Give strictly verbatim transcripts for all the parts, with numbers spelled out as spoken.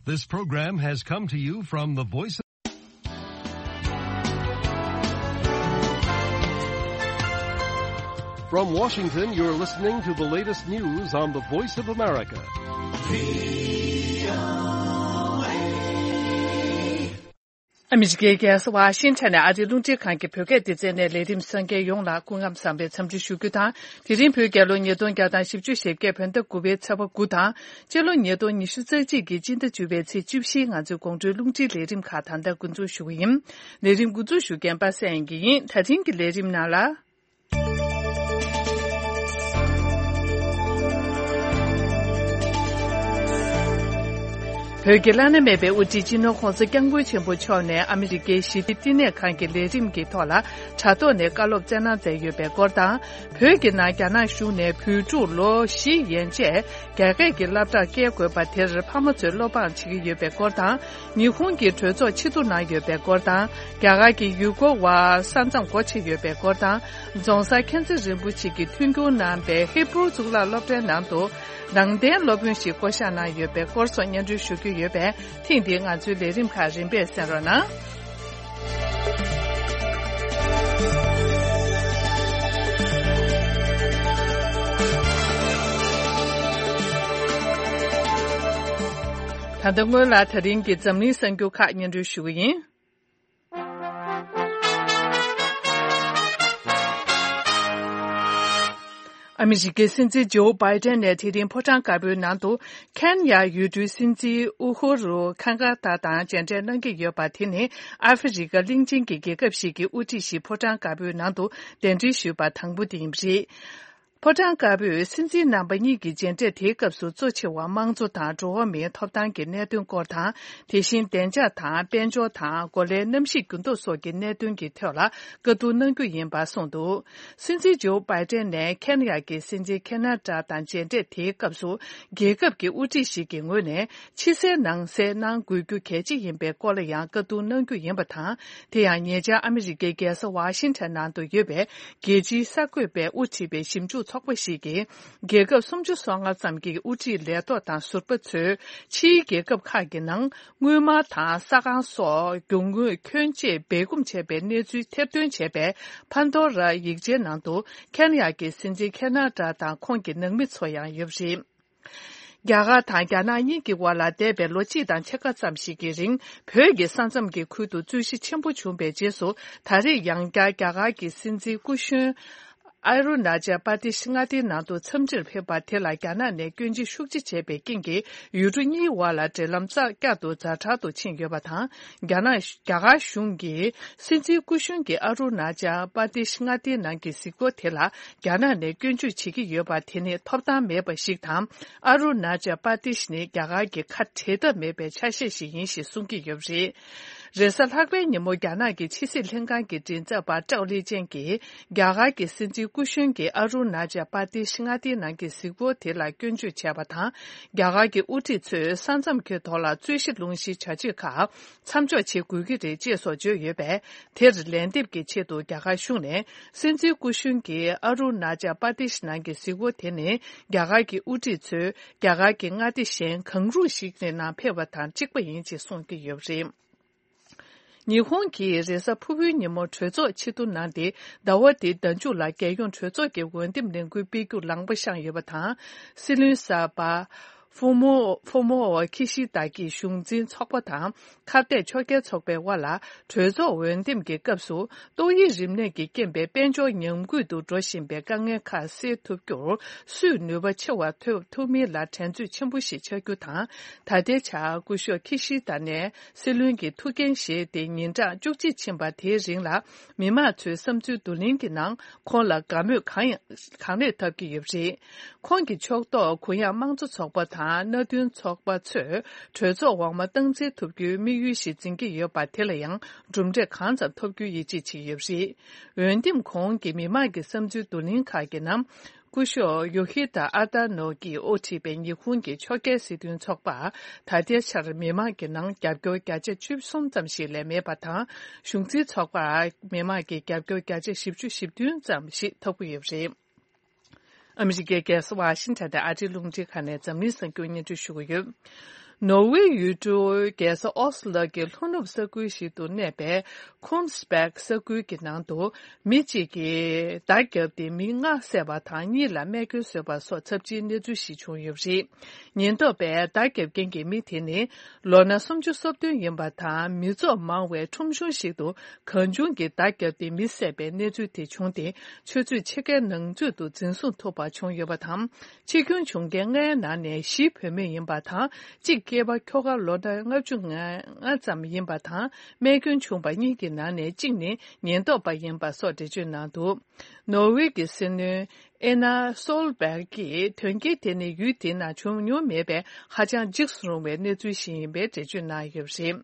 This program has come to you from the Voice of From Washington, you're listening to the latest news on the Voice of America. ཨ་མི་རི་ཀའི་རྒྱལ་ས་ཝ་ཤིང་ཊོན་ནས་ཨ་རིའི་རླུང་འཕྲིན་ཁང་གི་བོད་སྐད་སྡེ་ཚན་ནས་ལས་རིམ་གསན་མཁན་ཡོངས་ལ་སྐུ་ཁམས་བཟང་བའི་འཚམས་འདྲི་ཞུ་རྒྱུ་དང་། དེ་རིང་བོད་རྒྱལ་ལོ་ཉིས་སྟོང་བརྒྱ་དང་བཞི་བཅུ་ཞེ་བརྒྱད་བོད་ཟླ་དགུ་པའི་ཚེས་པ་དགུ་དང་། སྤྱི་ལོ་ཉིས་སྟོང་ཉི་ཤུ་རྩ་གཅིག་གི་སྤྱི་ཟླ་བཅུ་པའི་ཚེས་བཅུ་བཞིའི་ང་ཚོའི་དགོང་དྲོའི་རླུང་འཕྲིན་ལས་རིམ་ཁག་ད་ལྟ་འགོ་འཛུགས་ཞུ་གི་ཡིན། ལས་རིམ་འགོ་འཛུགས་ཞུ་མཁན་པ་སངས་དབྱངས་སྐྱིད་ཡིན། ད་རིང་གི་ལས་རིམ་ནང་ལ། བོད་ཀྱི་བླ་ན་མེད་པའི་དབུ་ཁྲིད་སྤྱི་ནོར་༸གོང་ས་༸སྐྱབས་མགོན་ཆེན་པོ་མཆོག་ནས་ཨ་མི་རི་ཀའི་ཞི་བདེ་བསྟི་གནས་ཁང་གི་ལས་རིམ་གྱི་ཐོག་ལ་དྲ་ཐོག་ནས་བཀའ་སློབ་སྩལ་གནང་མཛད་ཡོད་པའི་སྐོར་དང་། བོད་ཀྱི་ནང་རྒྱ་ནག་གཞུང་ནས་བོད་ཕྲུག་ལོ་བཞི་ཡན་ཆད་རྒྱ་སྐད་ཀྱི་སློབ་གྲྭར་བསྐྱལ་དགོས་པ་དེར་ཕ་མ་ཚོས་བློ་ཕམ་བྱེད་ཀྱི་ཡོད་པའི་སྐོར་དང་། ཉི་ཧོང་གི་གྲོས་ཚོགས་ཕྱིར་བསྡུ་གནང་ཡོད་པའི་སྐོར་དང་། རྒྱ་གར་གྱི་ཡུལ་སྐོར་བ་ས་མཚམས་སྒོ་ཕྱེ་ཡོད་པའི་སྐོར་དང་། རྫོང་སར་མཁྱེན་བརྩེ་རིན་པོ་ཆེ་གིས་མཐུན་འགྱུར་གནང་པའི་ཧི་བྷུ་རུ་གཙུག་ལག་སློབ་གྲྭའི་ནང་དུ་ནང་བསྟན་སློབ་དཔོན་ཞིག་བསྐོ་གཞག་གནང་ཡོད་པའི་སྐོར་སོགས་སྙན་སྒྲོན་ཞུ་རྒྱུ་ཡོད་པས། ཐེངས་འདིའི་ང་ཚོའི་ལས་རིམ་ཁག་རིམ་པས་གསན་རོགས་གནང་། ད་ལྟ་སྔོན་ལ་ད་རིང་གི་འཛམ་གླིང་གསར་འགྱུར་ཁག་སྙན་སྒྲོན་ཞུ་གི་ཡིན། ཨ་མི་རི་ཀའི་སྲིད་འཛིན་ཇོ་བྷའི་ཏན་ནས་དེ་རིང་ཕོ་བྲང་དཀར་པོའི་ནང་དུ་ཁེན་ཡ་ཡུལ་གྲུའི་སྲིད་འཛིན་ཨུ་ཧུ་རུ་ཁེན་ཡ་ཏ་དང་མཇལ་འཕྲད་གནང་གི་ཡོད་པ། དེ་ནི་ཨ་ཧྥེ་རི་ཀ་གླིང་ཆེན་གྱི་རྒྱལ་ཁབ་ཞིག་གི་དབུ་ཁྲིད་ཞིག་ཕོ་བྲང་དཀར་པོའི་ནང་དུ་གདན་འདྲེན་ཞུས་པ་དང་པོ་དེ་ཡིན་པ་རེད། ཕོ་བྲང་དཀར་པོས་སྲིད་འཛིན་རྣམ་པ་གཉིས་ཀྱི་མཇལ་འཕྲད་དེའི་སྐབས་སུ་གཙོ་ཆེ་བ་དམངས་གཙོ་དང་འགྲོ་བ་མིའི་ཐོབ་ཐང་གི་གནད་དོན་སྐོར་དང་། དེ་བཞིན་བདེ་འཇགས་དང་དཔལ་འབྱོར་དང་། གོ་ལའི་གནམ་གཤིས་འགྱུར་ལྡོག་སོགས་ཀྱི་གནད་དོན་གྱི་ཐོག་ལ་བཀའ་བསྡུར་གནང་རྒྱུ་ཡིན་པ་གསུངས་འདུག། སྲིད་འཛིན་ཇོ་བྷའི་ཏན་ནས་ཁེན་ཡ་གི་སྲིད་འཛིན་ཁེན་ཡ་ཏ་དང་མཇལ་འཕྲད་དེའི་སྐབས་སུ། རྒྱལ་ཁབ་ཀྱི་དབུ་ཁྲིད་ཞིག་གི་ངོས་ནས་ཕྱི་གསལ་ནང་གསལ་གནང་དགོས་རྒྱུ་གལ་ཆེ་ཡིན་པའི་སྐོར་ལ་ཡང་བཀའ་བསྡུར་གནང་རྒྱུ་ཡིན་པ་དང་། དེ་ཡང་ཉེ་ཆར་ཨ་མི་རི་ཀའི་རྒྱལ་ས་ཝ་ཤིང་ཊོན་ནང་དུ་ཡོད་པའི་རྒྱལ་སྤྱིའི་གསར་འགོད་པས་དབུ་ཁྲིད་པའི་ཞིབ་འཇུག་ཚོགས་པ་ཞིག་གིས། རྒྱལ་ཁབ་སུམ་ཅུ་སོ་ལྔ་ཙམ་གྱི་དབུ་ཁྲིད་ལས་ཐོག་དང་ཟུར་པ་ཚོས་ཕྱིའི་རྒྱལ་ཁབ་ཁག་གི་ནང་དངུལ་སྨར་དང་ས་ཁང་སོགས་རྒྱུ་དངོས་ཁྱོན་ཆེ་སྦས་སྐུང་བྱས་པའི་གནས་ཚུལ་ཐེར་འདོན་བྱས་པའི་ཕན་ཐོགས་ར་ཡིག་ཆའི་ནང་དུ། ཁེན་ཡ་གི་སྲིད་འཛིན་ཁེན་ཡ་ཏ་དང་ཁོང་གི་ནང་མི་ཚོ་ཡང་ཡོད་པ་རེད། རྒྱ་གར་དང་རྒྱ་ནག་གཉིས་ཀྱི་དབར་ལ་འདས་པའི་ལོ་གཅིག་དང་ཕྱེད་ཀ་ཙམ་ཞིག་གི་རིང་། བོད་ཀྱི་ས་མཚམས་ཀྱི་ཁུལ་དུ་རྩོད་གཞི་ཆེན་པོ་བྱུང་བའི་རྗེས་སུ། ད་རེས་ཡང་བསྐྱར་རྒྱ་གར་གྱི་སྲིད་འཛིན་སྐུ་གཞོན་ཨ་རུ་ན་ཅལ་པར་དེ་ཤི་མངའ་སྡེའི་ནང་དུ་འཚམས་འདྲིར་ཕེབས་པ་དེ་ལ་རྒྱ་ནག་ནས་སྐྱོན་བརྗོད་ཤུགས་ཆེ་བྱས་པའི་རྐྱེན་གྱིས། ཡུལ་གྲུ་གཉིས་དབར་ལ་འབྲེལ་ལམ་རྩ་བསྐྱར་དུ་ཛ་དྲག་ཏུ་ཕྱིན་ཡོད་པ་དང་། རྒྱ་ནག་རྒྱ་གར་གཞུང་གིས་སྲིད་འཛིན་སྐུ་གཞོན་གྱི་ཨ་རུ་ན་ཅལ་པར་དེ་ཤི་མངའ་སྡེའི་ནང་གི་གཟིགས་སྐོར་དེ་ལ། རྒྱ་ནག་ནས་སྐྱོན་བརྗོད་བྱེད་ཀྱི་ཡོད་པ་དེ་ནི་ཐོབ་ཐང་མེད་པ་ཞིག་དང་། ཨ་རུ་ན་ཅལ་པར་དེ་ཤི་ནི་རྒྱ་གར་གྱི་ཁ་བྲལ་ཐབས་མེད་པའི་ཆ་ཤས་ཤིག་ཡིན་ཞེས་གསུང་གི་ཡོད་པ་རེད། རེས་གཟའ་ལྷག་པའི་ཉིན་མོ་རྒྱ་ནག་གི་ཕྱི་སྲིད་ལྷན་ཁང་གི་མགྲིན་ཚབ་པ་ཀྲའོ་ལི་ཅན་གྱིས། རྒྱ་གར་གྱི་སྲིད་འཛིན་སྐུ་གཞོན་གྱིས་ཨ་རུ་ན་ཅལ་པར་དེ་ཤི་མངའ་སྡེའི་ནང་གི་གཟིགས་སྐོར་དེ་ལ་སྐྱོན་བརྗོད་བྱས་པ་དང་། རྒྱ་གར་གྱི་དབུ་ཁྲིད་ཚོས་ས་མཚམས་ཀྱི་ཐོག་ལ་རྩོད་གཞི་སློང་གཞིའི་བྱ་སྤྱོད་ཁག་མཚམས་འཇོག་བྱེད་དགོས་ཀྱི་རེད་ཅེས་སོགས་བརྗོད་ཡོད་པས། དེར་ལན་འདེབས་ཀྱི་ཆེད་དུ་རྒྱ་གར་གཞུང་ནས། སྲིད་འཛིན་སྐུ་གཞོན་གྱིས་ཨ་རུ་ན་ཅལ་པར་དེ་ཤི་ནང་གི་གཟིགས་སྐོར་དེ་ནི། རྒྱ་གར་གྱི་དབུ་ཁྲིད་ཚོས་རྒྱ་གར་གྱི་མངའ་སྡེ་གཞན་གང་རུང་ཞིག་གི་ནང་ཕེབས་པ་དང་གཅིག་པ་ཡིན་ཅེས་གསུང་གི་ཡོད་པ་རེད། ཉི་ཧོང་གིས་རེས་གཟའ་ཕུར་བུའི་ཉིན་མོ་གྲོས་ཚོགས་ཕྱིར་བསྡུ་གནང་སྟེ། ཟླ་བ་འདིའི་ཟླ་མཇུག་ལ་རྒྱལ་ཡོངས་གྲོས་ཚོགས་ཀྱི་འོས་འདེམས་ལས་འགུལ་སྤེལ་རྒྱུར་ལངས་པ་བཤངས་ཡོད་པ་དང་། སྲིད་བློན་གསར་པ་ཧྥུ་མོ་ཧྥུ་མོ་ཁི་ཤི་ད་ཀྱིས་གཞུང་འཛིན་ཚོགས་པ་དང་ཁ་གཏད་ཕྱོགས་འགལ་ཚོགས་པའི་དབར་ལ་གྲོས་ཚོགས་འོས་འདེམས་ཀྱི་སྐབས་སུ། ཏོག་དབྱིབས་རིམས་ནད་ཀྱིས་རྐྱེན་པས་དཔལ་འབྱོར་ཉམས་རྒུད་དུ་འགྲོ་བཞིན་པའི་དཀའ་ངལ་ཁག་སེལ་ཐུབ་རྒྱུར་སུས་ནུས་པ་ཆེ་བ་ཐོབ་ཐུབ་མིན་ལ་འགྲན་རྩོད་ཆེན་པོ་ཞིག་ཆགས་རྒྱུ་དང་། ད་ལྟའི་ཆར་སྐུ་ཞབས་ཁི་ཤི་ད་ནས། སྲིད་བློན་གྱི་ཐུགས་འགན་བཞེས་ཏེ་ཉིན་གྲངས་བཅུ་གཅིག་ཕྱིན་པ་དེའི་རིང་ལ། མི་མང་ཚོའི་བསམ་ཚུལ་བསྡུ་ལེན་གྱི་ནང་ཁོང་ལ་དགའ་མོས་གང་ཡང་གང་ལེགས་ཐོབ་ཀྱི་ཡོད་པ་རེད། ཁོང་གི་ཕྱོགས་གཏོགས་གུ་ཡངས་དམངས་གཙོ་ཚོགས་པ་དང་མནའ་མཐུན་ཚོགས་པ་ཚོས་གྲོས་ཚོགས་འོག་མ་སྟངས་འཛིན་ཐུབ་རྒྱུའི་དམིགས་ཡུལ་ཞིག་འཛིན་གྱི་ཡོད་པ་དེ་ལ་ཡང་གྲུབ་འབྲས་གང་ཙམ་ཐོབ་རྒྱུའི་ཡིད་ཆེས་བྱེད་ཀྱི་ཡོད་པ་རེད། འོས་འདེམས་གོང་གི་མི་མང་གི་བསམ་ཚུལ་བསྡུ་ལེན་ཁག་གི་ནང་། སྐུ་ཞབས་ཡོ་ཤི་ད་ཨ་ད་ནོ་གིས་དབུ་ཁྲིད་པའི་ཉི་ཧོང་གི་ཕྱོགས་འགལ་སྲིད་དོན་ཚོགས་པར་ད་ལྟའི་ཆར་མི་མང་གི་ནང་རྒྱབ་སྐྱོར་བརྒྱ་ཆ་བཅུ་གསུམ་ཙམ་ཞིག་ལས་མེད་པ་དང་། གཞུང་འཛིན་ཚོགས་པར་མི་མང་གི་རྒྱབ་སྐྱོར་བརྒྱ་ཆ་བཞི་བཅུ་ཞེ་བདུན་ཙམ་ཞིག་ཐོབ་ཀྱི་ཡོད་པ་རེད། ཨ་མི་རི་ཀའི་རྒྱལ་ས་ཝ་ཤིང་ཊོན་དང་ཨ་རིའི་རླུང་འཕྲིན་ཁང་ནས་འཛམ་གླིང་གསར་འགྱུར་སྙན་སྒྲོན་ཞུ་གི་ཡོད། ནོར་ཝེ་ཡུལ་གྲུ་རྒྱལ་ས་ཨོ་སི་ལོ་གི་ལྷོ་ནུབ་ས་ཁུལ་ཞིག་ཏུ་གནས་པའི་ཁུན་སི་པེག་ས་ཁུལ་གྱི་ནང་དུ་མི་གཅིག་གིས་མདའ་བརྒྱབ་སྟེ་མི་ལྔ་བསད་པ་དང་གཉིས་ལ་རྨས་སྐྱོན་བཟོས་པ་སོགས་ཚབས་ཆེའི་གནས་ཚུལ་ཞིག་བྱུང་ཡོད་པ་རེད། ཉེན་རྟོག་པས་མདའ་བརྒྱབ་མཁན་གྱི་མི་དེ་ནི་ལོ་ན་སུམ་ཅུ་སོ་བདུན་ཡིན་པ་དང་། མི་ཚོགས་མང་བའི་ཁྲོམ་གཞུང་ཞིག་ཏུ་གང་བྱུང་གིས་མདའ་བརྒྱབ་སྟེ་མི་བསད་པའི་གནས་ཚུལ་དེ་བྱུང་སྟེ། ཆུ་ཚོད་ཕྱེད་ཀའི་ནང་ཚུད་དུ་འཛིན་བཟུང་ཐུབ་པ་བྱུང་ཡོད་པ་དང་། འཆི་སྐྱོན་བྱུང་མཁན་ལྔའི་ནང་ནས་བཞི་བུད་མེད་ཡིན་པ་དང་། གཅིག་སྐྱེས་པ་ཁྱོ་ག་ལོ་ན་ལྔ་བཅུ་ང་ལྔ་ཙམ་ཡིན་པ་དང་། རྨས་སྐྱོན་བྱུང་པ་གཉིས་ཀྱི་ནང་ནས་གཅིག་ནི་ཉེན་རྟོག་པ་ཡིན་པ་སོགས་འགྲེལ་བརྗོད་གནང་འདུག་ནོར་ཝེ་གི་སྲིད་བློན་ཨེ་ན་སོལ་བྷེག་གིས་དོན་རྐྱེན་དེ་ནི་ཡུལ་དེའི་ནང་བྱུང་མྱོང་མེད་པའི་ཧ་ཅང་འཇིགས་སུ་རུང་བའི་གནས་ཚུལ་ཞིག་ཡིན་པའི་འགྲེལ་བརྗོད་གནང་ཡོད་པ་རེད།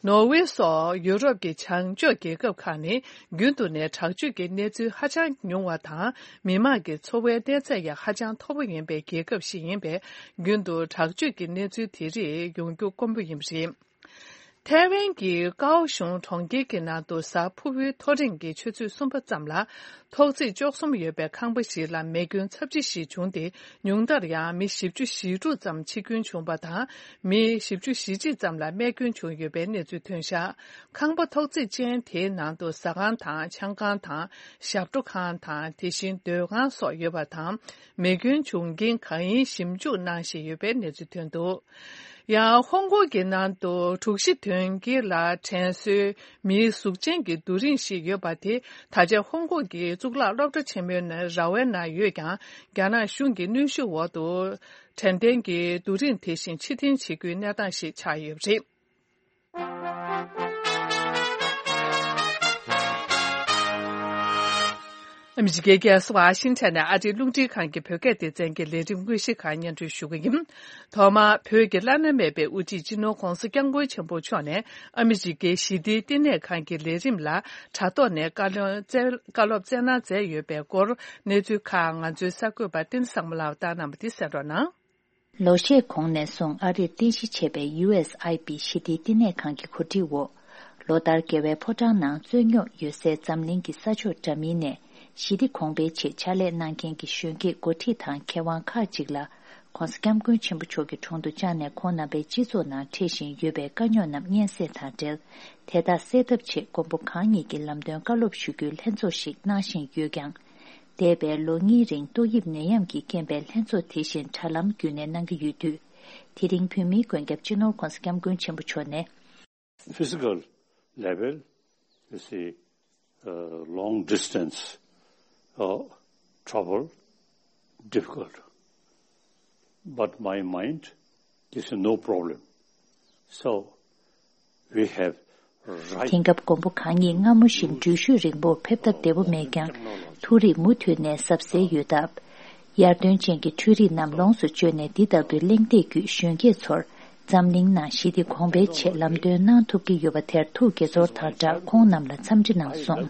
ནོར་ཝེ་སོགས་ཡུ་རོབ་ཀྱི་བྱང་ཕྱོགས་རྒྱལ་ཁབ་ཁག་ནི་རྒྱུན་དུ་ནས་དྲག་སྤྱོད་ཀྱི་གནས་ཚུལ་ཧ་ཅང་ཉུང་བ་དང་། མི་དམངས་ཀྱི་འཚོ་བའི་གནས་ཚད་ཡང་ཧ་ཅང་མཐོ་པོ་ཡིན་པའི་རྒྱལ་ཁབ་ཞིག་ཡིན་པས། རྒྱུན་དུ་དྲག་སྤྱོད་ཀྱི་གནས་ཚུལ་དེ་རིགས་ཡོང་རྒྱུ་དཀོན་པོ་ཡིན་པ་རེད། ཐའེ་ཝན་གྱི་ཀའོ་ཤུང་གྲོང་ཁྱེར་གྱི་ནང་དུ་གཟའ་ཕུར་བུའི་ཐོ་རེངས་ཀྱི་ཆུ་ཚོད་གསུམ་པ་ཙམ་ལ། ཐོག་བརྩེགས་བཅུ་གསུམ་ཡོད་པའི་ཁང་པ་ཞིག་ལ་མེ་སྐྱོན་ཚབས་ཆེ་ཞིག་བྱུང་སྟེ། ཉུང་མཐར་ཡང་མི་བཞི་བཅུ་ཞེ་དྲུག་ཙམ་འཆི་སྐྱོན་བྱུང་བ་དང་། མི་བཞི་བཅུ་ཞེ་གཅིག་ཙམ་ལ་རྨས་སྐྱོན་བྱུང་ཡོད་པའི་གནས་ཚུལ་ཐོན་བཞག་ཁང་པ་ཐོག་བརྩེགས་ཅན་དེའི་ནང་དུ་ཟ་ཁང་དང་། ཆང་ཁང་དང་། ཞབས་བྲོ་ཁང་དང་། དེ་བཞིན་སྡོད་ཁང་སོགས་ཡོད་པ་དང་། མེ་སྐྱོན་བྱུང་རྐྱེན་གང་ཡིན་ཞིབ་འཇུག་གནང་བཞིན་ཡོད་པའི་གནས་ཚུལ་ཐོན་འདུག་ཡང་ཧོང་ཀོང་གི་ནང་དུ་དྲུག་བཞི་དོན་དགུ་ལ་དྲན་གསོའི་མིའི་གཟུགས་ཅན་གྱི་རྡོ་རིང་ཞིག་ཡོད་པ་དེ། ད་ཆ་ཧོང་ཀོང་གི་གཙུག་ལག་སློབ་གྲྭ་ཆེན་མོའི་ནང་ར་བའི་ནང་ཡོད་ཀྱང་། རྒྱ་ནག་གཞུང་གི་གནོན་ཤུགས་འོག་ཏུ། དྲན་རྟེན་གྱི་རྡོ་རིང་དེ་བཞིན་ཕྱིར་འཐེན་བྱེད་རྒྱུའི་གནས་སྟངས་ཤིག་ཆགས་ཡོད་པ་རེད། ཨ་མི་རི་ཀའི་རྒྱལ་ས་ཝ་ཤིང་ཊོན་ནས་ཨ་རིའི་རླུང་འཕྲིན་ཁང་གི་བོད་སྐད་སྡེ་ཚན་གྱི་ལས་རིམ་དངོས་གཞི་ཁག་སྙན་སྒྲོན་ཞུ་གི་ཡིན། ཐོག་མར་བོད་ཀྱི་བླ་ན་མེད་པའི་དབུ་ཁྲིད་སྤྱི་ནོར་༧གོང་ས་༧སྐྱབས་མགོན་ཆེན་པོ་མཆོག་ནས་ཨ་མི་རི་ཀའི་ཞི་བདེའི་བསྟི་གནས་ཁང་གི་ལས་རིམ་ལ་དྲ་ཐོག་ནས་བཀའ་སློབ་སྩལ་བཀའ་སློབ་སྩལ་གནང་མཛད་ཡོད་པའི་སྐོར་གནས་ཚུལ་ཁག་ང་ཚོའི་གསར་འགོད་པ་བསྟན་བཟང་མོ་ལགས་བཏང་གནང་བ་འདི་གསན་རོགས་གནང་། ལོ་ཤས་གོང་ནས་བཟུང་ཨ་རིར་རྟེན་གཞི་བྱས་པའི་ཡུ་ཨེས་ཨའི་པི་ཞི་བདེའི་བསྟི་གནས་ཁང་གི་གོ་སྒྲིག་འོག་ལོ་ལྟར་རྒྱལ་བའི་ཕོ་བྲང་ནང་རྩོད་རྙོག་ཡོད་སའི་འཛམ་གླིང་གི་ས་ཕྱོགས་འདྲ་མིན་ནས་ཞི་བདེ་གོང་འཕེལ་ཆེད་ཕྱག་ལས་གནང་མཁན་གྱི་གཞོན་སྐྱེས་འགོ་ཁྲིད་དང་མཁས་དབང་ཁག་ཅིག་ལ། ༧གོང་ས་༧སྐྱབས་མགོན་ཆེན་པོ་མཆོག་གི་དྲུང་དུ་བཅར་ནས་ཁོང་རྣམ་པའི་སྤྱི་ཚོགས་ནང་འཕྲད་བཞིན་ཡོད་པའི་དཀའ་རྙོག་རྣམས་སྙན་སེང་དང་འབྲེལ། དེ་དག་སེལ་ཐབས་ཆེད་མགོན་པོ་གང་ཉིད་ཀྱི་ལམ་སྟོན་བཀའ་སློབ་ཞུ་རྒྱུའི་ལྷན་ཚོགས་ཤིག་གནང་བཞིན་ཡོད་ཀྱང་། འདས་པའི་ལོ་གཉིས་རིང་ཏོག་དབྱིབས་ནད་ཡམས་ཀྱི་རྐྱེན་པས་ལྷན་ཚོགས་དེ་བཞིན་དྲ་ལམ་བརྒྱུད་ནས་གནང་གི་ཡོད་དུས། དེ་རིང་བོད་མིའི་མགོན་སྐྱབས་སྤྱི་ནོར་༧གོང་ས་༧སྐྱབས་མགོན་ཆེན་པོ་མཆོག་ནས། Physical level, you see, uh, long distance, uh, trouble, difficult. But my mind, this is no problem. So, we have right དེང་སྐབས་མགོན་པོ་གང་ཉིད་སྔ་མོ་བཞིན་འགྲུལ་བཞུད་རིང་པོར་ཕེབས་ཐབས་བདེ་པོ་མེད་ཀྱང་། ཐུགས་རིག་མུ་མཐུད་ནས་གཟབ་གཟབ་ཡོད་སྟབས། ཡར་ཐོན་ཅན་གྱི་འཕྲུལ་རིག་རྣམས་ལོངས་སུ་སྤྱོད་ནས་འདི་ལྟ་བུའི་གླེང་སྟེགས་བརྒྱུད་གཞོན་སྐྱེས་ཚོར་འཛམ་གླིང་ནང་ཞི་བདེ་གོང་འཕེལ་ཆེད་ལམ་སྟོན་གནང་ཐུབ་ཀྱི་ཡོད་པ་དེར་ཐུགས་དགྱེས་ཚོར་དང་སྦྲགས་ཁོང་རྣམས་ལ་འཚམས་འདྲི་གནང་སོང་།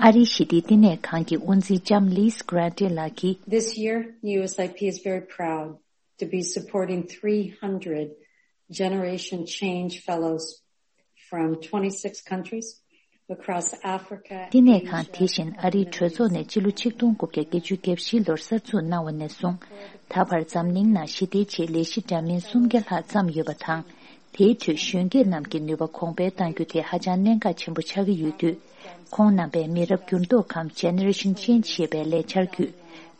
ཨ་རིའི་ཞི་བདེའི་བསྟི་གནས་ཁང་གི་དབུ་འཛིན་ལྕམ་Liz Grande ལགས་ཀྱིས། This year, the U S I P is very proud to be supporting three hundred Generation Change Fellows from twenty-six countries across Africa, བསྟི་གནས་ཁང་དེ་བཞིན་ཨ་རིའི་གྲོས་ཚོགས་ནས་སྤྱི་ལོ་ཆིག་སྟོང་དགུ་བརྒྱ་བརྒྱད་ཅུ་གྱ་བཞི་ལོར་གསར་འཛུགས་གནང་བ་ནས་བཟུང་། ད་བར་འཛམ་གླིང་ནང་ཞི་བདེའི་ཆེད་ལས་གཞི་འདྲ་མིན་སུམ་བརྒྱ་ལྷག་བརྩམས་ཡོད་པ་དང་། དེའི་ཁྲོད་གཞོན་སྐྱེས་རྣམས་ཀྱི་ནུས་པ་གོང་འཕེལ་གཏང་རྒྱུ་དེ་ཧ་ཅང་གནད་འགག་ཆེན་པོ་ཆགས་ཀྱི་ཡོད་དུས། ཁོང་རྣམ་པས་མི་རབས་འགྱུར་ལྡོག་གམ་Generation Change ཞེས་པའི་ལས་འཆར་བརྒྱུད།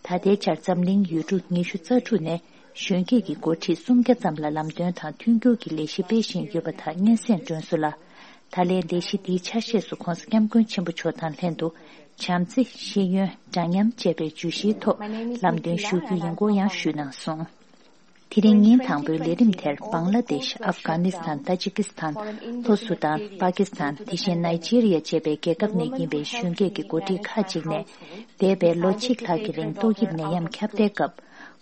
ད་ལྟའི་ཆར་འཛམ་གླིང་ཡུལ་གྲུ་ཉི་ཤུ་རྩ་དྲུག་ནས་གཞོན་སྐྱེས་ཀྱི་འགོ་ཁྲིད་སུམ་བརྒྱ་ཙམ་ལ་ལམ་སྟོན་དང་མཐུན་འགྱུར་གྱི་ལས་གཞི་སྤེལ་བཞིན་ཡོད་པ་དག་སྙན་སེང་སྒྲོན་སོང་ལ། ད་ལན་ལས་གཞི་འདིའི་ཆ་ཤས་སུ་༧གོང་ས་༧སྐྱབས་མགོན་ཆེན་པོ་མཆོག་དང་ལྷན་དུ་བྱམས་བརྩེ། ཤེས་ཡོན། འདྲ་མཉམ་བཅས་པའི་བརྗོད་གཞིའི་ཐོག་ལམ་སྟོན་ཞུ་རྒྱུ་ཡིན་སྐོར་ཡང་ཞུས་གནང་སོང་། དེ་རིང་ཉིན་དང་པོའི་ལས་རིམ་དེར་བང་ལ་དེཤ། ཨབ་གྷ་ནི་སི་ཐན། ཏ་ཇི་ཀི་སི་ཐན། ལྷོ་སུ་དཱན། པ་ཀི་སི་ཐན། དེ་བཞིན་ནཱི་ཇི་རི་ཡ་བཅས་པའི་རྒྱལ་ཁབ་ནས་ཡིན་པའི་གཞོན་སྐྱེས་ཀྱི་འགོ་ཁྲིད་ཁག་ཅིག་ནས། འདས་པའི་ལོ་གཅིག་ལྷག་གི་རིང་ཏོག་དབྱིབས་ནད་ཡམས་ཁྱབ་གདལ་སྐབས།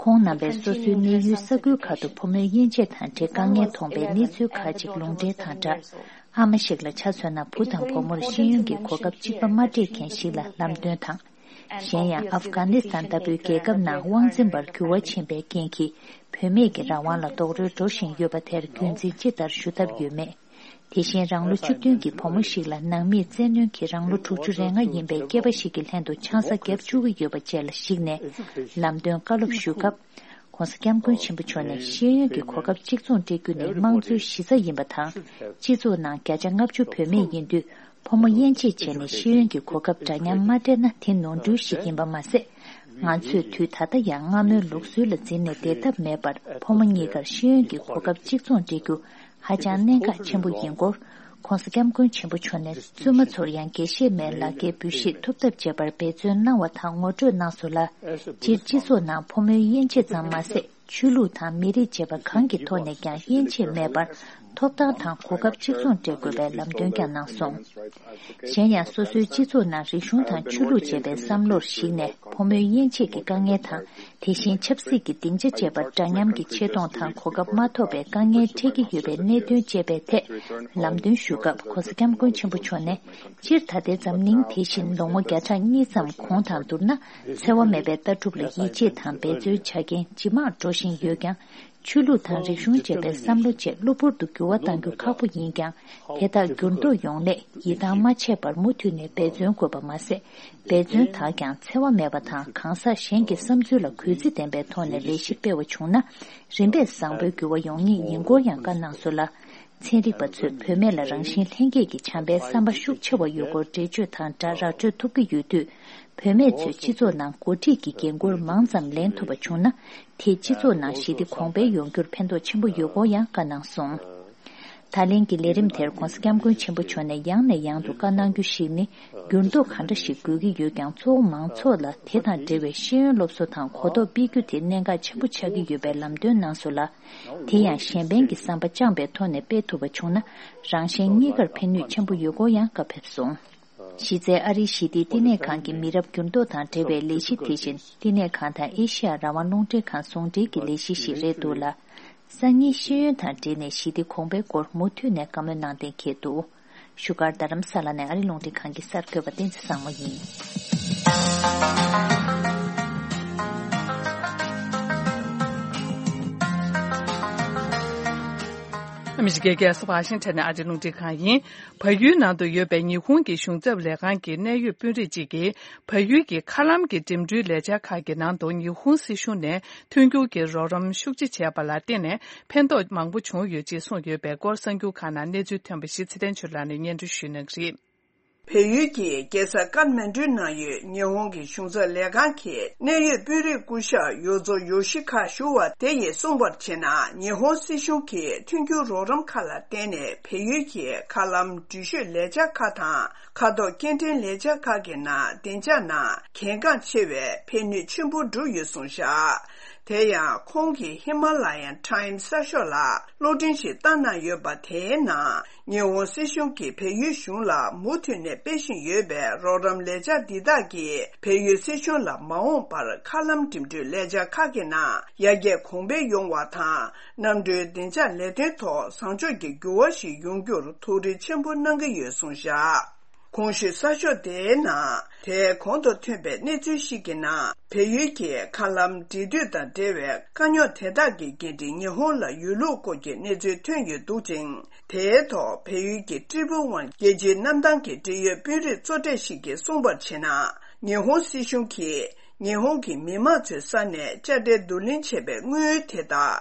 ཁོང་རྣམ་པས་སོ་སོའི་གནས་ཡུལ་ས་ཁུལ་ཁག་ཏུ་ཕོ་མོའི་དབྱེ་འབྱེད་དང་འབྲེལ་དཀའ་ངལ་མཐོང་པའི་གནས་ཚུལ་ཁག་ཅིག་ལུང་འདྲེན་དང་སྦྲགས། ཨ་མ་ཞིག་ལ་ཆ་མཚོན་ན་བུ་དང་བུ་མོར་ཤེས་ཡོན་གྱི་གོ་སྐབས་གཅིག་པ་མ་སྤྲད་མཁན་ཞིག་ལ་ལམ་སྟོན་དང་། གཞན་ཡང་ཨབ་གྷ་ནི་སི་ཐན་ལྟ་བུའི་རྒྱལ་ཁབ་ནང་དབང་འཛིན་པར་འགྱུར་བ་ཕྱིན་པའི་རྐྱེན་གྱིས་བུད་མེད་ཀྱི་རང་དབང་ལ་རྡོག་རོལ་འགྲོ་བཞིན་ཡོད་པ་དེར་རྒྱུན་འཛིན་ཅི་ལྟར་ཞུ་ཐབས་ཡོད་མེད། དེ་བཞིན་རང་ལོ་བཅུ་བདུན་གྱི་བུ་མོ་ཞིག་ལ་ནང་མིས་བཙན་གནོན་གྱིས་རང་ལོ་དྲུག་ཅུ་རེ་ལྔ་ཡིན་པའི་སྐྱེས་པ་ཞིག་གི་ལྷན་དུ་ཆང་ས་བརྒྱབ་བཅུག་གི་ཡོད་པ་བཅས་ལ་གཞིགས་ནས་ལམ་སྟོན་བཀའ་སློབ་ཞུ་སྐབས། ༸གོང་ས་༸སྐྱབས་མགོན་ཆེན་པོ་མཆོག་ནས་ཤེས་ཡོན་གྱི་གོ་སྐབས་གཅིག་མཚུངས་སྤྲད་རྒྱུ་ནི་དམངས་གཙོའི་གཞི་རྩ་ཡིན་པ་དང་། སྤྱི་ཚོགས་ནང་བརྒྱ་ཆ་ལྔ་བཅུ་བུད་མེད་ཡིན་དུས། ཕོ་མོ་དབྱེ་འབྱེད་བྱས་ནས་ཤེས་ཡོན་གྱི་གོ་སྐབས་འདྲ་མཉམ་མ་སྤྲད་ན་དེ་ནོར་འཁྲུལ་ཞིག་ཡིན་པ་མ་ཟད། ང་ཚོས་དུས་ད་ལྟ་ཡང་སྔ་མོའི་ལུགས་སྲོལ་ལ་འཛིན་ནས་བསྡད་ཐབས་མེད་པར། ཕོ་མོ་གཉིས་ཀར་ཤེས་ཡོན་གྱི་གོ་སྐབས་གཅིག་མཚུངས་སྤྲད་རྒྱུ་ཧ་ཅང་གནད་འགག་ཆེན་པོ་ཡིན་སྐོར། ༸གོང་ས་༸སྐྱབས་མགོན་ཆེན་པོ་མཆོག་ནས་བཙུན་མ་ཚོར་ཡང་དགེ་བཤེས་མའི་ལག་འཁྱེར་འབུལ་བཞེས་ཐོབ་ཐབས་བྱེད་པར་འབད་བརྩོན་གནང་བ་དང་ངོ་སྤྲོད་གནང་སོང་ལ། སྤྱིར་སྤྱི་ཚོགས་ནང་ཕོ་མོའི་དབྱེ་འབྱེད་ཙམ་མ་ཟད། ཆོས་ལུགས་དང་མི་རིགས་བཅས་པ་གང་གི་ཐོག་ནས་ཀྱང་དབྱེ་འབྱེད་མེད་པར། ཐོབ་ཐང་དང་གོ་སྐབས་གཅིག་མཚུངས་སྤྲད་དགོས་པའི་ལམ་སྟོན་ཀྱང་གནང་སོང་། གཞན་ཡང་སོ་སོའི་སྤྱི་ཚོགས་ནང་རིག་གཞུང་དང་ཆོས་ལུགས་བཅས་པའི་བསམ་བློར་གཞིགས་ནས། ཕོ་མོའི་དབྱེ་འབྱེད་ཀྱི་དཀའ་ངལ་དང་། དེ་བཞིན་ཆབ་སྲིད་ཀྱི་སྡིངས་ཆ་བཅས་པར་འདྲ་མཉམ་གྱི་ཆེ་མཐོང་དང་གོ་སྐབས་མ་ཐོབ་པའི་དཀའ་ངལ་འཕྲད་ཀྱི་ཡོད་པའི་གནད་དོན་བཅས་པའི་ཐད་ལམ་སྟོན་ཞུ་སྐབས། ༸གོང་ས་༸སྐྱབས་མགོན་ཆེན་པོ་མཆོག་ནས། སྤྱིར་ད་ལྟའི་འཛམ་གླིང་དེ་བཞིན་ལོ་ངོ་བརྒྱ་ཕྲག་གཉིས་ཙམ་གོང་དང་བསྡུར་ན། འཚེ་བ་མེད་པའི་ལྟ་གྲུབ་ལ་ཡིད་ཆེས་དང་འབད་བརྩོན་བྱ་མཁན་ཇེ་མང་འགྲོ་བཞིན་ཡོད་ཀྱང་། ཆོས་ལུགས་དང་རིག་གཞུང་བཅས་པའི་བསམ་བློ་བཅས་གློ་བུར་དུ་འགྱུར་བ་གཏང་རྒྱུ་ཁག་པོ་ཡིན་ཀྱང་། དེ་དག་འགྱུར་ལྡོག་ཡོང་སླད་ཡིད་ཐང་མ་ཆད་པར་མུ་མཐུད་ནས་འབད་བརྩོན་དགོས་པ་མ་ཟད། འབད་བརྩོན་དག་ཀྱང་འཚེ་བ་མེད་པ་དང་། གང་ཟག་གཞན་གྱི་བསམ་ཚུལ་ལ་གུས་བརྩི་ལྡན་པའི་ཐོག་ནས་ལས་གཞི་སྤེལ་བ་བྱུང་ན། རིམ་པས་བཟང་པོའི་འགྱུར་བ་ཡོང་ངེས་ཡིན་སྐོར་ཡང་བཀའ་གནང་སོང་ལ། ཚན་རིག་པ་ཚོས་བུད་མེད་ལ་རང་བཞིན་ལྷན་སྐྱེས་ཀྱི་བྱམས་པའི་བསམ་པ་ཤུགས་ཆེ་བ་ཡོད་སྐོར་འགྲེལ་བརྗོད་དང་སྦྲགས་ར་སྤྲོད་ཐུབ་ཀྱི་ཡོད་དུས། བུད་མེད་ཚོས་སྤྱི་ཚོགས་ནང་འགོ་ཁྲིད་ཀྱི་འགན་འཁུར་མང་ཙམ་ལེན་ཐུབ་པ་བྱུང་ན། དེས་སྤྱི་ཚོགས་ནང་ཞི་བདེ་གོང་འཕེལ་ཡོང་རྒྱུར་ཕན་ཐོགས་ཆེན་པོ་ཡོད་སྐོར་ཡང་བཀའ་གནང་སོང་། ད་ལན་གྱི་ལས་རིམ་དེར་༸གོང་ས་༸སྐྱབས་མགོན་ཆེན་པོ་མཆོག་ནས་ཡང་ནས་ཡང་དུ་བཀའ་གནང་རྒྱུ་ཞིག་ནི། འགྱུར་ལྡོག་ག་འདྲ་ཞིག་དགོས་ཀྱི་ཡོད་ཀྱང་། གཙོ་བོ་མང་ཚོགས་ལ་དེ་དང་འབྲེལ་བའི་ཤེས་ཡོན་སློབ་གསོ་དང་གོ་རྟོགས་སྤེལ་རྒྱུ་དེ་གནད་འགག་ཆེན་པོ་ཆགས་ཀྱི་ཡོད་པའི་ལམ་སྟོན་གནང་སོང་ལ། དེ་ཡང་གཞན་ཕན་གྱི་བསམ་པ་བཅངས་པའི་ཐོག་ནས་སྤེལ་ཐུབ་པ་བྱུང་ན། རང་གཞན་གཉིས་ཀར་ཕན་ནུས་ཆེན་པོ་ཡོད་སྐོར་ཡང་བཀའ་ཕེབས་སོང་། གཞི་རྩའི་ཨ་རིའི་ཞི་བདེའི་བསྟི་གནས་ཁང་གི་མི་རབས་འགྱུར་ལྡོག་དང་འབྲེལ་བའི་ལས་གཞི་དེ་བཞིན། བསྟི་གནས་ཁང་དང་ཨེ་ཤི་ཡ་རང་དབང་རླུང་འཕྲིན་ཁང་ཟུང་འབྲེལ་གྱི་ལས་གཞི་ཞིག་རེད་འདུག་ལ། སང་ཉིན་ཤེས་ཡོན་དང་འབྲེལ་ནས་ཞི་བདེ་གོང་འཕེལ་སྐོར་མུ་མཐུད་ནས་བཀའ་མོལ་གནང་གཏན་འཁེལ་འདུག་བཞུགས་སྒར་རྡ་རམ་ས་ལ་ནས་ཨ་རི་རླུང་འཕྲིན་ཁང་གི་གསར་འགོད་པ་བསྟན་འཛིན་བཟང་མོ་ཡིན། ཨ་མི་རི་ཀའི་རྒྱལ་ས་ཝ་ཤིང་ཊོན་ནས་ཨ་རི་རླུང་འཕྲིན་ཁང་ཡིན། བལ་ཡུལ་ནང་དུ་ཡོད་པའི་ཉི་ཧོང་གི་གཞུང་ཚབ་ལས་ཁང་གི་གནད་ཡོད་དཔོན་རིགས་གཅིག་གིས། བལ་ཡུལ་གྱི་མཁའ་ལམ་གྱི་འགྲིམ་འགྲུལ་ལས་འཆར་ཁག་གི་ནང་དུ་ཉི་ཧོང་སྲིད་གཞུང་ནས་མཐུན་འགྱུར་གྱི་རོགས་རམ་ཤུགས་ཆེ་བྱས་པ་ལ་བརྟེན་ནས། ཕན་ཐོགས་མང་པོ་བྱུང་ཡོད་ཅེས་གསུངས་ཡོད་པའི་སྐོར། གསར་འགྱུར་ཁག་ནང་གནས་ཚུལ་ཐོན་པ་ཞིག་ཚེ་བརྟན་ཆོས་ལགས་ནས་སྙན་སྒྲོན་ཞུ་གནང་གི་རེད། བལ་ཡུལ་གྱི་རྒྱལ་ས་ཀཏ་མན་ཌུ་ནང་ཡོད་ཉི་ཧོང་གི་གཞུང་ཚབ་ལས་ཁང་གི་གནད་ཡོད་དཔོན་རིགས་སྐུ་ཞབས་ཡོ་ཛོ་ཡོ་ཤི་ཁ་ཞུ་བ་དེ་ཡིས་གསུངས་པར་བྱས་ན། ཉི་ཧོང་སྲིད་གཞུང་གིས་མཐུན་འགྱུར་རོགས་རམ་ཁག་ལ་བརྟེན་ནས། བལ་ཡུལ་གྱི་མཁའ་ལམ་འགྲུལ་བཞུད་ལས་འཆར་ཁག་དང་། མཁའ་ཐོག་སྐྱེལ་འདྲེན་ལས་འཆར་ཁག་གི་ནང་བདེ་འཇགས་ནང་གལ་འགངས་ཆེ་བའི་ཕན་ནུས་ཆེན་པོ་བསྒྲུབས་ཡོད་གསུངས་བཞག་དེ་ཡང་ཁོང་གིས་ཧི་མ་ལ་ཡན་ཊའིམ་གསར་ཤོག་ལ་གློག་འཕྲིན་ཞིག་བཏང་གནང་ཡོད་པ། དེའི་ནང་ཉི་ཧོང་སྲིད་གཞུང་གིས་བལ་ཡུལ་གཞུང་ལ་མུ་མཐུད་ནས་སྤེལ་བཞིན་ཡོད་པའི་རོགས་རམ་ལས་འཆར་འདི་དག་གིས་བལ་ཡུལ་སྲིད་གཞུང་ལ་མ་འོངས་པར་མཁའ་ལམ་འགྲིམ་འགྲུལ་ལས་འཆར་ཁག་གི་ནང་ཡར་རྒྱས་གོང་འཕེལ་ཡོང་བ་དང་། གནམ་གྲུའི་བདེ་འཇགས་ལས་དོན་ཐོག་བཟང་ཕྱོགས་ཀྱི་འགྱུར་བ་ཞིག་ཡོང་རྒྱུར་ཐུགས་རེ་ཆེན་པོ་གནང་གི་ཡོད་གསུངས་བཞག་གོང་ཞུས་གསར་ཤོག་དེའི་ནང་། དེའི་གོང་དུ་ཐོན་པའི་གནས་ཚུལ་ཞིག་གི་ནང་། བལ་ཡུལ་གྱི་མཁའ་ལམ་འབྲེལ་མཐུད་དང་འབྲེལ་བའི་དཀའ་རྙོག་དེ་དག་གི་འགན་འཁྲི་ཉི་ཧོང་ལ་ཡོད་ལུགས་སྐོར་གྱི་གནས་ཚུལ་ཐོན་ཡོད་འདུག་ཅིང་། དེའི་ཐོག་བལ་ཡུལ་གྱི་ཊི་རི་པི་ཝན་རྒྱལ་སྤྱིའི་གནམ་ཐང་གི་འབྲེལ་ཡོད་དཔོན་རིགས་གཙོ་གྲས་ཤིག་གིས་གསུངས་པར་བྱས་ན། ཉི་ཧོང་སྲིད་གཞུང་གིས་ཉི་ཧོང་གི་མི་མང་ཚོའི་ས་ནས་དཔྱ་ཁྲལ་བསྡུ་ལེན་བྱས་པའི་དངུལ་དེ་དག་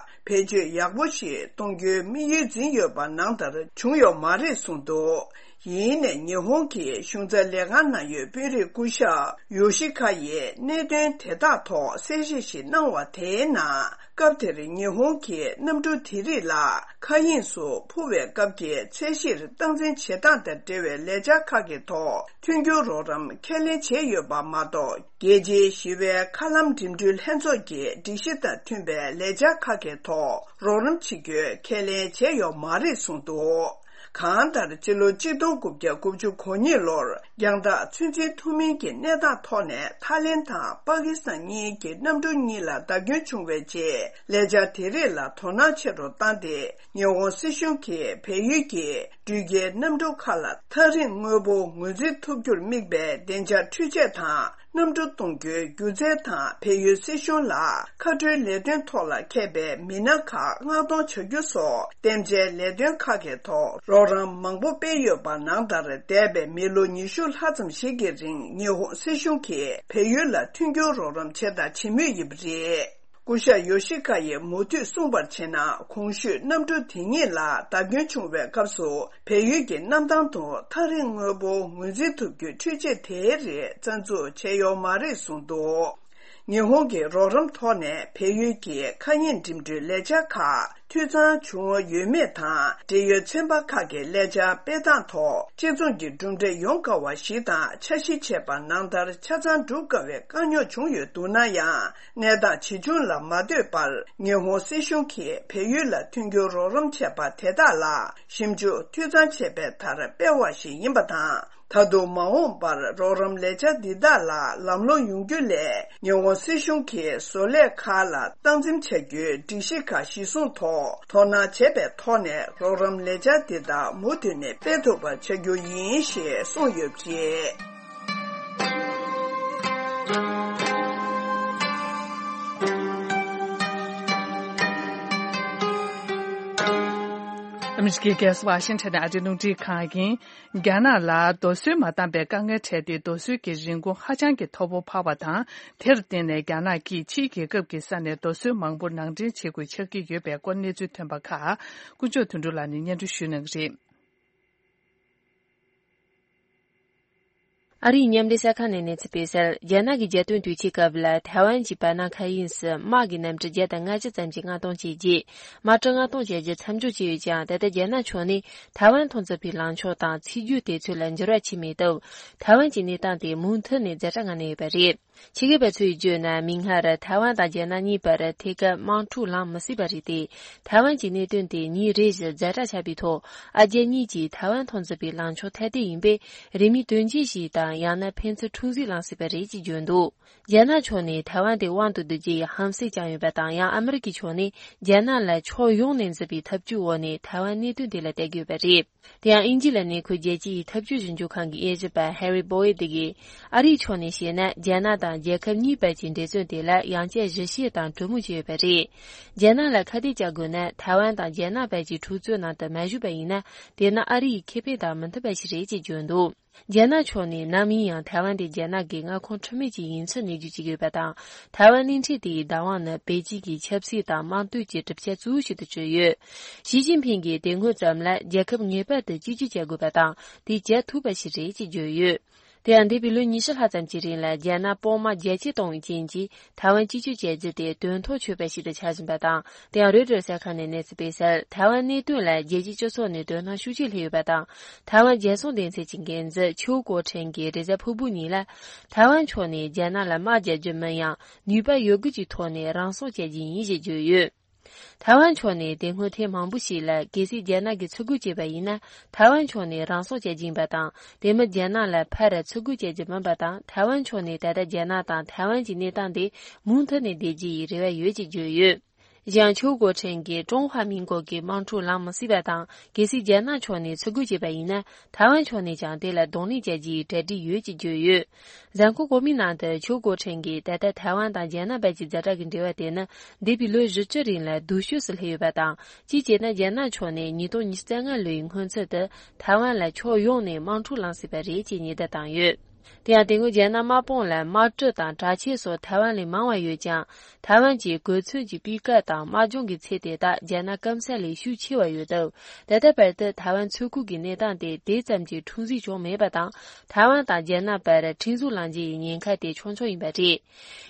བེད་སྤྱོད་ཡག་པོ་ཞིག་གཏོང་རྒྱུའི་དམིགས་ཡུལ་འཛིན་ཡོད་པ་ནང་ལྟར་བྱུང་ཡོད་མ་རེད་གསུངས་འདུག་ཡིན་ནའི་ཉི་ཧོང་གི་གཞུང་ཚབ་ལས་ཁང་ནང་ཡོད་དཔོན་རིགས་སྐུ་ཞབས་ཡོ་ཤི་ཁ་ཡིས་གནད་དོན་དེ་དག་ཐོག་གསལ་བཤད་ཞིག་གནང་བ་དེའི་ནང་། སྐབས་དེར་ཉི་ཧོང་གིས་གནམ་གྲུ་དེ་རིགས་ལ་མཁའ་དབྱིངས་སུ་འཕུར་བའི་སྐབས་ཀྱི་ཚད་གཞིར་སྟངས་འཛིན་བྱེད་སྟངས་དང་འབྲེལ་བའི་ལས་འཆར་ཁག་གི་ཐོག་མཐུན་འགྱུར་རོགས་རམ་ཁས་ལེན་བྱས་ཡོད་པ་མ་གཏོགས། རྒྱལ་སྤྱིའི་ཞི་བའི་མཁའ་ལམ་འགྲིམ་འགྲུལ་ལྷན་ཚོགས་ཀྱི་སྒྲིག་གཞི་དང་མཐུན་པའི་ལས་འཆར་ཁག་གི་ཐོག་རོགས་རམ་བྱེད་རྒྱུའི་ཁས་ལེན་བྱས་ཡོད་མ་རེད་གསུངས་འདུག་གང་ལྟར། སྤྱི་ལོ་གཅིག་སྟོང་དགུ་བརྒྱ་དགུ་བཅུ་གོ་གཉིས་ལོར་རྒྱང་ཐག་ཚོད་འཛིན་ཐུབ་མིན་གྱི་གནས་སྟངས་ཐོག་ནས་ཐའི་ལེན་དང་པ་ཀི་སི་ཐན་གཉིས་ཀྱི་གནམ་གྲུ་གཉིས་ལ་བརྡབ་སྐྱོན་བྱུང་བའི་རྗེས། ལས་འཆར་དེ་རིགས་ལ་དོ་སྣང་ཆེ་རུ་བཏང་སྟེ། ཉི་ཧོང་སྲིད་གཞུང་གིས་བལ་ཡུལ་གྱི་འགྲུལ་སྐྱེལ་གནམ་གྲུ་ཁག་ལ་ཐག་རིང་དངོས་པོ་ངོས་འཛིན་ཐུབ་རྒྱུར་དམིགས་པའི་བདེ་འཇགས་འཕྲུལ་ཆས་དང་། གནམ་གྲུ་གཏོང་རྒྱུའི་སྒྱུ་རྩལ་དང་། བལ་ཡུལ་སྲིད་གཞུང་ལ་མཁའ་འགྲུལ་ལས་དོན་ཐོག་ལ་མཁས་པའི་མི་སྣ་ཁག་མངགས་གཏོང་བྱ་རྒྱུ་སོགས་རྟེན་འབྲེལ་ལས་དོན་ཁག་གི་ཐོག་རོགས་རམ་མང་པོ་སྤེལ་ཡོད་པ་ནང་ལྟར། འདས་པའི་མི་ལོ་ཉི་ཤུ་ལྷག་ཙམ་ཞིག་གི་རིང་ཉི་ཧོང་སྲིད་གཞུང་གིས་བལ་ཡུལ་ལ་མཐུན་འགྱུར་རོགས་རམ་བྱས་དང་བྱེད་མུས་ཡིན་པ་རེད། སྐུ་ཞབས་ཡོ་ཤི་ཁ་ཡིས་མུ་མཐུད་གསུངས་པར་བྱས་ན། གོང་ཞུས་གནམ་གྲུ་དེ་ཉིད་ལ་བརྡབ་སྐྱོན་བྱུང་བའི་སྐབས་སུ། བལ་ཡུལ་གྱི་གནམ་ཐང་དུ་ཐག་རིང་དངོས་པོ་ངོས་འཛིན་ཐུབ་རྒྱུའི་འཕྲུལ་ཆས་དེའི་རིགས་རྩ་འཛུགས་བྱས་ཡོད་མ་རེད་གསུངས་འདུག། ཉི་ཧོང་གི་རོགས་རམ་ཐོག་ནས་བལ་ཡུལ་གྱི་མཁའ་དབྱིངས་འགྲིམ་འགྲུལ་ལས་འཆར་ཁག་འཐུས་ཚང་བྱུང་ཡོད་མེད་དང་། འབྲེལ་ཡོད་ཚན་པ་ཁག་གི་ལས་འཆར་སྤེལ་སྟངས་ཐོག་སྤྱི་ཚོགས་ཀྱི་གྲུབ་འབྲས་ཡོང་དཀའ་བ་ཞིག་དང་། འཆར་གཞི་བྱས་པ་ནང་ལྟར་ཆ་ཚང་སྒྲུབ་དཀའ་བའི་དཀའ་རྙོག་བྱུང་ཡོད་འདུག་ན་ཡང་། གནས་སྟངས་ཇི་བྱུང་ལ་མ་ལྟོས་པར། ཉི་ཧོང་སྲིད་གཞུང་གིས་བལ་ཡུལ་ལ་མཐུན་འགྱུར་རོགས་རམ་བྱས་པ་དེ་དག་ལ་ཞིབ་འཇུག་འཐུས་ཚང་བྱས་པའི་མཐར་སྤེལ་བ་ཞིག་ཡིན་པ་དང་། ད་དུང་མ་འོངས་པར་རོགས་རམ་ལས་འཆར་འདི་དག་ལ་ལམ་ལྷོང་ཡོང་རྒྱུ་སླད། ཉི་ཧོང་སྲིད་གཞུང་གིས་བཟོ་ལས་ཁག་ལ་སྟངས་འཛིན་བྱ་རྒྱུའི་སྒྲིག་གཞི་ཁག་གཞིར་བཟུང་ཐོག་དོ་སྣང་བྱས་པའི་ཐོག་ནས། རོགས་རམ་ལས་འཆར་འདི་དག་མུ་མཐུད་ནས་སྤེལ་ཐུབ་པ་བྱ་རྒྱུ་ཡིན་ཞེས་གསུངས་ཡོད་པ་རེད། ཨ་མི་རི་ཀའི་རྒྱལ་ས་ཝ་ཤིང་ཊོན་ནས་ཨ་རིའི་རླུང་འཕྲིན་ཁང་ཡིན། རྒྱ་ནག་ལ་རྡོ་སོལ་མ་བཏང་པའི་དཀའ་ངལ་འཕྲད་དེ། རྡོ་སོལ་གྱི་རིན་གོང་ཧ་ཅང་གི་མཐོ་པོ་འཕར་བ་དང་། དེར་བརྟེན་ནས་རྒྱ་ནག་གིས་ཕྱིའི་རྒྱལ་ཁབ་ཀྱི་ས་ནས་རྡོ་སོལ་མང་པོ་ནང་འདྲེན་བྱེད་དགོས་ཆགས་ཀྱི་ཡོད་པའི་སྐོར་གནས་ཚུལ་ཐོན་པ་ཁག་དཀོན་མཆོག་དོན་གྲུབ་ལགས་ནས་སྙན་སྒྲོན་ཞུ་གནང་གི་རེད། ཨ་རིའི་མཉམ་འབྲེལ་གསར་ཁང་ནས་གནས་ཚུལ་སྤེལ་གསལ། རྒྱ་ནག་གི་རྒྱལ་དོན་དུས་ཆེན་སྐབས་ལ་ཐའེ་ཝན་གྱི་བར་སྣང་མཁའ་དབྱིངས་སུ་དམག་གི་གནམ་གྲུ་བརྒྱ་དང་ལྔ་བཅུ་ཙམ་གྱིས་མངགས་གཏོང་བྱས་རྗེས། དམག་གྲུ་མངགས་གཏོང་བྱ་རྒྱུ་མཚམས་འཇོག་བྱས་ཡོད་ཀྱང་། ད་ལྟ་རྒྱ་ནག་ཕྱོགས་ནས་ཐའེ་ཝན་མཐོང་ཚུལ་བའི་ལངས་ཕྱོགས་དང་ཚིག་སྦྱོར་དེ་ཚོ་ལ་འགྱུར་བ་ཕྱིན་མེད་སྟབས། ཐའེ་ཝན་གྱི་གནས་སྟངས་དེ་མུ་མཐུད་ནས་ཛ་དྲག་ངང་གནས་ཡོད་པ་རེད། ཆེད་མཁས་པ་ཚོས་བརྗོད་ན། མིག་སྔར་ཐའེ་ཝན་དང་རྒྱ་ནག་གཉིས་བར་ཐད་ཀར་དམག་འཁྲུག་ལངས་མི་སྲིད་པ་རེད་དེ། ཐའེ་ཝན་གྱི་གནད་དོན་དེ་ཉིན་རེ་བཞིན་ཛ་དྲག་ཆགས་པའི་ཐོག་ཨ་རྒྱ་གཉིས་ཀྱིས་ཐའེ་ཝན་མཐོང་ཚུལ་བའི་ལངས་ཕྱོགས་ཐ་དད་ཡིན་པས། རིན་མེད་དོན་རྐྱེན་ཞིག་དང་། ཡང་ན་ཕན་ཚུན་འཁྲུག་འཛིང་ལངས་སྲིད་པ་རེད་ཅེས་བརྗོད་འདུག། རྒྱ་ནག་ཕྱོགས་ནས་ཐའེ་ཝན་དེ་དབང་དུ་བསྡུ་རྒྱུ་ཡི་ཧམ་སེམས་བཅངས་ཡོད་པ་དང་། ཡང་ཨ་མི་རི་ཀའི་ཕྱོགས་ནས་རྒྱ་ནག་ལ་ཕྱོགས་ཡོངས་ནས་འཛིན་པའི་ཐབས་ཇུས་འོག་ནས་ཐའེ་ཝན་གནད་དོན་དེ་ལ་བལྟ་གི་ཡོད་པ་རེད། དེ་ཡང་དབྱིན་ཇི་ལ་གནས་འཁོད་རྒྱལ་སྤྱི་ཡི་འཐབ་ཇུས་ཞིབ་འཇུག་ཁང་གི་དབྱེ་ཞིབ་པ་ཧེ་རི་བོ་ཨེ་དེ་གིས། ཨ་རིའི་ཕྱོགས་ནས་བཤད་ན། རྒྱ་ནག་དང་རྒྱལ་ཁབ་གཉིས་བར་གྱི་འབྲེལ་བརྩོད་དེ་ལ་ཡང་བསྐྱར་གཞི་བྱས་དང་གྲོས་མོལ་བྱས་ཡོད་པ་རེད། རྒྱ་ནག་ལ་ཁ་གཏད་གཅོག་དགོས་ན། ཐའེ་ཝན་དང་རྒྱ་ནག་བར་གྱི་འཁྲུག་རྩོད་ནང་དུ་མ་ཞུགས་པ་ཡིན་ན། དེ་ནི་ཨ་རི་ཡི་ཁེ་ཕན་དང་མི་མཐུན་པ་ཞིག་རེད་ཅེས་བརྗོད་འདུག། རྒྱ་ནག་ཕྱོགས་ནས་ནམ་ཡིན་ཡང་ཐའེ་ཝན་དེ་རྒྱ་ནག་གི་མངའ་ཁོངས་འཁྲུལ་མེད་ཅིག་ཡིན་ཚུལ་ནན་བརྗོད་བྱེད་ཀྱི་ཡོད་པ་དང་། ཐའེ་ཝན་གླིང་ཕྲན་དེའི་བདག་དབང་ནི་པེ་ཅིང་གི་ཆབ་སྲིད་དང་དམངས་གཙོའི་གྲུབ་ཆ་གཙོ་བོ་ཞིག་ཏུ་གྱུར་ཡོད། ཞི་ཅིན་ཕིང་གིས་དེ་སྔོན་ཙམ་ལ་རྒྱལ་ཁབ་ངེས་པར་དུ་གཅིག་གྱུར་བྱ་དགོས་པ་དང་། དེ་བྱ་ཐུབ་པ་ཞིག་རེད་ཅེས་བརྗོད་ཡོད། དེ་ཡང་འདས་པའི་ལོ་ཉི་ཤུ་ལྷག་ཙམ་གྱི་རིང་ལ་རྒྱ་ནག་དཔུང་དམག་རྒྱ་སྐྱེད་གཏོང་བའི་རྐྱེན་གྱིས། ཐའེ་ཝན་གཅིག་གྱུར་བྱས་རྒྱུ་དེ་དོན་ཐོག་ཆོད་པ་ཞིག་ཏུ་ཆགས་བཞིན་པ་དང་། དེ་ཡང་རོའི་ཊར་གསར་ཁང་ནས་གནས་ཚུལ་སྤེལ་གསལ། ཐའེ་ཝན་གནད་དོན་ལ་རྒྱལ་སྤྱིའི་སྤྱི་ཚོགས་ནས་དོ་སྣང་ཤུགས་ཆེ་སླེབས་ཡོད་པ་དང་། ཐའེ་ཝན་རྒྱལ་སྲུང་སྡེ་ཚན་གྱི་འགན་འཛིན་ཆོས་གོ་ཁྲེན་གྱིས་རེས་གཟའ་ཕུར་བུ་ཉིན་ལ། ཐའེ་ཝན་ཕྱོགས་ནས་རྒྱ་ནག་ལ་དམག་རྒྱག་རྒྱུ་མིན་ཡང་། ནུས་པ་ཡོད་དགུ་གྱི་ཐོག་ནས་རང་སྲུང་བྱ་རྒྱུ་ཡིན་ཞེས་བརྗོད་ཡོད། ཐའེ་ཝན་ཕྱོགས་ནས་དེ་སྔོན་ཐེངས་མང་པོ་ཞིག་ལ། གལ་སྲིད་རྒྱ་ནག་གིས་ཚུར་རྒོལ་བྱས་པ་ཡིན་ན། ཐའེ་ཝན་ཕྱོགས་ནས་རང་སྲུང་བྱ་རྒྱུ་ཡིན་པ་དང་། དེ་མིན་རྒྱ་ནག་ལ་ཕར་ཚུར་རྒོལ་བྱ་རྒྱུ་མིན་པ་དང་། ཐའེ་ཝན་ཕྱོགས་ནས་ད་ལྟ་རྒྱ་ནག་དང་ཐའེ་ཝན་གྱི་གནས་སྟངས་དེ་མུ་མཐུད་ནས་བསྡད་རྒྱུ་ཡི་རེ་བ་ཡོད་ཅེས་བརྗོད་ཡོད། གཞན་ཆོས་གོ་ཁྲེན་གྱིས་ཀྲུང་ཧྭ་མིན་གོ་གི་དམག་འཁྲུག་ལངས་མི་སྲིད་པ་དང་། གལ་སྲིད་རྒྱ་ནག་ཕྱོགས་ནས་ཚུར་རྒོལ་བྱས་པ་ཡིན་ན། ཐའེ་ཝན་ཕྱོགས་ནས་ཀྱང་དེ་ལ་གདོང་ལེན་བྱ་རྒྱུའི་གྲ་སྒྲིག་ཡོད་ཅེས་བརྗོད་ཡོད། གཟའ་འཁོར་འགོ་མའི་ནང་དུ་ཆོས་གོ་ཁྲེན་གྱིས། ད་ལྟ་ཐའེ་ཝན་དང་རྒྱ་ནག་བར་གྱི་ཛ་དྲག་གི་འབྲེལ་བ་དེ་ནི་འདས་པའི་ལོ་བཞི་བཅུ་རིང་ལ་སྡུག་ཤོས་སུ་སླེབས་ཡོད་པ་དང་། གཅིག་བྱས་ན་རྒྱ་ནག་ཕྱོགས་ནས་ཉིས་སྟོང་ཉི་ཤུ་རྩ་ལྔ་ལོའི་སྔོན་ཚུད་དུ་ཐའེ་ཝན་ལ་ཕྱོགས་ཡོངས་ནས་དམག་འཁྲུག་ལངས་སྲིད་པ་རེད་ཅེས་ཉེན་བརྡ་བཏང་ཡོད། དེ་ཡང་དེ་སྔོན་རྒྱ་ནག་དམག་དཔུང་ལ་དམག་གྲུ་དང་དྲག་ཆས་སོགས་ཐའེ་ཝན་ལས་མང་བ་ཡོད་ཀྱང་། ཐའེ་ཝན་གྱི་གོ་མཚོན་གྱི་སྤུས་ཀ་དང་དམག་སྦྱོང་གི་ཚད་དེ་དག་རྒྱ་ནག་སྐམ་ས་ལས་ཤུགས་ཆེ་བ་ཡོད་སྟབས། ད་ལྟ་བར་དུ་ཐའེ་ཝན་མཚོ་ཁུལ་གྱི་གནས་སྟངས་དེ་དེ་ཙམ་གྱི་འཁྲུག་འཛིང་བྱུང་མེད་པ་དང་། ཐའེ་ཝན་དང་རྒྱ་ནག་བར་འཁྲུག་འཛིང་ལངས་རྒྱུ་ཡི་ཉེན་ཁ་དེ་ཆུང་ཆུང་ཡིན་པ་རེད།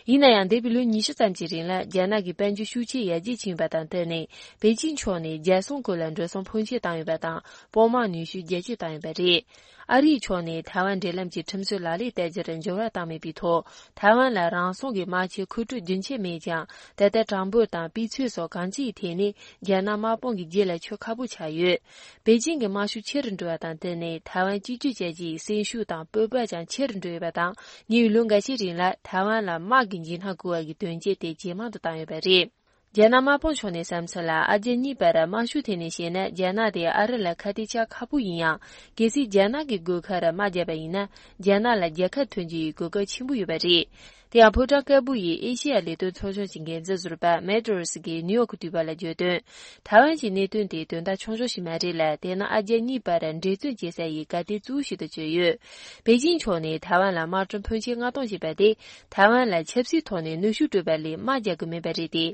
ཡིན་ན་ཡང་འདས་པའི་ལོ་ཉི་ཤུ་ཙམ་གྱི་རིང་ལ། རྒྱ་ནག་གི་དཔལ་འབྱོར་ཤུགས་ཆེ་ཡར་རྒྱས་ཕྱིན་ཡོད་པ་དང་བསྟུན་ནས། པེ་ཅིང་ཕྱོགས་ནས་རྒྱལ་སྲུང་སྐོར་ལ་འགྲོ་སོང་ཕོན་ཆེ་བཏང་ཡོད་པ་དང་། དཔུང་དམག་ནུས་ཤུགས་རྒྱ་སྐྱེད་བཏང་ཡོད་པ་རེད། ཨ་རིའི་ཕྱོགས་ནས་ཐའེ་ཝན་འབྲེལ་ལམ་གྱི་ཁྲིམས་སྲོལ་ལག་ལེན་བསྟར་རྒྱུར་འགྱུར་བ་བཏང་མེད་པའི་ཐོག་ཐའེ་ཝན་ལ་རང་སྲུང་གི་དམག་ཆས་མཁོ་སྤྲོད་རྒྱུན་ཆད་མེད་ཀྱང་། ད་ལྟ་གྲངས་འབོར་དང་སྤུས་ཚད་སོགས་གང་ཅིའི་ཐད་ནས་རྒྱ་ནག་དམག་དཔུང་གི་རྗེས་ལ་ཆོད་ཁག་པོ་ཆགས་ཡོད། པེ་ཅིང་གི་དམག་ཤུགས་ཆེ་རུ་འགྲོ་བ་དང་བསྟུན་ནས། ཐའེ་ཝན་གཅིག་གྱུར་བྱ་རྒྱུའི་སེམས་ཤུགས་དང་སྤོབས་པ་ཀྱང་ཆེ་རུ་འགྲོ་ཡོད་པ་དང་། ཉེ་བའི་ལོ་འགའ་ཤས་རིང་ལ་ཐའེ་ཝན་ལ་དམག་གི་འཇིགས་སྣང་བསྐུལ་བ་གི་དོན་རྐྱེན་དེ་ཇེ་མང་དུ་བཏང་ཡོད་པ་རེད། རྒྱ་ནག་དམག་དཔུང་ཕྱོགས་ནས་བསམ་ཚུལ་ལ། ཨ་རྒྱ་གཉིས་བར་དམག་ཤུགས་ཐད་ནས་བཤད་ན། རྒྱ་ནག་དེ་ཨ་རི་ལ་ཁ་གཏད་གཅོག་ཁག་པོ་ཡིན་ཡང་། གལ་སྲིད་རྒྱ་ནག་གི་སྒོ་ཁར་དམག་བརྒྱབ་པ་ཡིན་ན། རྒྱ་ནག་ལ་རྒྱལ་ཁ་ཐོན་རྒྱུ་ཡི་གོ་སྐབས་ཆེན་པོ་ཡོད་པ་རེད། དེ་ཡང་ཕོ་བྲང་དཀར་པོ་ཡི་ཨེ་ཤེ་ཡ་ལས་དོན་ཚོགས་ཆུང་གི་འགན་འཛིན་ཟུར་པ་མེ་ཏོ་རི་སི་གིས་ནིའུ་ཡོག་གི་དུས་བབ་ལ་བརྗོད་དོན། ཐའེ་ཝན་གྱི་གནད་དོན་དེ་དོན་དག་ཆུང་ཆུང་ཞིག་མ་རེད་ལ། དེ་ནི་ཨ་རྒྱ་གཉིས་བར་འགྲན་རྩོད་བྱེད་ས་ཡི་གལ་ཏེ་གཙོ་བོ་ཞིག་ཏུ་གྱུར་ཡོད། པེ་ཅིང་ཕྱོགས་ནས་ཐའེ་ཝན་ལ་དམག་གྲོན་ཕོན་ཆེ་མངགས་གཏོང་བྱས་པ་དེ་ཐའེ་ཝན་ལ་ཆབ་སྲིད་ཐོག་ནས་གནོན་ཤུགས་སྤྲོད་པ་ལས་དམག་རྒྱག་གི་མེད་པ་རེད་དེ།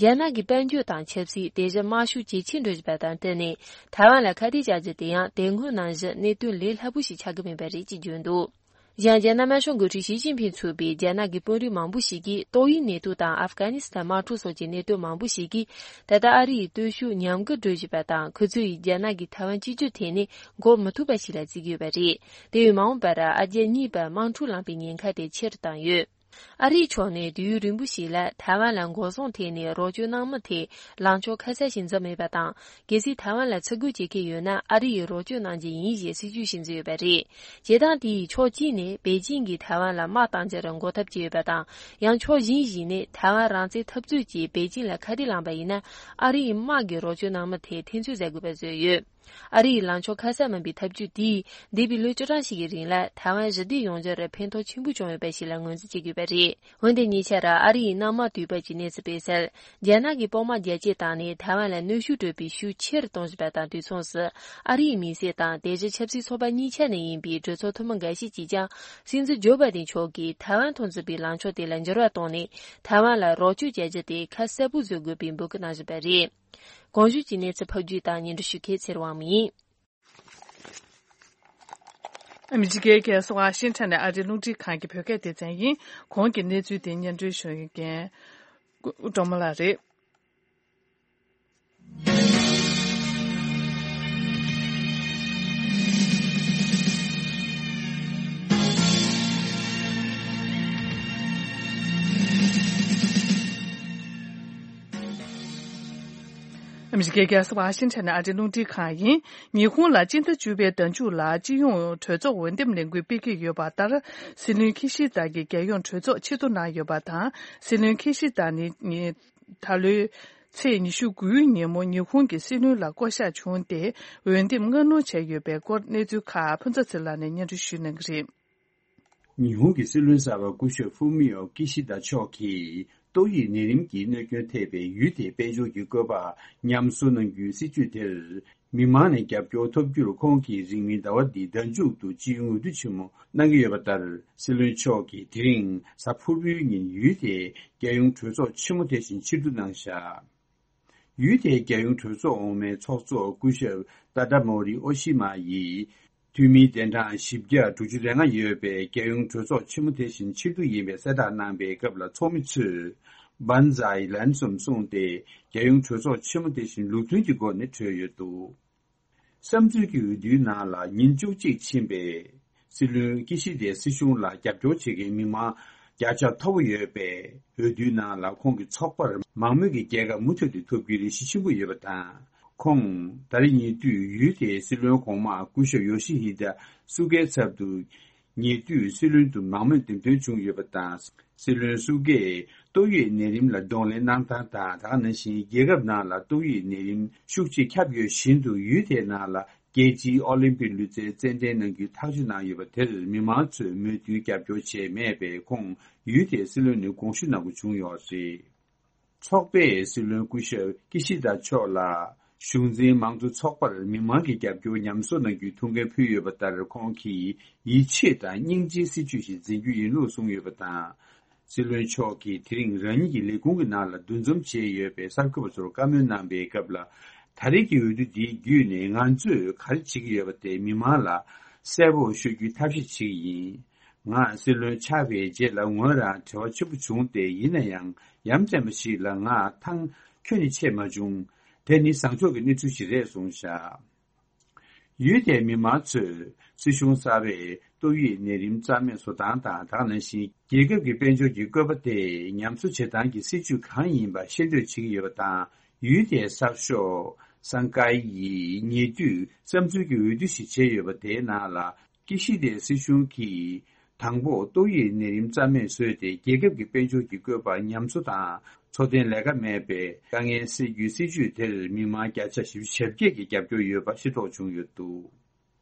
རྒྱ་ནག་གི་དཔལ་འབྱོར་དང་ཆབ་སྲིད་དེ་བཞིན་དམག་ཤུགས་ཇེ་ཆེར་འགྲོ་བཞིན་པ་དང་བསྟུན་ནས། ཐའེ་ཝན་ལ་ཁ་གཏད་བཅག་རྒྱུ་དེ་ཡང་དེ་སྔོན་ནང་བཞིན་གནད་དོན་ལས་སླ་པོ་ཞིག་ཆགས་ཀྱི་མེད་པ་རེད་ཅེས་བརྗོད་འདུག། གཞན། རྒྱ་ནག་དམར་ཤོག་འགོ་ཁྲིད་ཞི་ཅིན་ཕིང་ཚུད་པའི་རྒྱ་ནག་གི་དཔོན་རིགས་མང་པོ་ཞིག་གིས་ཏོག་དབྱིབས་ནད་དུག་དང་ཨབ་གྷ་ནི་སི་ཐན་དམག་འཁྲུག་སོགས་ཀྱི་གནད་དོན་མང་པོ་ཞིག་གིས། ད་ལྟ་ཨ་རི་ཡི་སྟོབས་ཤུགས་ཉམས་རྒུད་འགྲོ་བཞིན་པ་དང་། ཁོ་ཚོ་ཡིས་རྒྱ་ནག་གིས་ཐའེ་ཝན་གཅིག་གྱུར་ཐད་ནས་འགོག་མི་ཐུབ་པ་ཞིག་ལ་བརྩི་གི་ཡོད་པ་རེད། དེ་བས་མ་འོངས་པར་ཨ་རྒྱ་གཉིས་བར་དམག་འཁྲུག་ལངས་པའི་ཉེན་ཁ་དེ་ཆེ་རུ་བཏང་ཡོད། ཨ་རིའི་ཕྱོགས་ནས་དུས་ཡུན་རིང་པོ་ཞིག་ལ་ཐའེ་ཝན་ལ་འགོག་སྲུང་ཐད་ནས་རོགས་སྐྱོར་གནང་མུས་དེ་ལངས་ཕྱོགས་ཁ་གསལ་ཞིག་འཛིན་མེད་པ་དང་། གལ་སྲིད་ཐའེ་ཝན་ལ་ཚུར་རྒོལ་བྱེད་མཁན་ཡོད་ན། ཨ་རི་ཡིས་རོགས་སྐྱོར་གནང་རྒྱུ་ཡིན་ཞེས་སྲིད་ཇུས་ཤིག་འཛིན་ཡོད་པ་རེད། བྱེད་སྟངས་དེ་ཡིས་ཕྱོགས་གཅིག་ནས་པེ་ཅིང་གིས་ཐའེ་ཝན་ལ་དམག་གཏང་རྒྱུར་འགོག་ཐབས་བྱས་ཡོད་པ་དང་། ཡང་ཕྱོགས་གཞན་ཞིག་ནས་ཐའེ་ཝན་རང་བཙན་འཐབ་རྩོད་ཀྱིས་པེ་ཅིང་ལ་ཁ་གཏད་བསླངས་པ་ཡིན་ན། ཨ་རི་ཡི་དམག་གིས་རོགས་སྐྱོར་གནང་མུས་དེ་འཐེན་རྩོད་མཛད་དགོས་པ་བཟོས་ཡོད། ཨ་རི་ཡི་ལངས་ཕྱོགས་ཁ་གསལ་མིན་པའི་ཐབས་ཇུས་དེས་འདས་པའི་ལོ་བཅུ་གྲངས་ཤིག་གི་རིང་ལ་ཐའེ་ཝན་ཞི་བདེ་ཡོང་རྒྱུར་ཕན་ཐོགས་ཆེན་པོ་བྱུང་ཡོད་པ་ཞིག་ལ་ངོས་འཛིན་བྱེད་དགོས་པ་རེད། འོན་ཏེ་ཉེ་ཆར་ཨ་རི་ཡི་གནམ་དམག་དུས་བབ་ཀྱི་གནས་ཚུལ་སྤེལ་གསལ། རྒྱ་ནག་གི་དཔུང་དམག་རྒྱ་སྐྱེད་བཏང་ནས་ཐའེ་ཝན་ལ་གནོན་ཤུགས་སྤྲོད་པའི་ཤུགས་ཆེ་རུ་གཏོང་བཞིན་པ་དང་དུས་མཚུངས་སུ། ཨ་རི་ཡི་མི་སེར་དང་དེ་བཞིན་ཆབ་སྲིད་ཚོགས་པ་གཉིས་ཆ་ནས་ཡིན་པའི་གྲོས་ཚོགས་འཐུས་མི་འགའ་ཤས་ཀྱིས་ཀྱང་། སྲིད་འཛིན་ཇོ་བྷའི་ཌེན་མཆོག་གིས་ཐའེ་ཝན་ཐོག་འཛིན་པའི་ལངས་ཕྱོགས་དེ་ལ་འགྱུར་བ་བཏང་ནས། ཐའེ་ཝན་ལ་རོགས་སྐྱོར་བྱ་རྒྱུ་དེ་ཁ་གསལ་པོ་བཟོ་དགོས་པའི་འབོད་སྐུལ་གནང་བཞིན་པ་རེད། གོང་ཞུས་ཀྱི་གནས་ཚུལ་ཕབ་སྒྱུར་དང་སྙན་སྒྲོན་ཞུ་མཁན་ཚེ་རིང་དབང་མོ་ཡིན། ཨ་མི་རི་ཀའི་རྒྱལ་ས་ཝ་ཤིང་ཊོན་ནས་ཨ་རིའི་རླུང་འཕྲིན་ཁང་གི་བོད་སྐད་སྡེ་ཚན་ཡིན། གོང་གི་གནས་ཚུལ་དེ་སྙན་སྒྲོན་ཞུ་མཁན་སྒྲོལ་མ་ལགས་རེད། ཨ་མི་རི་ཀའི་རྒྱལ་ས་ཝ་ཤིང་ཊོན་ནས་ཨ་རིའི་རླུང་འཕྲིན་ཁང་ཡིན། ཉི་ཧོང་ལ་སྤྱི་ཟླ་བཅུ་པའི་ཟླ་མཇུག་ལ་སྤྱི་ཡོངས་གྲོས་ཚོགས་འོས་འདེམས་ལས་འགུལ་སྤེལ་གྱི་ཡོད་པ་ལྟར། སྲིད་བློན་ཁི་ཤི་ད་གིས་རྒྱལ་ཡོངས་གྲོས་ཚོགས་ཕྱིར་བསྡུ་གནང་ཡོད་པ་དང་། སྲིད་བློན་ཁི་ཤི་ད་ནི་ད་ལོའི་ཚེས་ཉི་ཤུ་དགུའི་ཉིན་མོ་ཉི་ཧོང་གི་སྲིད་བློན་ལ་བསྐོ་གཞག་བྱུང་སྟེ། འོས་འདེམས་སྔ་སྣུར་བྱས་ཡོད་པའི་སྐོར་གནས་ཚུལ་ཁག་ཕུན་ཚོགས་ཚེ་ལགས་ནས་སྙན་སྒྲོན་ཞུ་གནང་གི་རེད། ཉི་ཧོང་གི་སྲིད་བློན་གསར་པ་སྐུ་ཞབས་ཧྥུ་མི་ཡོ་ཀི་ཤི་ད་མཆོག་གིས་ཏོག་དབྱིབས་ནད་རིམས་ཀྱི་གནོད་སྐྱོན་ཐེབས་པའི་ཡུལ་དེའི་དཔལ་འབྱོར་གྱི་བཀོད་པ་ཉམས་གསོ་གནང་རྒྱུའི་སྲིད་ཇུས་དེར། མི་མང་ནས་རྒྱབ་སྐྱོར་ཐོབ་རྒྱུར་ཁོང་གིས་རིང་མིན་ཟླ་བ་འདིའི་ཟླ་མཇུག་ཏུ་སྤྱི་ཡོངས་འོས་བསྡུ་ཆེན་མོ་གནང་གི་ཡོད་པ་ལྟར། སྲིད་བློན་མཆོག་གིས་དེ་རིང་གཟའ་ཕུར་བུའི་ཉིན་ཡུལ་དེའི་རྒྱལ་ཡོངས་གྲོས་ཚོགས་ཆེན་མོ་དེ་བཞིན་ཕྱིར་བསྡུ་གནང་བཞག། ཡུལ་དེའི་རྒྱལ་ཡོངས་གྲོས་ཚོགས་འོག་མའི་ཚོགས་གཙོ་སྐུ་ཞབས་ཏཱ་ཏཱ་མོ་རི་ཨོ་ཤི་མ་ཡིས། འཐུས་མིའི་གདན་གྲངས་བཞི་བརྒྱ་དྲུག་ཅུ་རེ་ལྔ་ཡོད་པའི་རྒྱལ་ཡོངས་གྲོས་ཚོགས་ཆེན་མོ་དེ་བཞིན་ཕྱིར་བསྡུ་ཡིན་པའི་གསལ་བསྒྲགས་གནང་པའི་སྐབས་ལ་ཚོགས་མི་ཚོས་བཱན་ཛའི་ལན་སོམ་གསུངས་ཏེ། རྒྱལ་ཡོངས་གྲོས་ཚོགས་ཆེན་མོ་དེ་བཞིན་ལུགས་མཐུན་གྱི་སྒོ་ནས་གྲོལ་ཡོད་འདུག། བསམ་ཚུལ་གྱི་འོས་བསྡུའི་ནང་ལ་ཉིན་བཅུ་གཅིག་ཕྱིན་པའི་སྲིད་བློན་ཀི་ཤི་དའི་སྲིད་གཞུང་ལ་རྒྱབ་སྐྱོར་བྱེད་མཁན་མི་མང་བརྒྱ་ཆ་མཐོ་པོ་ཡོད་པས། འོས་བསྡུའི་ནང་ལ་ཁོང་གི་ཚོགས་པར་མང་མོས་ཀྱི་རྒྱལ་ཁ་མུ་མཐུད་དུ་ཐོབ་རྒྱུའི་རེ་ཞིག་ཆེན་པོ་ཡོད་པ་དང་། ཁོང་ད་རེས་ཉེ་དུས་ཡུལ་དེའི་སྲིད་བློན་གོང་མ་སྐུ་ཞབས་ཡོ་ཤི་ཧི་ད་སུ་གའི་ཚབ་ཏུ། ཉེ་དུས་སྲིད་བློན་དུ་མང་མོས་འདེམས་ཐོན་བྱུང་ཡོད་པ་དང་། སྲིད་བློན་སུ་གེས་ཏོག་དབྱིབས་ནད་རིམས་ལ་གདོང་ལེན་གནང་སྟངས་དང་། དེ་ག་ནང་བཞིན་རྒྱལ་ཁབ་ནང་ལ་ཏོག་དབྱིབས་ནད་རིམས་ཤུགས་ཆེ་ཁྱབ་ཡོད་བཞིན་དུ། ཡུལ་དེའི་ནང་ལ་རྒྱལ་སྤྱིའི་ཨོ་ལིམ་པིག་ལུས་རྩལ་རྩེད་འགྲན་གནང་རྒྱུའི་ཐག་གཅོད་གནང་ཡོད་པ་དེར་མི་མང་ཚོས་མོས་མཐུན་རྒྱབ་སྐྱོར་བྱས་མེད་པས། ཁོང་ཡུལ་དེའི་སྲིད་བློན་ནས་དགོངས་ཞུ་གནང་དགོས་བྱུང་ཡོད་པ་རེད། ཚོགས་པས་སྲིད་བློན་སྐུ་ཞབས་ཀི་ཤི་ད་མཆོག་ལ་གཞུང་འཛིན་མང་གཙོ་ཚོགས་པར་མི་མང་གི་རྒྱབ་སྐྱོར་ཉམས་གསོ་གནང་རྒྱུའི་ཐུགས་འགན་ཕུལ་ཡོད་པ་ལྟར། ཁོང་གིས་ཡིད་ཆེས་དང་སྙིང་རྗེའི་སྲིད་བྱུས་ཤིག་འཛིན་རྒྱུ་ཡིན་ལུགས་གསུངས་ཡོད་པ་དང་། སྲིད་བློན་མཆོག་གིས་དེ་རིང་རང་ཉིད་ཀྱི་ལས་ཁུངས་ཀྱི་ནང་ལ་འདུ་འཛོམས་བྱས་ཡོད་པའི་གསར་འགོད་པ་ཚོར་བཀའ་མོལ་གནང་པའི་སྐབས་ལ། ད་རེས་ཀྱི་འོས་བསྡུ་འདི་བརྒྱུད་ནས་ང་ཚོས་ག་རེ་བྱེད་ཀྱི་ཡོད་པ་དེ་མི་མང་ལ་གསལ་པོ་ཤོད་རྒྱུའི་ཐབས་ཤེས་བྱེད་ཀྱི་ཡིན། ང་སྲིད་བློན་ཆགས་པའི་རྗེས་ལ་ངོས་རང་བྲེལ་བ་ཆེན་པོ་བྱུང་སྟེ། ཡིན་ན་ཡང་ཡ་མཚན་པ་ཞིག་ལ་ང་ཐང་ཁྱོན་ནས་ཆད་མ་བྱུང་། དེ་ནི་བཟང་ཕྱོགས་ཀྱི་གནས་ཚུལ་ཞིག་རེད་གསུངས་བཞག། ཡུལ་དེའི་མི་མང་ཚོས་སྲིད་གཞུང་གསར་པས་ཏོག་དབྱིབས་ནད་རིམས་རྩ་མེད་བཟོ་སྟངས་དང་། དེ་ག་ནང་བཞིན་རྒྱལ་ཁབ་ཀྱི་དཔལ་འབྱོར་གྱི་བཀོད་པ་དེ་ཉམས་གསོ་བྱེད་སྟངས་ཀྱི་སྲིད་ཇུས་གང་ཡིན་པ་ཤེས་འདོད་བྱེད་ཀྱི་ཡོད་པ་དང་། ཡུལ་དེའི་གསར་ཤོག་སང་ཀའི་ཡིས་ཉེ་དུས་བསམ་ཚུལ་གྱི་འོས་བསྡུ་ཞིག་བྱས་ཡོད་པ་དེའི་ནང་ལ། ཀི་ཤི་དའི་སྲིད་གཞུང་གིས་དང་པོ་ཏོག་དབྱིབས་ནད་རིམས་རྩ་མེད་བཟོས་ཏེ། རྒྱལ་ཁབ་ཀྱི་དཔལ་འབྱོར་གྱི་བཀོད་པ་ཉམས་གསོ་དང་འཚོ་རྟེན་ལས་ཀ་མེད་པའི་དཀའ་ངལ་སེལ་རྒྱུའི་སྲིད་ཇུས་དེར་མི་མང་བརྒྱ་ཆ་བཞི་བཅུ་ཞེ་བརྒྱད་ཀྱིས་རྒྱབ་སྐྱོར་ཡོད་པ་ཤེས་རྟོགས་བྱུང་ཡོད་འདུག།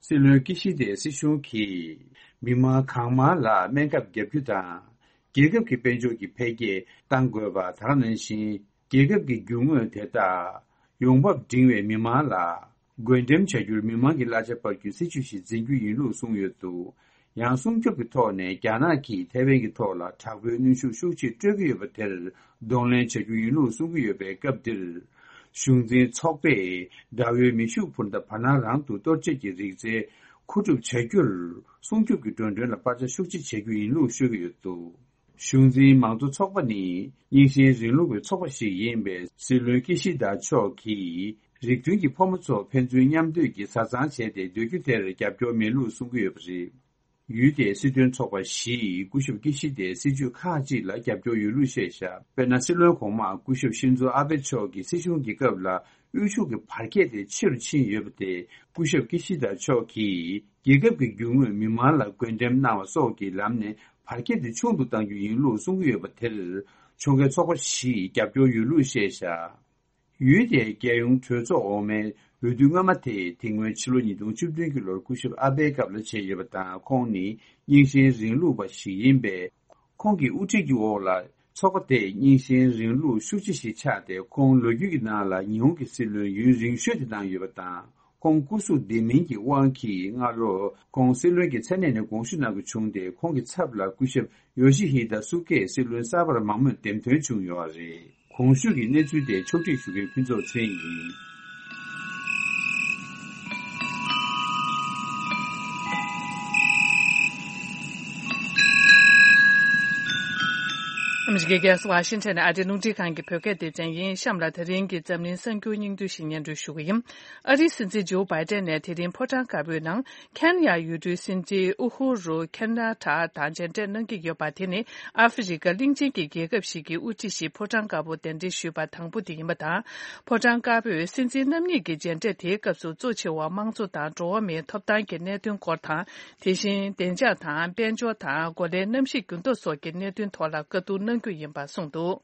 སྲིད་བློན་ཀི་ཤི་དའི་སྲིད་གཞུང་གིས་མི་མང་གང་མང་ལ་སྨན་ཁབ་བརྒྱབ་རྒྱུ་དང་། རྒྱལ་ཁབ་ཀྱི་དཔལ་འབྱོར་གྱི་འཕེལ་རྒྱས་གཏང་དགོས་པ་དང་། ནང་བཞིན་རྒྱལ་ཁབ་ཀྱི་རྒྱུ་དངོས་དེ་དག་ཡོང་འབབ་འབྲིང་བའི་མི་མང་ལ་བགོ་འགྲེམས་བྱ་རྒྱུར་མི་མང་གི་གླ་ཆ་སྤར་རྒྱུའི་སྲིད་ཇུས་ཤིག་འཛིན་རྒྱུ་ཡིན་ལུགས་གསུངས་ཡོད་འདུག། ཡང་སྲུང་སྐྱོབ་ཀྱི་ཐོག་ནས་རྒྱ་ནག་གིས་ཐའེ་ཝན་གྱི་ཐོག་ལ་དྲག་པོའི་གནོན་ཤུགས་ཤུགས་ཆེ་སྤྲོད་ཀྱི་ཡོད་པ་དེར་གདོང་ལེན་བྱ་རྒྱུ་ཡིན་ལུགས་གསུང་གི་ཡོད་པའི་སྐབས་འདིར། གཞུང་འཛིན་ཚོགས་པས་དགྲ་བོའི་མེ་ཤུགས་འཕུར་མདའ་བར་སྣང་རང་དུ་གཏོར་བྱེད་ཀྱི་རིག་རྩལ་མཁོ་སྒྲུབ་བྱ་རྒྱུར་སྲུང་སྐྱོབ་ཀྱི་འགྲོ་གྲོན་ལ་སྤར་ཆ་ཤུགས་ཆེ་བྱེད་རྒྱུ་ཡིན་ལུགས་ཤོད་ཀྱི་ཡོད་འདུག། གཞུང་འཛིན་མང་གཙོ་ཚོགས་པ་ནི་རྙིང་ཞེན་རིང་ལུགས་པའི་ཚོགས་པ་ཞིག་ཡིན་པས། སྲིད་བློན་ཀི་ཤི་དཱ་མཆོག་གིས་རིགས་མཐུན་གྱི་ཕོ་མོ་ཚོ་ཕན་ཚུན་མཉམ་སྡོད་ཀྱི་བཟའ་ཚང་བྱས་ཏེ་སྡོད་རྒྱུ་དེར་རྒྱབ་སྐྱོར་མེད་ལུགས་གསུང་གི་ཡོད་པ་རེད། ཡུལ་དེའི་སྲིད་དོན་ཚོགས་པ་བཞིས་སྐུ་ཞབས་ཀི་ཤི་དཱའི་སྲིད་བྱུས་ཁག་ཅིག་ལ་རྒྱབ་སྐྱོར་ཡོད་ལུགས་བཤད་བཞག། དཔེར་ན། སྲིད་བློན་གོང་མ་སྐུ་ཞབས་ཤིན་ཛོ་ཨ་བྷེ་མཆོག་གིས་སྲིད་གཞུང་གི་སྐབས་ལ་དབུལ་ཕྱུག་གི་བར་ཁྱད་དེ་ཆེ་རུ་ཕྱིན་ཡོད་པ་དེ། སྐུ་ཞབས་ཀི་ཤི་དཱ་མཆོག་གིས་རྒྱལ་ཁབ་ཀྱི་རྒྱུ་དངོས་མི་མང་ལ་བགོ་འགྲེམས་གནང་བ་སོགས་ཀྱི་ལམ་ནས་བར་ཁྱད་དེ་ཆུང་དུ་གཏང་རྒྱུ་ཡིན་ལུགས་གསུང་གི་ཡོད་པ་དེར། ཕྱོགས་འགལ་ཚོགས་པ་བཞིས་རྒྱབ་སྐྱོར་ཡོད་ལུགས་བཤད་བཞག། ཡུལ་དེའི་རྒྱལ་ཡོངས་གྲོས་ཚོགས་འོག་མའི་འོས་བསྡུ་སྔ་མ་དེ་དེ་སྔོན་ཕྱི་ལོ་ཉིས་སྟོང་བཅུ་བདུན་གྱི་ལོར་སྐུ་ཞབས་ཨ་བྷེའི་སྐབས་ལ་བྱས་ཡོད་པ་དང་། ཁོང་ནི་རྙིང་ཞེན་རིང་ལུགས་པ་ཞིག་ཡིན་པས། ཁོང་གི་དབུ་ཁྲིད་ཀྱི་འོག་ལ་ཚོགས་པ་དེས་རྙིང་ཞེན་རིང་ལུགས་ཤུགས་ཆེ་ཞིག་ཆགས་ཏེ། ཁོང་ལོ་རྒྱུས་ཀྱི་ནང་ལ་ཉི་ཧོང་གི་སྲིད་བློན་ཡུན་རིང་ཤོས་དེ་བཏང་ཡོད་པ་དང་། ཁོང་སྐུ་གཟུགས་ལྡེམ་མིན་གྱི་དབང་གིས་སྔ་ལོར་ཁོང་སྲིད་བློན་གྱི་མཚན་གནས་ནས་དགོངས་ཞུ་གནང་དགོས་བྱུང་སྟེ། ཁོང་གི་ཚབ་ལ་སྐུ་ཞབས་ཡོ་ཤི་ཧི་ད་སུ་ཀེ་སྲིད་བློན་གསར་པར་མང་མོས་འདེམས་ཐོན་བྱུང་ཡོད་པ་རེད། གོང་ཞུས་ཀྱི་གནས་ཚུལ་དེ་ཕྱོགས་སྒྲིག་ཞུ་མཁན་ཕུན་ཚོགས་ཚེ་རིང་ཡིན། ཨ་མི་རི་ཀའི་རྒྱལ་ས་ཝ་ཤིང་ཊོན་ནས་ཨ་རིའི་རླུང་འཕྲིན་ཁང་གི་བོད་སྐད་སྡེ་ཚན་ཡིན། གཤམ་ལ་དེ་རིང་གི་འཛམ་གླིང་གསར་འགྱུར་སྙིང་བསྡུས་ཤིག་སྙན་སྒྲོན་ཞུ་གི་ཡིན། ཨ་རིའི་སྲིད་འཛིན་ཇོ་བྷའི་ཏན་ནས་དེ་རིང་ཕོ་བྲང་དཀར་པོའི་ནང་། ཁེན་ཡ་ཡུལ་གྲུའི་སྲིད་འཛིན་ཨུ་ཧུ་རུ་ཁེན་ཡ་ཐ་དང་མཇལ་འཕྲད་གནང་གི་ཡོད་པ་དེ་ནི་ཨ་ཧྥེ་རི་ཀ་གླིང་ཆེན་གྱི་རྒྱལ་ཁབ་ཞིག་གི་དབུ་ཁྲིད་ཞིག་ཕོ་བྲང་དཀར་པོར་གདན་འདྲེན་ཞུས་པ་དང་པོ་དེ་ཡིན་པ་དང་། ཕོ་བྲང་དཀར་པོས་སྲིད་འཛིན་རྣམ་གཉིས་ཀྱི་མཇལ་འཕྲད་དེའི་སྐབས་སུ་གཙོ་ཆེ་བ་དམངས་གཙོ་དང་འགྲོ་བ་མིའི་ཐོབ་ཐང་གི་གནད་དོན་སྐོར་དང་། དེ་བཞིན་བདེ་འཇགས་དང་། དཔལ་འབྱོར་དང་། གོ་ལའི་གནམ་གཤིས་འགྱུར་ལྡོག་སོགས་ཀྱི་གནད་དོན་ཐོག་ལ་བཀའ་བསྡུར་གནང་རྒྱུ་ཡིན་པ་གསུངས་འདུག།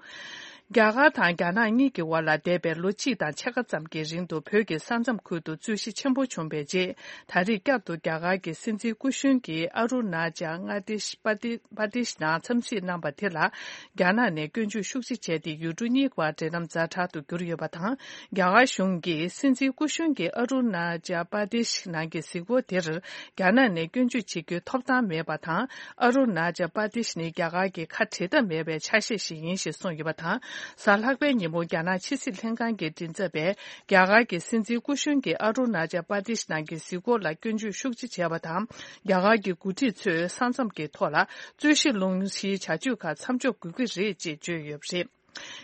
རྒྱ་གར་དང་རྒྱ་ནག་གཉིས་ཀྱི་དབར་ལ་འདས་པའི་ལོ་གཅིག་དང་ཕྱེད་ཀ་ཙམ་གྱི་རིང་དུ་བོད་ཀྱི་ས་མཚམས་ཁུལ་དུ་རྩོད་གཞི་ཆེན་པོ་བྱུང་བའི་རྗེས། ད་རེས་བསྐྱར་དུ་རྒྱ་གར་གྱི་སྲིད་འཛིན་སྐུ་གཞོན་གྱིས་ཨ་རུ་ན་ཅལ་མངའ་སྡེ་པ་ཏི་པ་ཏི་ཤི་ནང་འཚམས་གཟིགས་གནང་བ་དེ་ལ། རྒྱ་ནག་ནས་སྐྱོན་བརྗོད་ཤུགས་ཆེ་བྱས་ཏེ། ཡུལ་གྲུ་གཉིས་བར་འབྲེལ་ལམ་ཛ་དྲག་ཏུ་གྱུར་ཡོད་པ་དང་། རྒྱ་གར་གཞུང་གིས་སྲིད་འཛིན་སྐུ་གཞོན་གྱི་ཨ་རུ་ན་ཅལ་པ་ཏི་ཤི་ནང་གི་གཟིགས་སྐོར་དེར། རྒྱ་ནག་ནས་སྐྱོན་བརྗོད་བྱེད་རྒྱུའི་ཐོབ་ཐང་མེད་པ་དང་། ཨ་རུ་ན་ཅལ་པ་ཏི་ཤི་ནི་རྒྱ་གར་གྱི་ཁ་བྲལ་ཐབས་མེད་པའི་ཆ་ཤས་ཤིག་ཡིན་ཞེས་གསུངས་ཡོད་པ་དང་། གཟའ་ལྷག་པའི་ཉིན་མོ་རྒྱ་ནག་ཕྱི་སྲིད་ལྷན་ཁང་གི་མགྲིན་ཚབ་པས། རྒྱ་གར་གྱི་སྲིད་འཛིན་སྐུ་གཞོན་གྱིས་ཨ་རུ་ན་ཅལ་པ་ཏི་ཤི་ནང་གི་གཟིགས་སྐོར་ལ་སྐྱོན་བརྗོད་ཤུགས་ཆེ་བྱས་པ་དང་། རྒྱ་གར་གྱི་འགོ་ཁྲིད་ཚོས་ས་མཚམས་ཀྱི་ཐོག་ལ་རྩོད་གཞི་སློང་གཞིའི་བྱ་སྤྱོད་ཁག་མཚམས་འཇོག་དགོས་ཀྱི་རེད་ཅེས་བརྗོད་ཡོད་པ་རེད།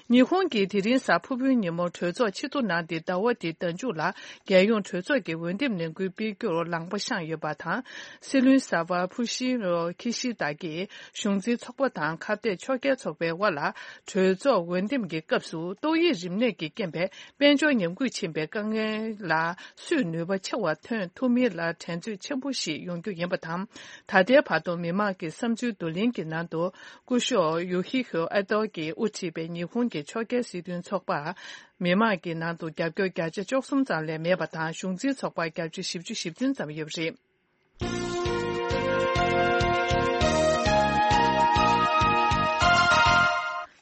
ཉི་ཧོང་གིས་དེ་རིང་གཟའ་ཕུར་བུའི་ཉིན་མོ་གྲོས་ཚོགས་ཕྱི་དྲོ་གནང་སྟེ། ཟླ་བ་འདིའི་ཟླ་མཇུག་ལ་རྒྱལ་ཡོངས་གྲོས་ཚོགས་ཀྱི་འོས་འདེམས་ལས་འགུལ་སྤེལ་རྒྱུར་ལངས་པ་བཤངས་ཡོད་པ་དང་། སྲིད་བློན་གསར་པ་ཕུ་ཤི་རོ་ཁི་ཤི་ད་གིས་གཞུང་འཛིན་ཚོགས་པ་དང་ཁ་གཏད་ཕྱོགས་འགལ་ཚོགས་པའི་དབར་ལ་གྲོས་ཚོགས་འོས་འདེམས་ཀྱི་སྐབས་སུ་ཏོག་དབྱིབས་རིམས་ནད་ཀྱི་རྐྱེན་པས་དཔལ་འབྱོར་ཉམས་རྒུད་ཕྱིན་པའི་དཀའ་ངལ་ལ་སུས་ནུས་པ་ཆེ་བ་ཐོན་ཐུབ་མིན་ལ་འགྲན་རྩོད་ཆེན་པོ་ཞིག་ཡོང་རྒྱུ་ཡིན་པ་དང་། ད་ལྟའི་བར་དུ་མི་མང་གི་བསམ་ཚུལ་བསྡུ་ལེན་གྱི་ནང་དུ། སྐུ་ཞབས་ཡོ་ཤི་ཧི་ཨ་ཏོ་གིས་དབུ་ཁྲིད་པའི་ཉི་ཧོང་གི་ཕྱོགས་འགལ་སྲིད་དོན་ཚོགས་པར། མི་མང་གི་ནང་དུ་རྒྱབ་སྐྱོར་བརྒྱ་ཆ་བཅུ་གསུམ་ཙམ་ལས་མེད་པ་དང་། གཞུང་འཛིན་ཚོགས་པར་བརྒྱ་ཆ་བཞི་བཅུ་ཞེ་བདུན་ཙམ་ཡོད་པ་རེད།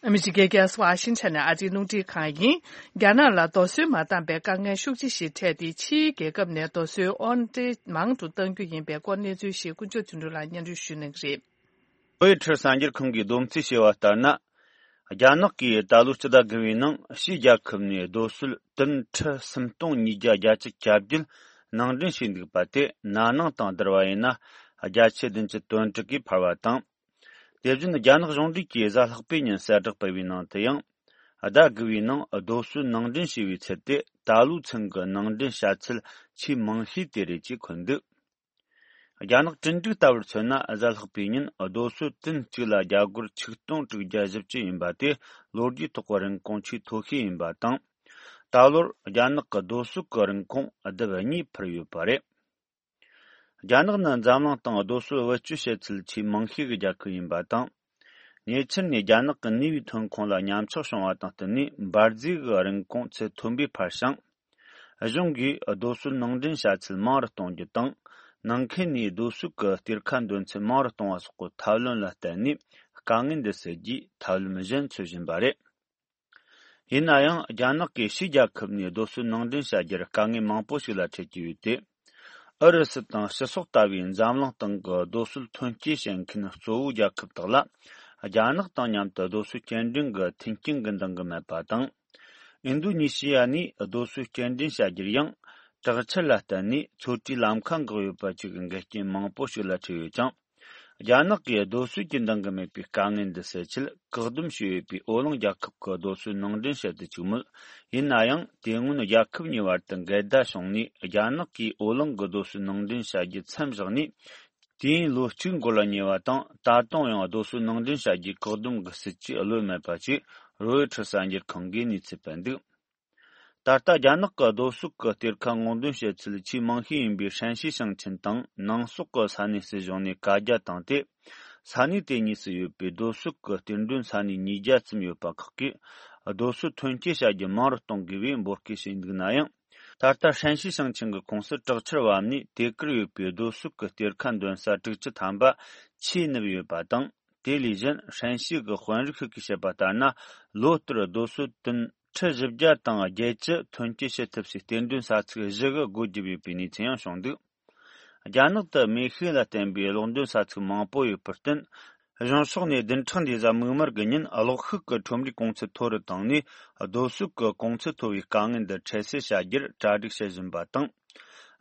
ཨ་མི་རི་ཀའི་རྒྱལ་ས་ཝ་ཤིང་ཊོན་ནས་ཨ་རིའི་རླུང་འཕྲིན་ཁང་ཡིན། རྒྱ་ནག་ལ་རྡོ་སོལ་མ་བཏང་པའི་དཀའ་ངལ་ཤུགས་ཆེ་ཞིག་འཕྲད་དེ། ཕྱིའི་རྒྱལ་ཁབ་ནས་རྡོ་སོལ་དབོར་འདྲེན་མང་དུ་གཏང་རྒྱུ་ཡིན་པའི་སྐོར་གནས་ཚུལ་ཞིག་དཀོན་མཆོག་དོན་གྲུབ་ལགས་སྙན་སྒྲོན་ཞུ་གནང་གི་རེད། ལྷོ་ཡི་ཁྲི་གསར་འགྱུར་ཁང་གིས་བསྡོམས་རྩིས་བྱས་པ་ལྟར་ན། རྒྱ་ནག་གིས་ད་ལོའི་སྤྱི་ཟླ་དགུ་པའི་ནང་ཕྱིའི་རྒྱལ་ཁབ་ནས་རྡོ་སོལ་ཏུན་ཁྲི་སུམ་སྟོང་ཉིས་བརྒྱ་བརྒྱད་ཅུ་གྱ་བརྒྱད་ནང་འདྲེན་བྱས་འདུག་པ་དེ་ན་ནིང་དང་བསྡུར་བ་ཡིན་ན་བརྒྱ་ཆ་བདུན་ཅུ་དོན་དྲུག་གིས་འཕར་བ་དང་། དེ་བཞིན་རྒྱ་ནག་གཞུང་འབྲེལ་གྱིས་གཟའ་ལྷག་པའི་ཉིན་གསལ་བསྒྲགས་སྤེལ་བའི་ནང་དུ་ཡང་། ཟླ་དགུ་པའི་ནང་རྡོ་སོལ་ནང་འདྲེན་བྱས་པའི་ཚད་དེ་ད་ལོའི་ཚུན་གྱི་ནང་འདྲེན་བྱ་ཚད་ཆེས་མང་ཤོས་དེ་རེད་ཅེས་འཁོད་འདུག། རྒྱ་ནག་གྲོས་འགྲིག་ལྟ་བུར་མཚོན་ན། གཟའ་ལྷག་པའི་ཉིན་རྡོ་སོལ་ཏུན་གཅིག་ལ་རྒྱ་སྒོར་ཆིག་སྟོང་དྲུག་བརྒྱ་བཞི་བཅུ་ཡིན་པ་དེ་ལོ་རྒྱུས་ཐོག་གི་རིན་གོང་ཆེས་མཐོ་ཤོས་ཡིན་པ་དང་། ད་ལོར་རྒྱ་ནག་གི་རྡོ་སོལ་གྱི་རིན་གོང་ལྡབ་གཉིས་འཕར་ཡོད་པ་རེད། རྒྱ་ནག་ནི་འཛམ་གླིང་སྟེང་རྡོ་སོལ་བེད་སྤྱོད་བྱེད་ཚད་ཆེས་མང་ཤོས་ཀྱི་རྒྱལ་ཁབ་ཡིན་པ་དང་། ཉེ་ཆར་ནས་རྒྱ་ནག་གི་ནུས་པའི་ཐོན་ཁུངས་ལ་ཉམས་ཆག་བྱུང་བ་དང་བསྟུན་ནས། འབར་རྫས་ཀྱི་རིན་གོང་ཚད་མཐོན་པོས་འཕར་ཞིང་། གཞུང་གིས་རྡོ་སོལ་ནང་འདྲེན་བྱ་ཚད་མང་རུ་གཏོང་རྒྱུ་དང་། ནང་ཁུལ་ནས་རྡོ་སོལ་གྱི་གཏེར་ཁ་འདོན་ཚད་མང་རུ་གཏོང་བ་སོགས་ཀྱི་ཐབས་ལམ་ལ་བརྟེན་ནས། དཀའ་ངལ་འདི་སེལ་རྒྱུའི་ཐབས་ལམ་གཞན་འཚོལ་བཞིན་པ་རེད། ཡིན་ན་ཡང་རྒྱ་ནག་གིས་ཕྱིའི་རྒྱལ་ཁབ་ནས་རྡོ་སོལ་ནང་འདྲེན་བྱ་རྒྱུར་དཀའ་ངལ་མང་པོ་ཞིག་ལ་འཕྲད་ཀྱི་ཡོད་དེ། ཨུ་རུ་སུ་དང་ཕྱི་སོག་ལྟ་བུའི་འཛམ་གླིང་སྟེང་གི་རྡོ་སོལ་ཐོན་སྐྱེད་བྱེད་མཁན་གཙོ་བོའི་རྒྱལ་ཁབ་དག་ལ། རྒྱ་ནག་དང་མཉམ་དུ་རྡོ་སོལ་སྐྱེལ་འདྲེན་གྱི་མཐུན་རྐྱེན་གྱི་འདང་གི་མེད་པ་དང་། ཨིན་དོ་ནི་ཤི་ཡ་ནས་རྡོ་སོལ་སྐྱེལ་འདྲེན་བྱ་རྒྱུར་ཡང་། དྲག་ཆར་ལ་བརྟེན་ནས་ཚོད་བྲེའི་ལམ་ཁ་འགག་ཡོད་པ་བཅས་ཀྱི་འགལ་རྐྱེན་མང་པོ་ཞིག་ལ་འཕྲད་ཡོད་ཀྱང་། རྒྱ་ནག་གིས་རྡོ་སོལ་གྱི་འདང་གི་མེད་པའི་དཀའ་ངལ་འདི་སེལ་ཆེད་བཀག་སྡོམ་བྱས་ཡོད་པའི་ཨོ་གླིང་རྒྱལ་ཁབ་ཀྱི་རྡོ་སོལ་ནང་འདྲེན་བྱེད་དུ་བཅུག་མོད། ཡིན་ན་ཡང་དེ་སྔོན་རྒྱལ་ཁབ་གཉིས་བར་དུ་འགལ་ཟླ་བྱུང་ནས་རྒྱ་ནག་གིས་ཨོ་གླིང་གི་རྡོ་སོལ་ནང་འདྲེན་བྱ་རྒྱུ་མཚམས་བཞག་ནས། དུས་ཡུན་ལོ་གཅིག་འགོར་ལ་ཉེ་བ་དང་། ད་དུང་ཡང་རྡོ་སོལ་ནང་འདྲེན་བྱ་རྒྱུའི་བཀག་སྡོམ་གྱི་སྲིད་ཇུས་གློད་མེད་པ་བཅས་རོའི་ཁྲི་གསར་འགྱུར་ཁང་གིས་གནས་ཚུལ་སྤེལ་འདུག་ད་ལྟ་རྒྱ་ནག་གི་རྡོ་སོལ་གྱི་གཏེར་ཁ་སྔོག་འདོན་བྱེད་ཚུལ་ཆེས་མང་ཤོས་ཡིན་པའི་ཧྲན་ཞི་ཞིང་ཆེན་དང་ནང་སོག་གི་ས་གནས་སྲིད་གཞུང་ནས་བཀའ་རྒྱ་བཏང་སྟེ། ས་གནས་དེ་གཉིས་སུ་ཡོད་པའི་རྡོ་སོལ་གྱི་གཏེར་འདོན་ས་གནས་ཉིས་བརྒྱ་ཙམ་ཡོད་པ་ཁག་གིས་རྡོ་སོལ་ཐོན་སྐྱེད་བྱ་རྒྱུ་མང་རུ་གཏོང་དགོས་པའི་འབོད་སྐུལ་བྱས་འདུག་ན་ཡང་། ད་ལྟ་ཧྲན་ཞི་ཞིང་ཆེན་གྱི་ཁོངས་སུ་དྲག་ཆར་བབས་ནས་དེ་གར་ཡོད་པའི་རྡོ་སོལ་གྱི་གཏེར་ཁ་འདོན་ས་དྲུག་ཅུ་ཐམ་པ་ཆུས་བསྣུབས་ཡོད་པ་དང་། དེ་ལས་གཞན་ཧྲན་ཞི་གི་དཔོན་རིགས་ཤིག་གིས་བཤད་པ་ལྟར་ན། ལོ་ལྟར་རྡོ་སོལ་ཏུན་ཁྲི་བཞི་བརྒྱ་དང་བརྒྱད་ཅུ་ཐོན་སྐྱེད་བྱེད་ཐུབ་སའི་གཏེར་འདོན་ས་ཚིགས་བཞི་གི་སྒོ་བརྒྱབ་ཡོད་པའི་གནས་ཚུལ་ཡང་བྱུང་འདུག་རྒྱ་ནག་ཏུ་མེ་ཤུགས་ལ་བརྟེན་པའི་གློག་འདོན་ས་ཚིགས་མང་པོ་ཡོད་པར་བརྟེན། གཞུང་ཕྱོགས་ནས་བདུན་ཕྲག་འདིའི་གཟའ་མིག་དམར་གྱི་ཉིན་གློག་ཤུགས་ཀྱི་ཁྲོམ་རའི་གོང་ཚད་མཐོ་རུ་བཏང་ནས། རྡོ་སོལ་གྱི་གོང་ཚད་མཐོ་བའི་དཀའ་ངལ་འདི་འཕྲལ་སེལ་བྱ་རྒྱུར་གྲ་སྒྲིག་བྱེད་བཞིན་པ་དང་།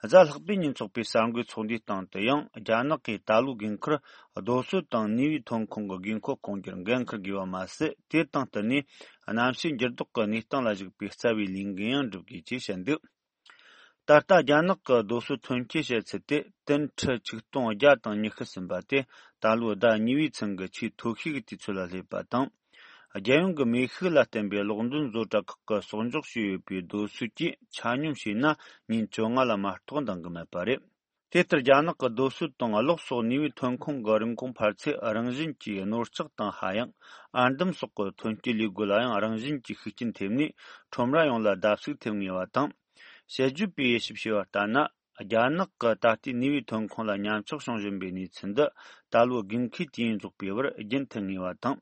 གཟའ་ལྷག་པའི་ཉིན་ཚོགས་པའི་གསར་འགོད་ཚོགས་འདུའི་སྟེང་དུ་ཡང་། རྒྱ་ནག་གིས་ད་ལོའི་དགོས་མཁར་རྡོ་སོལ་དང་ནུས་པའི་ཐོན་ཁུངས་ཀྱི་དགོས་མཁོ་སྐོང་རྒྱུར་འགན་འཁུར་དགོས་པ་མ་ཟད། དེ་དང་བསྟུན་ནས་གནམ་གཤིས་འགྱུར་ལྡོག་གི་གནས་སྟངས་ལ་གཞིགས་པའི་རྩ་བའི་ལས་འགན་ཡང་སྒྲུབ་དགོས་ཅེས་བཤད་འདུག་ད་ལྟ་རྒྱ་ནག་གི་རྡོ་སོལ་ཐོན་སྐྱེད་བྱེད་ཚད་དེ་ཏུན་ཁྲི་ཆིག་སྟོང་བརྒྱ་དང་ཉི་ཤུ་ཟིན་པ་དེ། ད་ལོའི་ཟླ་གཉིས་པའི་ཚུན་གྱི་ཆེས་མཐོ་ཤོས་ཀྱི་དུས་ཚོད་ལ་སླེབས་པ་དང་། རྒྱལ་ཡོངས་ཀྱི་མེ་ཤུགས་ལ་བརྟེན་པའི་གློག་འདོན་བཟོ་གྲྭ་ཁག་གིས་གསོག་འཇོག་བྱས་ཡོད་པའི་རྡོ་སོལ་གྱིས་ཆ་སྙོམས་བྱས་ན་ཉིན་བཅོ་ལྔ་ལ་མ་གཏོགས་འདང་གི་མེད་པ་རེད། དེ་ལྟར་རྒྱ་ནག་གི་རྡོ་སོལ་དང་གློག་སོགས་ནུས་པའི་ཐོན་ཁུངས་ཀྱི་རིན་གོང་འཕར་ཚད་རང་བཞིན་གྱིས་རྣོ་ལྕགས་དང་ཧ་ཡང་། ཨར་འདམ་སོགས་ཀྱི་ཐོན་སྐྱེད་ལས་སྒོ་ལ་ཡང་རང་བཞིན་གྱིས་ཤུགས་རྐྱེན་ཐེབས་ནས། ཁྲོམ་ར་ཡོངས་ལ་བརྡབ་གསིག་ཐེབས་ངེས་པ་དང་། དཔྱད་བརྗོད་པས་དབྱེ་ཞིབ་བྱས་པ་ལྟར་ན། རྒྱ་ནག་གི་ད་ལྟའི་ནུས་པའི་ཐོན་ཁུངས་ལ་ཉམས་ཆག་བྱུང་བཞིན་པའི་གནས་ཚུལ་འདི། ད་ལོའི་དགོས་མཁོའི་དུས་ཡུན་རྫོགས་པའི་བར་རྒྱུན་མཐུད་ངེས་པ་དང་།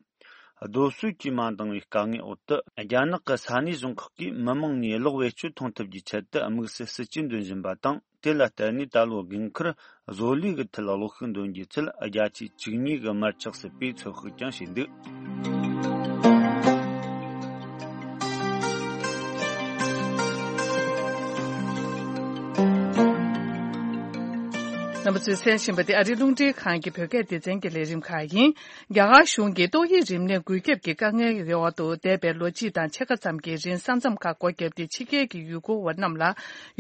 རྡོ་སོལ་གྱིས་མ་འདང་བའི་དཀའ་ངལ་འོག་ཏུ། རྒྱ་ནག་གི་ས་གནས་གཞུང་ཁག་གིས་མི་མང་ནས་གློག་བེད་སྤྱོད་གཏོང་ཐུབ་རྒྱུའི་ཆེད་དུ་དམིགས་བསལ་སྲིད་ཇུས་འདོན་བཞིན་པ་དང་། དེ་ལ་བརྟེན་ནས་ད་ལོའི་དགོས་མཁར་བཟོ་ལས་ཀྱི་ཐད་གློག་ཤུགས་འདོན་རྒྱུའི་ཚད་བརྒྱ་ཆ་བཅུ་གཉིས་ཀྱི་མར་ཆག་སྲིད་པའི་ཚོད་དཔག་ཀྱང་བྱས་འདུག་རྣམ་པ་ཚོས་གསན་བཞིན་པ་དེ་ཨ་རིའི་རླུང་འཕྲིན་ཁང་གི་བོད་སྐད་སྡེ་ཚན་གྱི་ལས་རིམ་ཁག་ཡིན། རྒྱ་གར་གཞུང་གིས་ཏོག་དབྱིབས་རིམས་ནད་འགོས་ཁྱབ་ཀྱི་དཀའ་ངལ་གྱི་འོག་ཏུ་འདས་པའི་ལོ་གཅིག་དང་ཕྱེད་ཀ་ཙམ་གྱི་རིང་ས་མཚམས་ཁག་སྒོ་བརྒྱབ་སྟེ་ཕྱི་རྒྱལ་གྱི་ཡུལ་སྐོར་བ་རྣམས་ལ་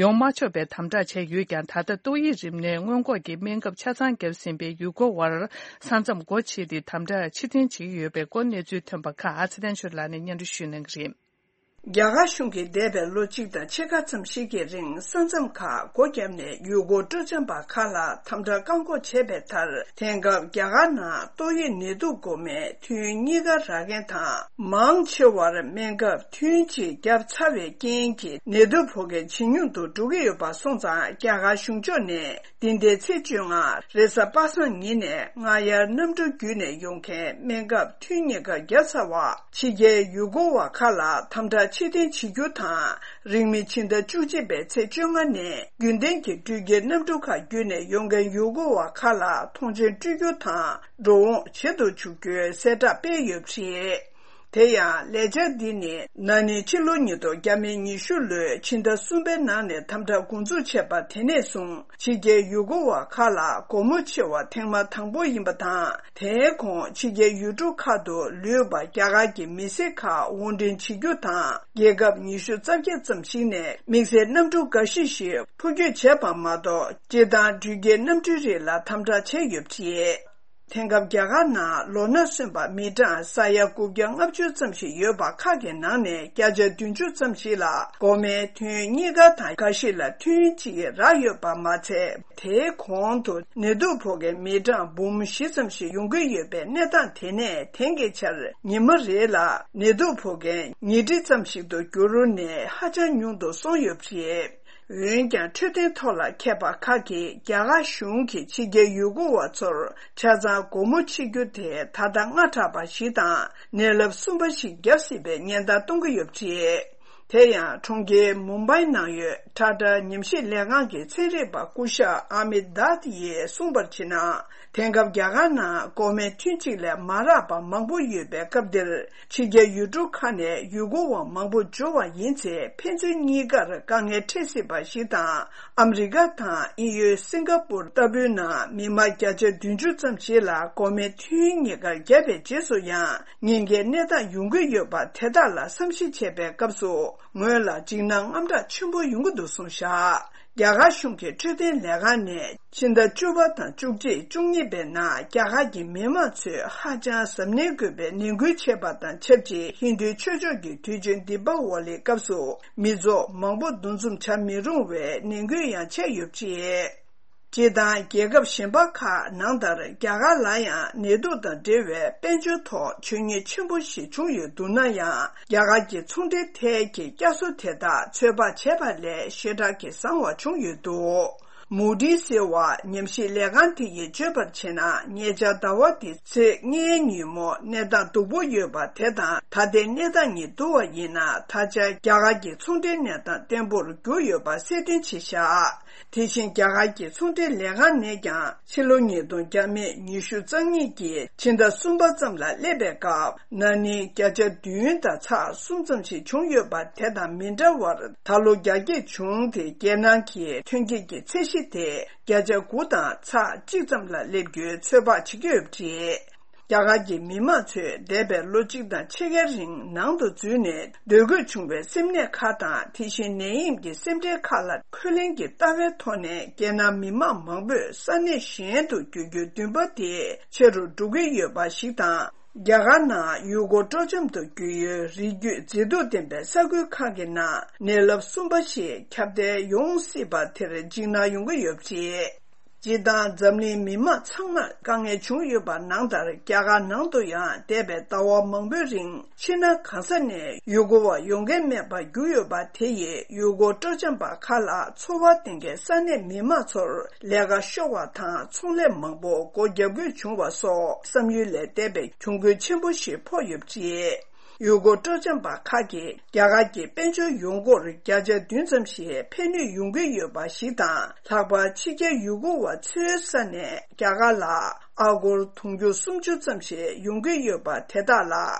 ཡོང་མ་ཆོག་པའི་དམ་དྲག་བྱས་ཡོད་ཀྱང་། ད་ལྟ་ཏོག་དབྱིབས་རིམས་ནད་སྔོན་འགོག་གི་སྨན་ཁབ་ཆ་ཚང་བརྒྱབ་ཟིན་པའི་ཡུལ་སྐོར་བར་ས་མཚམས་སྒོ་ཕྱེ་སྟེ་དམ་དྲག་ཕྱིར་འཐེན་བྱེད་ཀྱི་ཡོད་པའི་སྐོར་གནས་ཚུལ་ཐོན་པ་ཁག་ཨ་ཚེ་བརྟན་ཆོས་ལགས་ནས་སྙན་སྒྲོན་ཞུ་གནང་གི་རེད། རྒྱ་གར་གཞུང་གིས་འདས་པའི་ལོ་གཅིག་དང་ཕྱེད་ཀ་ཙམ་ཞིག་གི་རིང་ས་མཚམས་ཁག་སྒོ་བརྒྱབ་ནས་ཡུལ་སྐོར་སྤྲོ་འཆམ་པ་ཁག་ལ་དམ་དྲག་བཀག་འགོག་བྱས་པའི་མཐར། དེང་སྐབས་རྒྱ་གར་ནང་ཏོག་དབྱིབས་ནད་དུག་འགོས་མཁན་ཐུན་གཉིས་ཀ་རག་མཁན་དང་། མང་ཆེ་བར་སྨན་ཁབ་ཐུན་གཅིག་བརྒྱབ་ཚར་བའི་རྐྱེན་གྱིས་ནད་དུག་ཕོག་མཁན་ཇེ་ཉུང་དུ་འགྲོ་གི་ཡོད་པ་སོང་ཙང་། རྒྱ་གར་གཞུང་ཕྱོགས་ནས། འདི་ཟླའི་ཚེས་བཅོ་ལྔ་རེས་གཟའ་པ་སངས་ཉིན་ནས་སྔ་དབྱར་གནམ་གྲུ་བརྒྱུད་ནས་ཡོང་མཁན་སྨན་ཁབ་ཐུན་གཉིས་ཀ་བརྒྱབ་ཚར་བ་ཕྱི་རྒྱལ་ཡུལ་སྐོར་བ་ཁག་ལ་དམ་དྲག་ཕྱིར་འཐེན་བྱེད་རྒྱུ་དང་། རིང་མིན་ཕྱི་ཟླ་བཅུ་གཅིག་པའི་ཚེས་བཅོ་ལྔ་ནས་རྒྱུན་ལྡན་གྱི་འགྲུལ་སྐྱེལ་གནམ་གྲུ་ཁག་བརྒྱུད་ནས་ཡོང་མཁན་ཡུལ་སྐོར་བ་ཁག་ལ་ཐོངས་མཆན་སྤྲོད་རྒྱུ་དང་འགྲོ་འོང་བྱེད་དུ་འཇུག་རྒྱུའི་གསལ་བསྒྲགས་སྤེལ་ཡོད་པ་རེད། དེ་ཡང་ལས་འཆར་འདི་ནི་ན་ནིང་ཕྱི་ལོ་ཉིས་སྟོང་ཉི་ཤུ་ལོའི་ཕྱི་ཟླ་གསུམ་པའི་ནང་ནས་དམ་དྲག་འགོ་འཛུགས་བྱས་པ་དེ་ནས་བཟུང་ཕྱི་རྒྱལ་ཡུལ་སྐོར་བ་ཁག་ལ་སྒོ་མོ་ཕྱེ་བ་ཐེངས་མ་དང་པོ་ཡིན་པ་དང་། དེའི་གོང་ཕྱི་རྒྱལ་ཡུལ་གྲུ་ཁག་ཏུ་ལུས་པ་རྒྱ་གར་གྱི་མི་སེར་ཁག་དབོར་འདྲེན་བྱེད་རྒྱུ་དང་། རྒྱལ་ཁབ་ཉི་ཤུ་རྩ་བརྒྱད་ཙམ་ཞིག་ནས་དམིགས་བསལ་གནམ་གྲུ་འགའ་ཤས་ཤིག་འཕུར་སྐྱོད་བྱས་པ་མ་གཏོགས། སྤྱིར་བཏང་འགྲུལ་སྐྱེལ་གནམ་གྲུའི་རིགས་ལ་དམ་དྲག་བྱས་ཡོད་པ་རེད། དེང་སྐབས་རྒྱ་གར་ནང་ལོ་ན་སོན་པ་མི་གྲངས་ས་ཡ་དགུ་བརྒྱ་ལྔ་བཅུ་ཙམ་ཞིག་ཡོད་པ་ཁག་གི་ནང་ནས་བརྒྱ་ཆ་བདུན་ཅུ་ཙམ་ཞིག་ལ་འགོག་སྨན་ཐུན་གཉིས་ཀ་དང་འགའ་ཞིག་ལ་ཐུན་གཅིག་རག་ཡོད་པ་མ་ཚད། དེའི་གོང་དུ་ནད་དུག་ཕོག་མཁན་མི་གྲངས་འབུམ་བཞི་ཙམ་ཞིག་ཡོང་གི་ཡོད་པའི་གནས་སྟངས་དེ་ནས་དེང་གི་ཆར་ཉི་མ་རེ་ལ་ནད་དུག་ཕོག་མཁན་ཉིས་ཁྲི་ཙམ་ཞིག་ཏུ་འགྱུར་ནས་ཧ་ཅང་ཉུང་དུ་སོང་ཡོད་པ་རེད། འོན་ཀྱང་འཕྲོད་བསྟེན་ཐོག་ལ་མཁས་པ་ཁག་གིས་རྒྱ་གར་གཞུང་གིས་ཕྱི་རྒྱལ་ཡུལ་སྐོར་བ་ཚོར་ཆ་ཚང་སྒོ་མོ་ཕྱེ་རྒྱུ་དེ་ད་ལྟ་སྔ་དྲགས་པ་ཞིག་དང་། ནད་རླབས་གསུམ་པ་ཞིག་བརྒྱབ་སྲིད་པའི་ཉེན་བརྡ་གཏོང་གི་ཡོད་པ་རེད། དེ་ཡང་གྲོང་ཁྱེར་མུམ་བྷའི་ནང་ཡོད་ཊ་ཊ་ཉམས་ཞིབ་ལས་ཁང་གི་ཚན་རིག་པ་སྐུ་ཞབས་ཨ་མི་དཱད་ཡིས་གསུངས་པར་བྱས་ན། དེང་སྐབས་རྒྱ་གར་ནང་འགོག་སྨན་ཐུན་གཅིག་ལས་མ་རག་པ་མང་པོ་ཡོད་པའི་སྐབས་འདིར། ཕྱི་རྒྱལ་ཡུལ་གྲུ་ཁག་ནས་ཡུལ་སྐོར་བ་མང་པོ་འབྱོར་བ་ཡིན་ཚེ། ཕན་ཚུན་གཉིས་ཀར་དཀའ་ངལ་འཕྲད་སྲིད་པ་ཞིག་དང་། ཨ་མི་རི་ཀ་དང་དབྱིན་ཡུལ་སིང་ག་པུར་ལྟ་བུའི་ནང་མི་མང་བརྒྱ་ཆ་བདུན་ཅུ་ཙམ་ཞིག་ལ་འགོག་སྨན་ཐུན་གཉིས་ཀ་བརྒྱབ་པའི་རྗེས་སུ་ཡང་ཉེན་ཁའི་གནས་སྟངས་ཡོང་གི་ཡོད་པ་དེ་དག་ལ་བསམ་གཞིག་བྱས་པའི་སྐབས་སུ། ངོས་ལ་འཇིགས་སྣང་དངངས་སྐྲག་ཆེན་པོ་ཡོང་གི་འདུག་གསུངས་བཞག་རྒྱ་གར་གཞུང་གི་འཕྲོད་བསྟེན་ལས་ཁང་ནས་ཕྱི་ཟླ་བཅུ་པ་དང་བཅུ་གཅིག་བཅུ་གཉིས་པའི་ནང་རྒྱ་གར་གྱི་མི་མང་ཚོས་ཧ་ཅང་གཟབ་ནན་དགོས་པའི་ནན་སྐུལ་བྱས་པ་དང་ཆབས་ཅིག་ཧིན་རྡུའི་ཆོས་ཕྱོགས་ཀྱི་དུས་ཆེན་དི་པ་ཝ་ལིའི་སྐབས་སུ་མི་ཚོགས་མང་པོ་འདུ་འཛོམས་བྱ་མི་རུང་བའི་ནན་སྐུལ་ཡང་བྱས་ཡོད་པ་རེད། སྤྱིར་བཏང་རྒྱལ་ཁབ་གཞན་པ་ཁག་ནང་ལྟར་རྒྱ་གར་ལ་ཡང་ནད་དུག་དང་འབྲེལ་བའི་དཔལ་འབྱོར་ཐོག་བྱུས་ཉེས་ཆེན་པོ་ཞིག་བྱུང་ཡོད་འདུག་ན་ཡང་། རྒྱ་གར་གྱི་ཚོང་འབྲེལ་ཐད་ཀྱི་བསྐྱར་གསོ་དེ་དག་ཚོད་དཔག་བྱས་པ་ལས་ཞེ་དྲག་གི་བཟང་བ་བྱུང་ཡོད་འདུག་མུ་ཌིས་ཟེར་བ་ཉམས་ཞིབ་ལས་ཁང་དེ་ཡིས་བརྗོད་པར་བྱས་ན། ཉེ་ཆར་ཟླ་བ་འདིའི་ཚེས་ལྔའི་ཉིན་མོ་གནས་སྟངས་སྡུག་པོ་ཡོད་པ་དེ་དང་། ད་ལྟའི་གནས་སྟངས་གཉིས་བསྡུར་བ་ཡིན་ན། ད་ཆ་རྒྱ་གར་གྱི་ཚོང་འབྲེལ་གནས་སྟངས་བརྟན་པོར་གྱུར་ཡོད་པ་གསལ་སྟོན་བྱས་བཞག་དེ་བཞིན་རྒྱ་གར་གྱི་ཚོང་འབྲེལ་ལས་ཁང་ནས་ཀྱང་ཕྱི་ལོ་ཉིས་སྟོང་ཉི་ཤུ་རྩ་གཉིས་ཀྱི་ཕྱི་ཟླ་གསུམ་པ་ཙམ་ལ་སླེབས་པའི་སྐབས། ན་ནིང་བརྒྱ་ཆ་བདུན་དང་ཚེག་གསུམ་ཙམ་ཞིག་བྱུང་ཡོད་པ་དེ་དང་མི་འདྲ་བར། ད་ལོ་རྒྱ་སྐྱེད་བྱུང་སྟེ། རྒྱལ་ནང་གི་ཐོན་སྐྱེད་ཀྱི་ཚད་གཞི་དེ་བརྒྱ་ཆ་དགུ་དང་ཚེག་གཅིག་ཙམ་ལ་སླེབས་རྒྱུའི་ཚོད་དཔག་བྱེད་ཀྱི་ཡོད་པ་རེད། རྒྱ་གར་གྱི་མི་མང་ཚོས་འདས་པའི་ལོ་གཅིག་དང་ཕྱེད་ཀའི་རིང་ནང་དུ་འཛུལ་ནས་སྡོད་དགོས་བྱུང་བའི་སེམས་ནད་ཁག་དང་། དེ་བཞིན་ནད་ཡམས་ཀྱི་སེམས་ཁྲལ་ཁག་ལ་འཁོན་ལན་གྱི་ལྟ་བའི་ཐོག་ནས། རྒྱལ་ནང་མི་མང་མང་པོས་ས་གནས་གཞན་དུ་བསྐྱོད་རྒྱུའི་འདུན་པ་དེ་ཆེ་རུ་འགྲོ་གི་ཡོད་པ་ཞིག་དང་། རྒྱ་གར་ནང་ཡུལ་སྐོར་སྤྲོ་འཆམ་དུ་གྱུར་ཡུལ་རི་རྒྱུད་མཛེས་སྡུག་ལྡན་པའི་ས་ཁུལ་ཁག་གི་ནང་ནད་རླབས་གསུམ་པ་ཞིག་ཁྱབ་གདལ་ཡོང་སྲིད་པ་དེར་འཇིགས་སྣང་ཡོང་གི་ཡོད་པ་རེད། སྤྱིར་བཏང་འཛམ་གླིང་མི་མང་ཚང་མར་དཀའ་ངལ་བྱུང་ཡོད་པ་ནང་ལྟར། རྒྱ་གར་ནང་དུ་ཡང་འདས་པའི་ཟླ་བ་མང་པོའི་རིང་ཕྱི་ནང་གང་ས་ནས་ཡུལ་སྐོར་བ་ཡོང་མཁན་མེད་པར་གྱུར་ཡོད་པ་དེ་ཡིས་ཡུལ་སྐོར་སྤྲོ་འཆམ་པ་ཁག་ལ་འཚོ་བ་བསྟེན་མཁན་ས་གནས་མི་མང་ཚོར་ལས་ཀ་ཤོར་བ་དང་། ཚོང་ལས་མང་པོ་སྒོ་བརྒྱབ་དགོས་བྱུང་བ་སོགས་བསམ་ཡུལ་ལས་འདས་པའི་གྱོང་གུན་ཆེན་པོ་ཞིག་ཕོག་ཡོད་པ་རེད། ཡུལ་སྐོར་སྤྲོ་འཆམ་པ་ཁག་གིས་རྒྱ་གར་གྱི་དཔལ་འབྱོར་ཡོང་སྒོར་བརྒྱ་ཆ་བདུན་ཙམ་ཞིག་ཕན་ནུས་ཡོང་གི་ཡོད་པ་ཞིག་དང་། ལྷག་པར་ཕྱི་རྒྱལ་ཡུལ་སྐོར་བ་ཚོའི་ས་ནས་རྒྱ་གར་ལ་ཨ་སྒོར་དུང་ཕྱུར་སུམ་ཅུ་ཙམ་ཞིག་ཡོང་གི་ཡོད་པ་དེ་དག་ལ་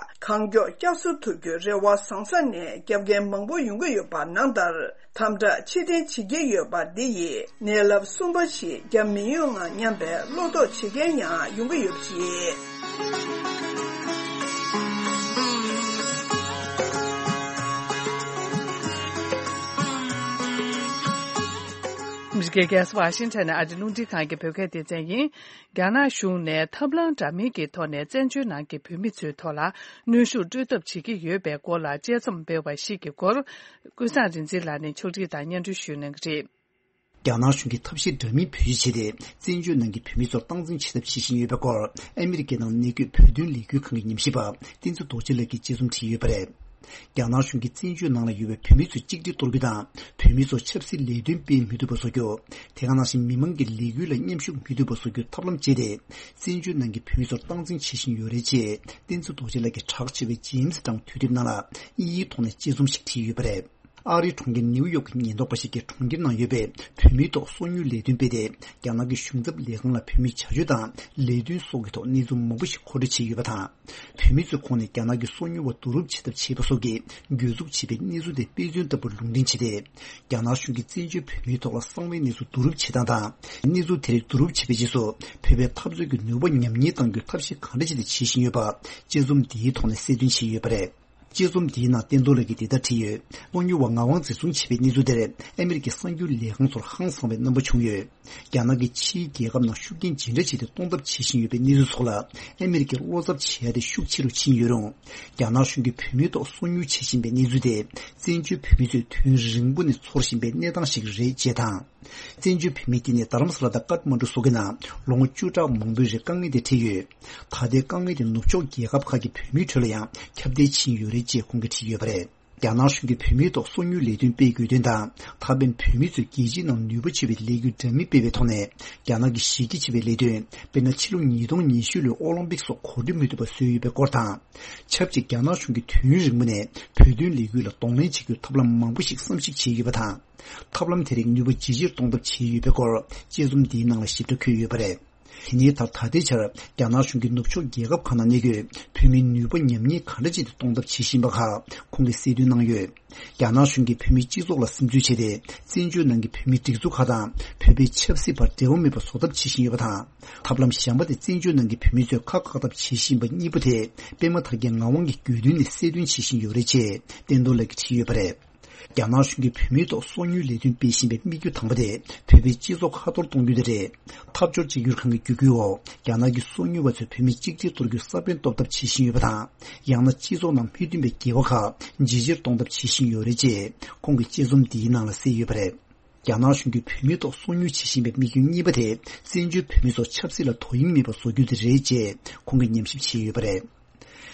གང་མགྱོགས་བསྐྱར་གསོ་ཐུབ་རྒྱུའི་རེ་བ་བཟང་ས་ནས་བརྒྱབ་མཁན་མང་པོ་ཡོང་གི་ཡོད་པ་ནང་ལྟར། དམ་དྲག་ཕྱིར་འཐེན་བྱེད་ཀྱི་ཡོད་པ་འདི་ཡིས་ནད་རླབས་གསུམ་པ་ཞིག་བརྒྱབ་མི་ཡོང་ང་སྙམ་པའི་བློ་དོགས་བྱེད་མཁན་ཡང་ཡོང་གི་ཡོད་པ་རེད། ཨ་མི་རི་ཀའི་རྒྱལ་ས་ཝ་ཤིང་ཊོན་ནས་ཨ་རི་རླུང་འཕྲིན་ཁང་གི་བོད་སྐད་སྡེ་ཚན་ཡིན། རྒྱ་ནག་གཞུང་ནས་ཐབས་ལམ་འདྲ་མིན་གྱི་ཐོག་ནས་བཙན་བྱོལ་ནང་གི་བོད་མི་ཚོའི་ཐོག་ལ་གནོན་ཤུགས་སྤྲོད་ཐབས་བྱེད་ཀྱི་ཡོད་པའི་སྐོར་ལ་དཔྱད་རྩོམ་སྤེལ་བ་ཞིག་གི་སྐོར། ཀུན་བཟང་རིག་འཛིན་ལགས་ནས་ཕྱོགས་སྒྲིག་དང་སྙན་སྒྲོན་ཞུ་གནང་གི་རེད། རྒྱ་ནག་གཞུང་གིས་ཐབས་ཤེས་འདྲ་མིན་བེད་སྤྱོད་བྱས་ཏེ། བཙན་བྱོལ་ནང་གི་བོད་མི་ཚོར་སྟངས་འཛིན་བྱེད་ཐབས་བྱེད་བཞིན་ཡོད་པའི་སྐོར། ཨ་མི་རི་ཀའི་ནང་གནས་འཁོད་བོད་དོན་ལས་འགུལ་ཁང་གི་ཉམས་ཞིབ་པ་བསྟན་འཛིན་རྡོ་རྗེ་ལགས་ཀྱིས་དཔྱད་རྩོམ་བྲིས་ཡོད་པ་རེད། རྒྱ་ནག་གཞུང་གིས་བཙན་བྱོལ་ནང་ལ་ཡོད་པའི་བོད་མི་ཚོས་གཅིག་སྒྲིལ་གཏོར་རྒྱུ་དང་། བོད་མི་ཚོར་ཆབ་སྲིད་ལས་དོན་སྤེལ་མི་ཐུབ་པ་བཟོ་རྒྱུ། དེ་ག་ནང་བཞིན་མི་མང་གི་ལས་འགུལ་ལ་མཉམ་ཞུགས་མི་ཐུབ་པ་བཟོ་རྒྱུའི་ཐབས་ལམ་སྤྱད་དེ། བཙན་བྱོལ་ནང་གི་བོད་མི་ཚོར་སྟངས་འཛིན་བྱེད་བཞིན་ཡོད་རེད་ཅེས། བསྟན་འཛིན་རྡོ་རྗེ་ལགས་ཀྱིས་གྲགས་ཆེ་བའི་ཇེམ་སི་ཊའུན་དུས་དེབ་ནང་ལ་དབྱིན་ཡིག་ཐོག་ནས་དཔྱད་རྩོམ་ཞིག་བྲིས་ཡོད་པ་རེད། ཨ་རིའི་གྲོང་ཁྱེར་ནེའུ་ཡོག་གི་ཉེན་རྟོག་པ་ཞིག་གིས་གྲོང་ཁྱེར་ནང་ཡོད་པའི་བོད་མིའི་ཐོག་སོ་ཉུལ་ལས་དོན་སྤེལ་ཏེ། རྒྱ་ནག་གི་གཞུང་ཚབ་ལས་ཁང་ལ་བོད་མིའི་བྱ་སྤྱོད་དང་ལས་དོན་སོགས་ཀྱི་ཐོག་གནས་ཚུལ་མང་པོ་ཞིག་མཁོ་སྤྲོད་བྱས་ཡོད་པ་དང་། བོད་མི་ཚོའི་ཁོངས་ནས་རྒྱ་ནག་གི་སོ་ཉུལ་བ་བསྡུ་རུབ་བྱེད་ཐབས་བྱས་པ་སོགས་ཀྱི་གྱོད་འཛུགས་བྱས་པའི་གནས་ཚུལ་དེ་དཔེ་མཚོན་ལྟ་བུར་ལུང་འདྲེན་བྱས་ཏེ། རྒྱ་ནག་གཞུང་གིས་བཙན་བྱོལ་བོད་མིའི་ཐོག་ལ་གསང་བའི་གནས་ཚུལ་བསྡུ་རུབ་བྱེད་སྟངས་དང་། གནས་ཚུལ་དེ་རིགས་བསྡུ་རུབ་བྱས་པའི་རྗེས་སུ་བོད་པའི་འཐབ་རྩོད་ཀྱི་ནུས་པ་ཉམས་ཉེས་གཏང་རྒྱུའི་ཐབས་ཤེས་གང་འདྲ་བྱས་ཏེ་བྱེད་བཞིན་ཡོད་པ། དཔྱད་རྩོམ་འདིའི་ཐོག་ནས་གསལ་སྟོན་བྱས་ཡོད་པ་རེད། དཔྱད་རྩོམ་འདིའི་ནང་བསྟན་རྡོར་ལགས་ཀྱིས་འདི་ལྟར་བྲིས་ཡོད། སོ་ཉུལ་བ་ངག་དབང་འཛིན་བཟུང་བྱས་པའི་གནས་ཚུལ་དེར་ཨ་མི་རི་ཀའི་གསར་འགྱུར་ལས་ཁང་ཚོར་ཧང་སངས་པའི་རྣམ་པ་བྱུང་ཡོད། རྒྱ་ནག་གིས་ཕྱིའི་རྒྱལ་ཁབ་ནང་ཤུགས་རྐྱེན་ཇི་འདྲ་བྱས་ཏེ་གཏོང་ཐབས་བྱེད་བཞིན་ཡོད་པའི་གནས་ཚུལ་སོགས་ལ་ཨ་མི་རི་ཀས་བློ་འཚབ་བྱེད་ཡ་དེ་ཤུགས་ཆེ་རུ་ཕྱིན་ཡོད་རུང་། རྒྱ་ནག་གཞུང་གིས་བོད་མིའི་ཐོག་སོ་ཉུལ་བྱེད་བཞིན་པའི་གནས་ཚུལ་དེ། བཙན་བྱོལ་བོད་མི་ཚོས་དུས་རིང་པོ་ནས་ཚོར་བཞིན་པའི་གནས་སྟངས་ཤིག་རེད་ཅེས་དང་། བཙན་བྱོལ་བོད་མིའི་སྐད་ནས་རྡ་རམ་ས་ལ་དང་ཀཏ་མན་ཌུ་སོགས་ཀྱི་ནང་ལོ་ངོ་བཅུ་ཕྲག་མང་པོའི་རིང་དཀའ་ངལ་དེ་འཕྲད་ཡོད། ད་ལྟའི་དཀའ་ངལ་དེ་ནུབ་ཕྱོགས་རྒྱལ་ཁབ་ཁག་གི་བོད་མིའི་ཁྲོད་ལ་ཡང་ཁྱབ་གདལ་ཕྱིན་ཡོད་རེད་ཅེས་ཁོང་གིས་བྲིས་ཡོད་པ་རེད། རྒྱ་ནག་གཞུང་གིས་བོད་མིའི་ཐོག་སོ་ཉུལ་ལས་དོན་སྤེལ་དགོས་དོན་དང་། ད་ཕན་བོད་མི་ཚོས་རྒྱལ་སྤྱིའི་ནང་ནུས་པ་ཆེ་བའི་ལས་འགུལ་འདྲ་མིན་སྤེལ་བའི་ཐོག་ནས། རྒྱ་ནག་གི་གཞི་རྒྱ་ཆེ་བའི་ལས་དོན། དཔེར་ན། ཕྱི་ལོ་ཉིས་སྟོང་ཉི་ཤུ་ལོའི་ཨོ་ལིམ་པིག་སོགས་གོ་སྒྲིག་མི་ཐུབ་པ་བཟོས་ཡོད་པའི་སྐོར་དང་། ཆབས་ཅིག་རྒྱ་ནག་གཞུང་གིས་དུས་ཡུན་རིང་པོ་ནས་བོད་དོན་ལས་འགུལ་ལ་གདོང་ལེན་བྱེད་རྒྱུའི་ཐབས་ལམ་མང་པོ་ཞིག་བསམ་གཞིག་བྱས་ཡོད་པ་དང་། ཐབས་ལམ་དེ་རིགས་ནུས་པ་ཇེ་ཆེར་གཏོང་ཐབས་བྱས་ཡོད་པའི་སྐོར། དཔྱད་རྩོམ་འདིའི་ནང་ལ་ཞིབ་ཕྲ་འཁོད་ཡོད་པ་རེད། དེ་ནས་ད་ད་ལྟའི་ཆར་རྒྱ་ནག་གཞུང་གིས་ནུབ་ཕྱོགས་རྒྱལ་ཁབ་ཁག་ནང་གནས་འཁོད་བོད་མིའི་ནུས་པ་ཉམས་ཉེས་ག་འདྲ་བྱས་ཏེ་གཏོང་ཐབས་བྱེད་བཞིན་པ་ཁག་ཁོང་གིས་གསལ་སྟོན་གནང་ཡོད། རྒྱ་ནག་གཞུང་གིས་བོད་མིའི་སྤྱི་ཚོགས་ལ་སིམ་འཛུལ་བྱས་ཏེ། བཙན་བྱོལ་ནང་གི་བོད་མིའི་སྒྲིག་འཛུགས་ཁག་དང་བོད་པའི་ཆབ་སྲིད་བར་འབྲེལ་བ་མེད་པ་བཟོ་ཐབས་བྱེད་བཞིན་ཡོད་པ་དང་། ཐབས་ལམ་གཞན་པ་དེ་བཙན་བྱོལ་ནང་གི་བོད་མི་ཚོས་ཁག་བཀག་ཐབས་བྱེད་བཞིན་པ་གཉིས་པོ་དེ། པད་མ་ཐར་རྒྱས་ངག་དབང་གིས་དགོས་འདུན་ནས་གསལ་སྟོན་བྱེད་བཞིན་ཡོད་རེད་ཅེས་བསྟན་རྡོར་ལགས་ཀྱིས་བྲིས་ཡོད་པ་རེད། རྒྱ་ནག་གཞུང་གིས་བོད་མིའི་ཐོག་སོ་ཉུལ་ལས་དོན་སྤེལ་བཞིན་པའི་དམིགས་ཡུལ་དང་པོ་དེ། བོད་པའི་སྤྱི་ཚོགས་ཁ་གཏོར་གཏོང་རྒྱུ་དེ་རེད། འཐབ་ཕྱོགས་གཅིག་གྱུར་ཁང་གི་བརྒྱུད་སྐུལ་འོག་རྒྱ་ནག་གིས་སོ་ཉུལ་བ་ཚོས་བོད་མི་གཅིག་སྒྲིལ་གཏོར་རྒྱུའི་ས་བོན་གཏོར་ཐབས་བྱེད་བཞིན་ཡོད་པ་དང་། ཡང་ན། སྤྱི་ཚོགས་ནང་མི་མཐུན་པའི་འགལ་བ་ཁག་ཇེ་ཆེར་གཏོང་ཐབས་བྱེད་བཞིན་ཡོད་རེད་ཅེས། ཁོང་གིས་དཔྱད་རྩོམ་འདིའི་ནང་ལ་གསལ་ཡོད་པ་རེད། རྒྱ་ནག་གཞུང་གིས་བོད་མིའི་ཐོག་སོ་ཉུལ་བྱེད་བཞིན་པའི་དམིགས་ཡུལ་གཉིས་པ་དེ། བཙན་བྱོལ་བོད་མི་ཚོ་ཆབ་སྲིད་ལ་དོ་དབྱིངས་མེད་པར་བཟོ་རྒྱུ་དེ་རེད་ཅེས། ཁོང་གིས་ཉམས་ཞིབ་བྱས་ཡོད་པ་རེད།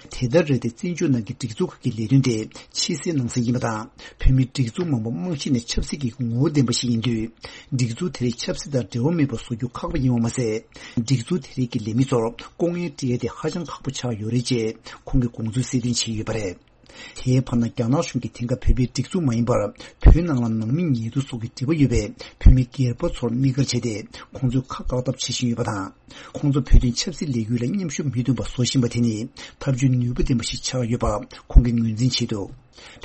དེ་ལྟར་རེད་དེ། བཙན་བྱོལ་ནང་གི་སྒྲིག་འཛུགས་ཁག་གི་ལས་དོན་དེ་ཕྱི་གསལ་ནང་གསལ་ཡིན་པ་དང་། བོད་མིའི་སྒྲིག་འཛུགས་མང་པོ་རྨང་གཞི་ནས་ཆབ་སྲིད་ཀྱི་ངོ་བོ་ལྡན་པ་ཞིག་ཡིན་དུས། སྒྲིག་འཛུགས་དེ་རིགས་ཆབ་སྲིད་དང་འབྲེལ་བ་མེད་པར་བཟོ་རྒྱུ་ཁག་པོ་ཡིན་པ་མ་ཟད། སྒྲིག་འཛུགས་དེ་རིགས་ཀྱི་ལས་མི་ཚོར་ལྐོག་རྔན་སྤྲད་ཡ་དེ་ཧ་ཅང་ཁག་པོ་ཆགས་ཡོད་རེད་ཅེས། ཁོང་གིས་དགོངས་ཚུལ་གསལ་སྟོན་བྱས་ཡོད་པ་རེད། དེའི་བར་ན། རྒྱ་ནག་གཞུང་གིས་དེང་སྐབས་བོད་པའི་སྒྲིག་འཛུགས་མ་ཡིན་པར། བོད་ནང་ལ་ནང་མི་ཉེ་དུ་སོགས་ཀྱི་འབྲེལ་བ་ཡོད་པའི་བོད་མི་སྒེར་པ་ཚོར་དམིགས་བཀར་བྱས་ཏེ། ཁོང་ཚོའི་ཁ་བཀག་ཐབས་བྱེད་བཞིན་ཡོད་པ་དང་། ཁོང་ཚོ་བོད་དོན་ཆབ་སྲིད་ལས་འགུལ་ལ་མཉམ་ཞུགས་མི་ཐུབ་པ་བཟོ་བཞིན་པ་དེ་ནི། ཐབས་ཇུས་ནུས་པ་ལྡན་པ་ཞིག་ཆགས་ཡོད་པ་ཁོང་གིས་ངོས་འཛིན་བྱས་འདུག་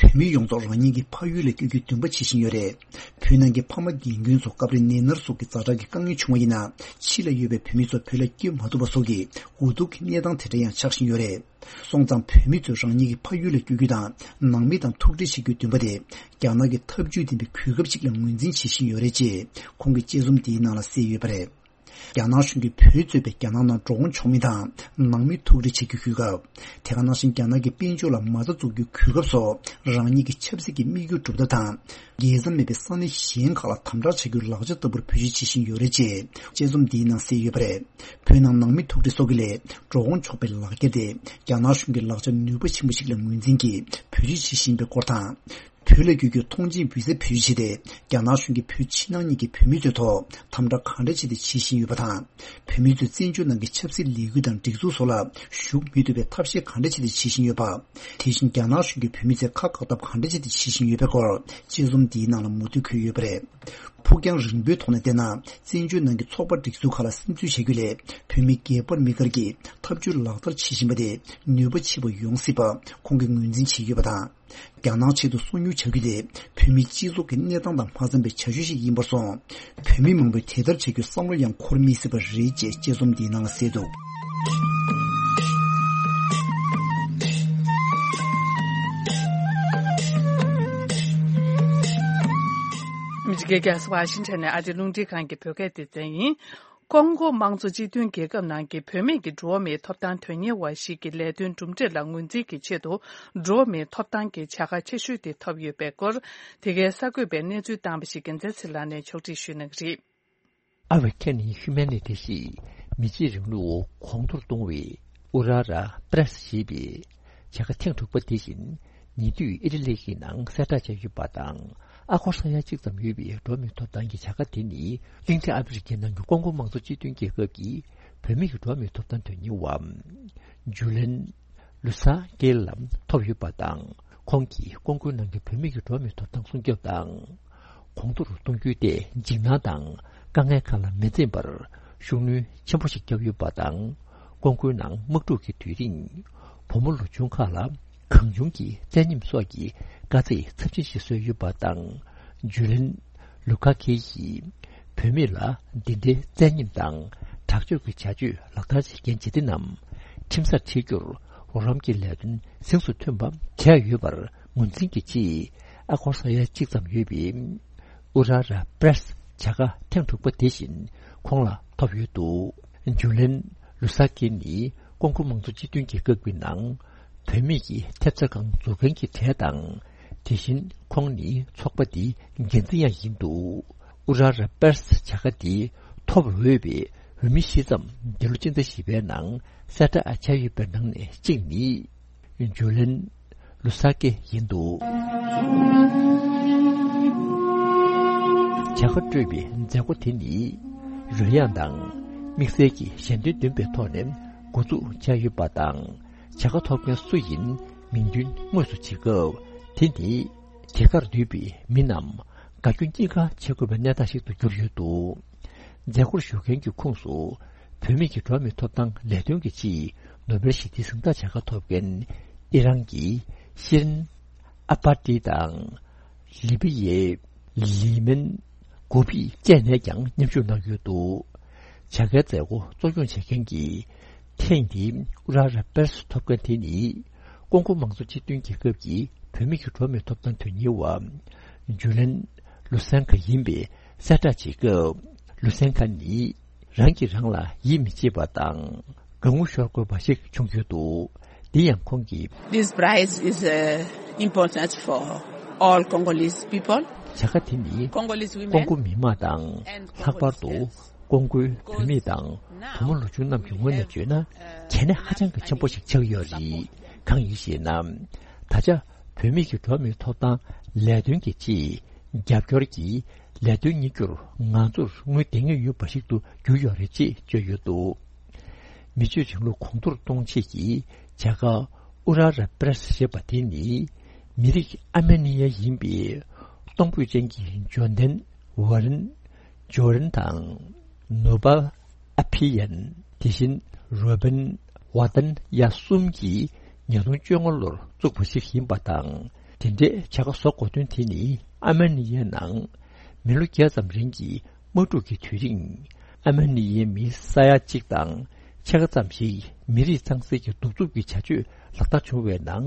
བོད་མི་ཡོངས་རྫོགས་རང་ཉིད་ཀྱི་ཕ་ཡུལ་ལ་བསྐྱོད་རྒྱུའི་འདུན་པ་བྱེད་བཞིན་ཡོད་རེད། བོད་ནང་གི་ཕ་མ་རྒན་རྒོན་ཚོ་སྐབས་རེ་ནད་མནར་སོགས་ཀྱི་ཛ་དྲག་གི་དཀའ་ངལ་བྱུང་བ་ཡིན་ན། ཕྱི་ལ་ཡོད་པའི་བོད་མི་ཚོ་བོད་ལ་བསྐྱོད་མ་ཐུབ་པ་སོགས་ཀྱི་འུ་སྡུག་གི་གནས་སྟངས་དེ་འདྲ་ཡང་ཆགས་བཞིན་ཡོད་རེད། སོང་ཙང་། བོད་མི་ཚོས་རང་ཉིད་ཀྱི་ཕ་ཡུལ་ལ་བསྐྱོད་རྒྱུ་དང་། ནང་མི་དང་ཐུག་འཕྲད་བྱེད་རྒྱུའི་འདུན་པ་དེ། རྒྱ་ནག་གིས་ཐབས་ཇུས་ལྡན་པའི་གོ་སྐབས་ཤིག་ལ་ངོས་འཛིན་བྱེད་བཞིན་ཡོད་རེད་ཅེས། ཁོང་གིས་དཔྱད་རྩོམ་འདིའི་ནང་ལ་གསལ་ཡོད་པ་རེད། རྒྱ་ནག་གཞུང་གིས་བོད་གཙོས་པའི་རྒྱ་ནག་ནང་འགྲོ་འོང་ཆོག་མི་དང་། ནང་མི་ཐུག་འཕྲད་བྱེད་རྒྱུའི་གོ་སྐབས། དེ་ག་ནང་བཞིན། རྒྱ་ནག་གི་དཔལ་འབྱོར་ལ་མ་རྩ་འཛུགས་རྒྱུའི་གོ་སྐབས་སོགས། རང་ཉིད་ཀྱི་ཆབ་སྲིད་ཀྱི་དམིགས་ཡུལ་སྒྲུབ་ཐབས་དང་། རྒྱལ་མཚམས་མེད་པའི་ས་གནས་གཞན་ཁག་ལ་དམ་དྲག་བྱ་རྒྱུའི་ལག་ཆ་ལྟ་བུར་བེད་སྤྱོད་བྱེད་བཞིན་ཡོད་རེད་ཅེས། དཔྱད་རྩོམ་འདིའི་ནང་གསལ་ཡོད་པ་རེད། བོད་ནང་ནང་མི་ཐུག་འཕྲད་སོགས་ཀྱི་ལས་འགྲོ་འོང་ཆོག་པའི་ལག་འཁྱེར་དེ། རྒྱ་ནག་གཞུང་གི་ལག་ཆ་ནུས་པ་ཆེན་པོ་ཞིག་ལ་ངོས་འཛིན་གྱིས་བེད་སྤྱོད་བྱེད་བཞིན་པའི་སྐོར་དང་། བོད་ལ་བསྐྱོད་རྒྱུའི་ཐོངས་མཆན་བི་ཟ་བེད་སྤྱོད་བྱས་ཏེ། རྒྱ་ནག་གཞུང་གིས་བོད་ཕྱི་ནང་གཉིས་ཀྱི་བོད་མི་ཚོའི་ཐོག་དམ་དྲག་ག་འདྲ་བྱས་ཏེ་བྱེད་བཞིན་ཡོད་པ་དང་། བོད་མི་ཚོས་བཙན་བྱོལ་ནང་གི་ཆབ་སྲིད་ལས་འགུལ་དང་སྒྲིག་འཛུགས་སོགས་ལ་ཞུགས་མི་ཐུབ་པའི་ཐབས་ཤེས་ག་འདྲ་བྱས་ཏེ་བྱེད་བཞིན་ཡོད་པ། དེ་བཞིན། རྒྱ་ནག་གཞུང་གིས་བོད་མི་ཚོའི་ཁ་བཀག་ཐབས་ག་འདྲ་བྱས་ཏེ་བྱེད་བཞིན་ཡོད་པའི་སྐོར། དཔྱད་རྩོམ་འདིའི་ནང་ལ་མུ་མཐུད་འཁོད་ཡོད་པ་རེད། ཕུགས་རྒྱང་རིང་པོའི་ཐོག་ནས་བལྟས་ན། བཙན་བྱོལ་ནང་གི་ཚོགས་པ་སྒྲིག་འཛུགས་ཁག་ལ་སིམ་འཛུལ་བྱ་རྒྱུ་ལས། བོད་མི་སྒེར་པར་དམིགས་བཀར་གྱིས་ཐབས་ཇུས་ལག་བསྟར་བྱེད་བཞིན་པ་དེ་ནུས་པ་ཆེ་བ་ཡོང་སྲིད་པ་ཁོང་གིས་ངོས་འཛིན་བྱས་ཡོད་པ་དང་། རྒྱ་ནག་ཆེད་དུ་སོ་ཉུལ་བྱ་རྒྱུ་དེ་བོད་མིའི་སྤྱི་ཚོགས་ཀྱི་གནས་སྟངས་དང་མ་འཚམ་པའི་བྱ་སྤྱོད་ཞིག་ཡིན་པར་སོང་། བོད་མི་མང་པོས་དེ་ལྟར་བྱ་རྒྱུའི་བསམ་བློ་ཡང་འཁོར་མི་སྲིད་པ་རེད་ཅེས་དཔྱད་རྩོམ་འདིའི་ནང་ལ་གསལ་འདུག་ཨ་མི་རི་ཀའི་རྒྱལ་ས་ཝ་ཤིང་ཊོན་ནས་ཨ་རིའི་རླུང་འཕྲིན་ཁང་གི་བོད་སྐད་སྡེ་ཚན་ཡིན། ཀོང་ཀོ་དམངས་གཙོ་སྤྱི་མཐུན་རྒྱལ་ཁབ་ནང་གི་བུད་མེད་ཀྱི་འགྲོ་བ་མིའི་ཐོབ་ཐང་དོན་གཉེར་བ་ཞིག་གི་ལས་དོན་གྲུབ་འབྲས་ལ་ངོས་འཛིན་གྱི་ཆེད་དུ། འགྲོ་བ་མིའི་ཐོབ་ཐང་གི་བྱ་དགའ་ཆེ་ཤོས་དེ་ཐོབ་ཡོད་པའི་སྐོར། དེ་གའི་གསར་འགོད་པས་གནས་ཚུལ་བཏང་པ་ཞིག་རྒྱལ་མཚན་ཚེ་ལགས་ནས་ཕྱོགས་སྒྲིག་ཞུ་གནང་གི་རེད། ཨ་ཝེ་ཁེ་ནི་ཧུ་མན་ནི་ཏི་ཞེས་མི་གཅིག་རིང་ལུགས་གོང་མཐོར་གཏོང་བའི་ཨུ་ར་ར་པྲེ་སི་ཞེས་པའི་བྱ་དགའ་ཐེངས་དྲུག་པ་དེ་བཞིན་ཉེ་དུས་ཨི་ཊ་ལི་གི་ནང་གསལ་བསྒྲགས་བྱས་ཡོད་པ་དང་། ཨ་སྒོར་ས་ཡ་གཅིག་ཙམ་ཡོད་པའི་འགྲོ་བ་མིའི་ཐོབ་ཐང་གི་བྱ་དགའ་དེ་ནི་གླིང་ཕྲན་ཨ་ཧྥེ་རི་ཁའི་ནང་གི་ཀོང་ཀོ་དམངས་གཙོ་སྤྱི་མཐུན་རྒྱལ་ཁབ་ཀྱི་བུད་མེད་ཀྱི་འགྲོ་བ་མིའི་ཐོབ་ཐང་དོན་གཉེར་བ་ཇུ་ལན་ལུ་ས་ཀེ་ལ་ཐོབ་ཡོད་པ་དང་། ཁོང་གིས་ཀོང་ཀོའི་ནང་གི་བུད་མེད་ཀྱི་འགྲོ་བ་མིའི་ཐོབ་ཐང་སྲུང་སྐྱོབ་དང་། གོང་མཐོར་གཏོང་རྒྱུའི་ཐད་འཇིགས་སྣང་དང་དཀའ་ངལ་ཁག་ལ་མི་འཛེམ་པར་ཤུགས་སྣོན་ཆེན་པོ་ཞིག་བརྒྱབ་ཡོད་པ་དང་། ཀོང་ཀོའི་ནང་དམག་འཁྲུག་གི་དུས་རིང་བུ་མོ་ལོ་ཆུང་ཁག་ལ་གང་བྱུང་གི་བཙན་ཉམས་སོགས་ཀྱི་དཀའ་ཚེགས་ཚབས་ཆེན་ཞིག་བཟོས་ཡོད་པ་དང་། ཇུ་ལན་ལུ་ཁ་ཁེ་ཡིས་བུད་མེད་ལ་འདི་འདྲའི་བཙན་ཉམས་དང་དྲག་སྤྱོད་ཀྱི་བྱ་སྤྱོད་ལག་བསྟར་བྱེད་མཁན་བྱེད་གཏེ་རྣམས་ཁྲིམས་སར་ཁྲིད་རྒྱུར་རོགས་རམ་གྱི་ལས་དོན་གཟེངས་སུ་ཐོན་པ་བྱས་ཡོད་པར་ངོས་འཛིན་གྱི་ཆེད། ཨ་སྒོར་ས་ཡ་གཅིག་ཙམ་ཡོད་པའི་ཨུ་ར་ར་པྲེ་སི་བྱ་དགའ་ཐེངས་དྲུག་པ་དེ་བཞིན་ཁོང་ལ་ཐོབ་ཡོད་འདུག་ཇུ་ལན་ལུ་ས་ཀེ་ནི་ཀོང་ཀོ་དམངས་གཙོ་སྤྱི་མཐུན་རྒྱལ་ཁབ་ཀྱི་ནང་བུད་མེད་ཀྱི་ཐེབས་རྩ་ཁང་འཛུགས་མཁན་གྱི་གྲས་དང་། དེ་བཞིན་ཁོང་ནི་ཚོགས་པ་འདིའི་འགན་འཛིན་ཡང་ཡིན་འདུག་ཨུ་ར་ར་པྲེ་སི་བྱ་དགའ་འདི་ཐོབ་འོས་པའི་འོས་མི་བཞི་ཙམ་འདི་ལོ་སྤྱི་ཟླ་བཞི་པའི་ནང་གསལ་བསྒྲགས་བྱས་ཡོད་པའི་ནང་ནས་གཅིག་ནི། ཇུ་ལན་ ལུ་ས་ཀེ་ཡིན་འདུག་བྱ་དགའ་སྤྲོད་པའི་མཛད་སྒོ་དེ་ནི་རོལ་དབྱངས་དང་དམིགས་བསལ་གྱི་ཞལ་འདོན་འདོན་པའི་ཐོག་ནས་འགོ་འཛུགས་བྱས་ཡོད་པ་དང་། བྱ་དགའ་ཐོབ་མཁན་སུ་ཡིན་མིང་འདོན་དངོས་སུ་བྱེད་སྐབས། དེ་ནི་དེ་གར་འདུས་པའི་མི་རྣམས་དགའ་སྐྱོ་གཉིས་ཀ་བྱེད་དགོས་པའི་གནས་སྟངས་ཤིག་ཏུ་གྱུར་ཡོད་འདུག་མཛད་སྒོར་ཞུགས་མཁན་གྱི་ཁོངས་སུ། བུད་མེད་ཀྱི་འགྲོ་བ་མིའི་ཐོབ་ཐང་ལས་དོན་གྱི་ཆེད་ནོ་བེལ་ཞི་བདེའི་གཟེངས་རྟགས་བྱ་དགའ་ཐོབ་མཁན་ཨི་རན་གྱི་ཤིན་ཨ་པ་ཏི་དང་། ལི་པི་ཡའི་ལི་མན་གོ་པི་བཅས་ནས་ཀྱང་མཉམ་ཞུགས་གནང་ཡོད་འདུག་བྱ་དགའི་མཛད་སྒོ་གཙོ་སྐྱོང་བྱེད་མཁན་གྱི་ཐེངས་འདིའི་ཨུ་ར་ར་པེ་རེས་ཐོབ་མཁན་དེ་ནི་ཀོང་ཀོ་མང་གཙོ་སྤྱི་མཐུན་རྒྱལ་ཁབ་ཀྱི་བུད་མེད་ཀྱི་འགྲོ་བ་མིའི་ཐོབ་ཐང་དོན་གཉེར་བ་ཇུ་ལན་ལུ་སན་ཁ་ཡིན་པའི་གསལ་བསྒྲགས་བྱེད་སྐབས། ལུ་སན་ཁ་ནི་རང་གིས་རང་ལ་ཡིད་མི་ཆེས་པ་དང་དགའ་ངུ་ཤོར་དགོས་པ་ཞིག་བྱུང་ཡོད་འདུག་དེ་ཡང་ཁོང་གིས། This prize is uh, important for all Congolese people. བྱ་དགའ་དེ་ནི་Congolese women ཀོང་ཀོ་མི་དམངས་དང་། ལྷག་པར་དུ་ཀོང་ཀོའི་བུད་མེད་དང་བུ་མོ་ལོ་ཆུང་རྣམས་ཀྱི་ངོས་ནས་བརྗོད་ན་གལ་གནད་ཧ་ཅང་གི་ཆེན་པོ་ཞིག་ཆགས་ཡོད་རེད། གང་ཡིན་ཞེ་ན། ད་ཆ་བུད་མེད་ཀྱི་འགྲོ་བ་མིའི་ཐོབ་ཐང་ལས་དོན་གྱི་ཆེད་རྒྱབ་སྐྱོར་གྱི་ལས་དོན་གཉེར་རྒྱུར་ང་ཚོར་དངུལ་ལྡང་ངེས་ཡོད་པ་ཞིག་ཏུ་གྱུར་ཡོད་རེད་ཅེས་བརྗོད་ཡོད་འདུག་མི་སྤྱོད་བྱེད་ལུགས་གོང་མཐོར་གཏོང་ཆེད་ཀྱི་བྱ་དགའ་ཨུ་ར་ར་པེ་རེས་ཞེས་པ་དེ་ནི་མི་རིགས་ཨར་མེ་ནི་ཡ་ཡིན་པའི་གཏོང་ཕོད་ཅན་གྱི་འབྱོར་ལྡན་ཝ་རན་ཇོ་རན་དང་ནོ་བ་ཨ་ཕི་ཡན། དེ་བཞིན་རོ་བན་ཝ་ཏན་ཡ་གསུམ་གྱིས་ཉིས་སྟོང་བཅོ་ལྔ་ལོར་བཙུགས་པ་ཞིག་ཡིན་པ་དང་། དེ་འདྲའི་བྱ་དགའ་བཟོ་དགོས་དོན་དེ་ནི་ཨར་མེ་ནི་ཡའི་ནང་མི་ལོ་བརྒྱ་ཙམ་རིང་གི་དམག་འཁྲུག་གི་དུས་རིང་། ཨར་མེ་ནི་ཡའི་མི་ས་ཡ་གཅིག་དང་ཕྱེད་ཀ་ཙམ་ཞིག་མི་རིགས་གཙང་སེལ་གྱི་གདུག་རྩུབ་ཀྱི་བྱ་སྤྱོད་ལག་བསྟར་བྱུང་བའི་ནང་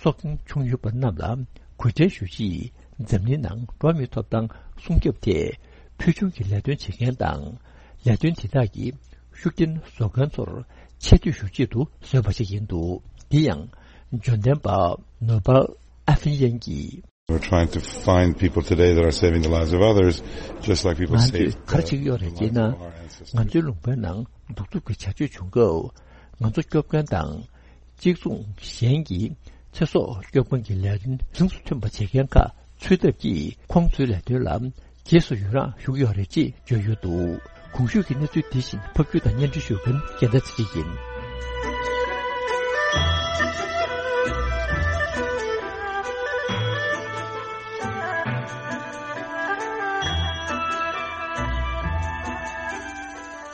སྲོག་ཤིང་བྱུང་ཡོད་པ་རྣམས་ལ་གུས་བཀུར་ཞུ་ཆེད། འཛམ་གླིང་ནང་འགྲོ་བ་མིའི་ཐོབ་ཐང་སྲུང་སྐྱོབ་ཐད་ཕུལ་བྱུང་གི་ལས་དོན་བྱེད་མཁན་དང་། ལས་དོན་དེ་དག་གི་ཤུགས་རྐྱེན་བཟོ་མཁན་ཚོར་ཆེ་བསྟོད་ཞུ་ཆེད་དུ་བཟོས་པ་ཞིག་ཡིན་འདུག་དེ་ཡང་འབྱོར་ལྡན་པ་ནོ་བལ་ཨ་ཕི་ཡན་གྱིས། We're trying to find people today that are saving the lives of others, just like people saved the lives of our ancestors. ང་ཚོས་ག་རེ་བྱེད་ཀྱི་ཡོད་རེད་ཅེ་ན། ང་ཚོའི་ལུང་པའི་ནང་གདུག་རྩུབ་ཀྱི་བྱ་སྤྱོད་བྱུང་སྐབས། ང་ཚོ་སྐྱོབ་མཁན་དང་། གཅིག་མཚུངས་གཞན་གྱི་ཚེ་སྲོག་སྐྱོབ་མཁན་གྱི་ལས་དོན་རིང་དུ་ཐོན་པ་བྱེད་མཁན་ཁག་འཚོལ་ཐབས་ཀྱིས་ཁོང་ཚོའི་ལས་དོན་ལ་རྗེས་སུ་ཡི་རངས་ཞུ་གི་ཡོད་རེད་ཅེས་བརྗོད་ཡོད་འདུག་གོང་ཞུས་ཀྱི་གནས་ཚུལ་འདི་བཞིན་ཕབ་སྒྱུར་དང་སྙན་སྒྲོན་ཞུ་མཁན་རྒྱལ་མཚན་ཚེ་རིང་ཡིན།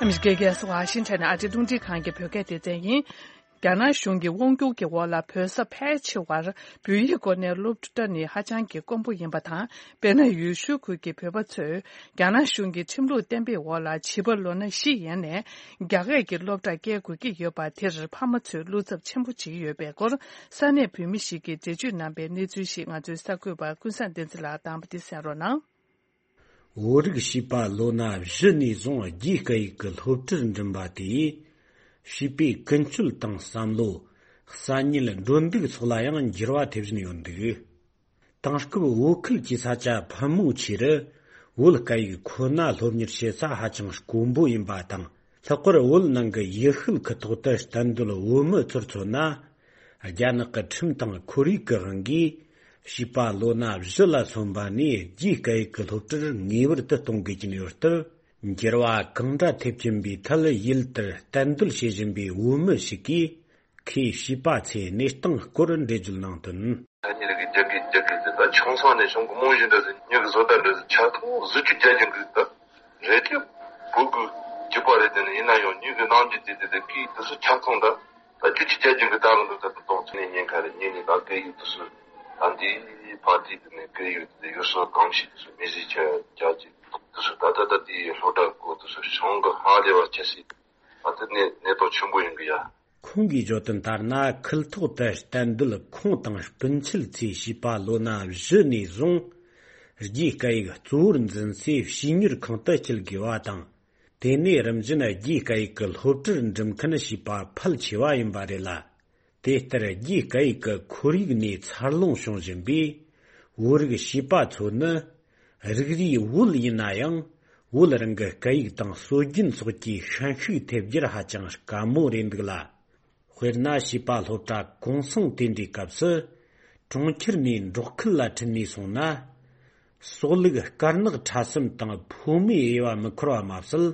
ཨ་མི་རི་ཀའི་རྒྱལ་ས་ཝ་ཤིང་ཊོན་ནས་ཨ་རིའི་རླུང་འཕྲིན་ཁང་གི་བོད་སྐད་སྡེ་ཚན་ཡིན། རྒྱ་ནག་གཞུང་གི་དབང་སྒྱུར་གྱི་འོག་ལ་བོད་ས་ཕལ་ཆེ་བར་བོད་ཡིག་སྐོར་ནས་སློབ་གྲྭ་ནི་ཧ་ཅང་གི་དཀོན་པོ་ཡིན་པ་དང་། དཔེར་ན། ཡུལ་ཤུལ་ཁུལ་གྱི་བོད་པ་ཚོས་རྒྱ་ནག་གཞུང་གི་ཁྲིམས་ལུགས་བརྟན་པོའི་འོག་ལ་བྱིས་པ་ལོ་ན་བཞི་ཡན་ནས་རྒྱ་སྐད་ཀྱི་སློབ་གྲྭར་སྐྱེལ་དགོས་ཀྱི་ཡོད་པ་དེར་ཕ་མ་ཚོས་བློ་འཚབ་ཆེན་པོ་བྱེད་ཀྱི་ཡོད་པའི་སྐོར་ས་གནས་བོད་མི་ཞིག་གིས་འགྲེལ་བརྗོད་གནང་པའི་གནས་ཚུལ་ཞིག་ང་ཚོའི་གསར་འགོད་པ་ཀུན་བཟང་བསྟན་འཛིན་ལགས་དང་པོ་འདི་གསན་རོགས་གནང་། བོད་རིགས་བྱིས་པ་ལོ་ན་བཞི་ནས་བཟུང་རྒྱའི་སྐད་ཡིག་གི་སློབ་གྲྭར་འགྲིམ་པ་དེས། བྱིས་པའི་ཀུན་སྤྱོད་དང་བསམ་བློ། གསར་རྙེད་འགྲོ་འདུག་སོགས་ལ་ཡང་འགྱུར་བ་ཐེབས་བཞིན་ཡོད་འདུག་དེང་སྐབས་བོད་ཁུལ་གྱི་ས་ཆ་ཕལ་མོ་ཆེ་རུ་བོད་སྐད་ཡིག་ཁོ་ན་སློབ་གཉེར་བྱེད་ས་ཧ་ཅང་དཀོན་པོ་ཡིན་པ་དང་། ལྷག་པར་བོད་ནང་གི་ཡུལ་ཤུལ་ཁུལ་ཐོག་ཏུ་གཏན་སྡོད་བོད་མི་ཚོར་མཚོན་ན། རྒྱ་ནག་གི་ཁྲིམས་དང་ཁོར་ཡུག་གི་དབང་གིས། བྱིས་པ་ལོ་ན་བཞི་ལ་སོན་པ་ནས་རྒྱའི་སྐད་ཡིག་གི་སློབ་གྲྭར་ངེས་པར་དུ་གཏོང་དགོས་ཀྱིན་ཡོད་སྟབས། འགྱུར་བ་གང་འདྲ་ཐེབས་ཀྱིན་པའི་ཐད། ཡུལ་དེར་གཏན་སྡོད་བྱེད་བཞིན་པའི་བོད་མི་ཞིག་གིས། ཁོའི་བྱིས་པ་ཚོའི་གནས་སྟངས་སྐོར་འགྲེལ་བརྗོད་གནང་དོན། ད་ཉིད་ཀྱི་རྒྱ་སྐད་རྒྱ་སྐད་དེ་ད་ཆུང་ས་ནས་གཞུང་གི་རྨང་གཞི་འདྲ་ཟིག་མྱི་གི་བཟོ་ལྟ་འདྲ་ཟིག་ཆ་ཚང་གཟི་བརྗིད་རྒྱ་ཅན་གི་ད་རེད་དེ། བོད་ཀྱི་རྒྱུད་པ་རེད་དེ་ནི་ཡིན་ན་ཡང་མྱི་གི་རྣམ་འགྱུར་དེ་དེ་དེ་སྐད་དེ་ཚོ་ཆ་ཚང་ད་ད་རྒྱུད་ཀྱི་རྒྱ་ཅན་གི་ད་གི་འདུག་ད་དུང་ཚོ་ནས་ཉེན་ཁ་རེད། ཉིན་ནས་ད་སྐད་ཡིག་དེ་ཚོ་ད་འདི་ཕ་དེ་དེ་ནས་སྐད་ཡིག་དེ་ཡུལ་སྲོལ་གང་ཞིག་དེ་ཚོ་མི་གཟིགས་ཆ་རྒྱ་ཅན་དེ་ཚོ་ད་ད་ད་དེ་སློབ་གྲྭ་སྐོར་དེ་ཚོ་བྱུང་གི་ཧ་ལས་པ་ཆེ་སྲིད་ད་དེ་ནས་གནས་སྟངས་ཆེན་པོ་ཡིན་གི་ཡ། ཁོང་གིས་བརྗོད་དོན་ལྟར་ན། ཁུལ་ཐོག་ཏུ་གཏན་སྡོད་ཁོང་དང་སྤུན་མཆེད་ཚོས་བྱིས་པ་ལོ་ན་བཞི་ནས་བཟུང་རྒྱའི་སྐད་ཡིག་གཙོ་བོར་འཛིན་སའི་བྱིས་གཉེར་ཁང་དུ་སྐྱེལ་དགོས་པ་དང་། དེ་ནས་རིམ་བཞིན་རྒྱའི་སྐད་ཡིག་གི་སློབ་གྲྭར་འགྲིམ་མཁན་བྱིས་པ་ཕལ་ཆེ་བ་ཡིན་པ་རེད་ལ། དེ་ལྟར་རྒྱའི་སྐད་ཡིག་གི་ཁོར་ཡུག་ནས་འཚར་ལོངས་བྱུང་བཞིན་པའི་བོད་རིགས་བྱིས་པ་ཚོ་ནི། རིགས་རུས་བོད་ཡིན་ན་ཡང་། བོད་རང་གི་སྐད་ཡིག་དང་སྲོལ་རྒྱུན་སོགས་ཀྱི་ཤན་ཤུགས་ཐེབས་རྒྱུར་ཧ་ཅང་དཀའ་མོ་རེད་འདུག་ལ། དཔེར་ན། བྱིས་པ་སློབ་གྲྭ་གུང་སེང་དེ་འདྲའི་སྐབས་སུ། གྲོང་ཁྱེར་ནས་འབྲོག་ཁུལ་ལ་ཁྲིད་ནས་སོང་ན། སྲོག་ལུག་དཀར་ནག་ཕྲ་གསུམ་དང་ཕོ་མོའི་དབྱེ་བ་མི་འཁོར་བ་མ་ཟད།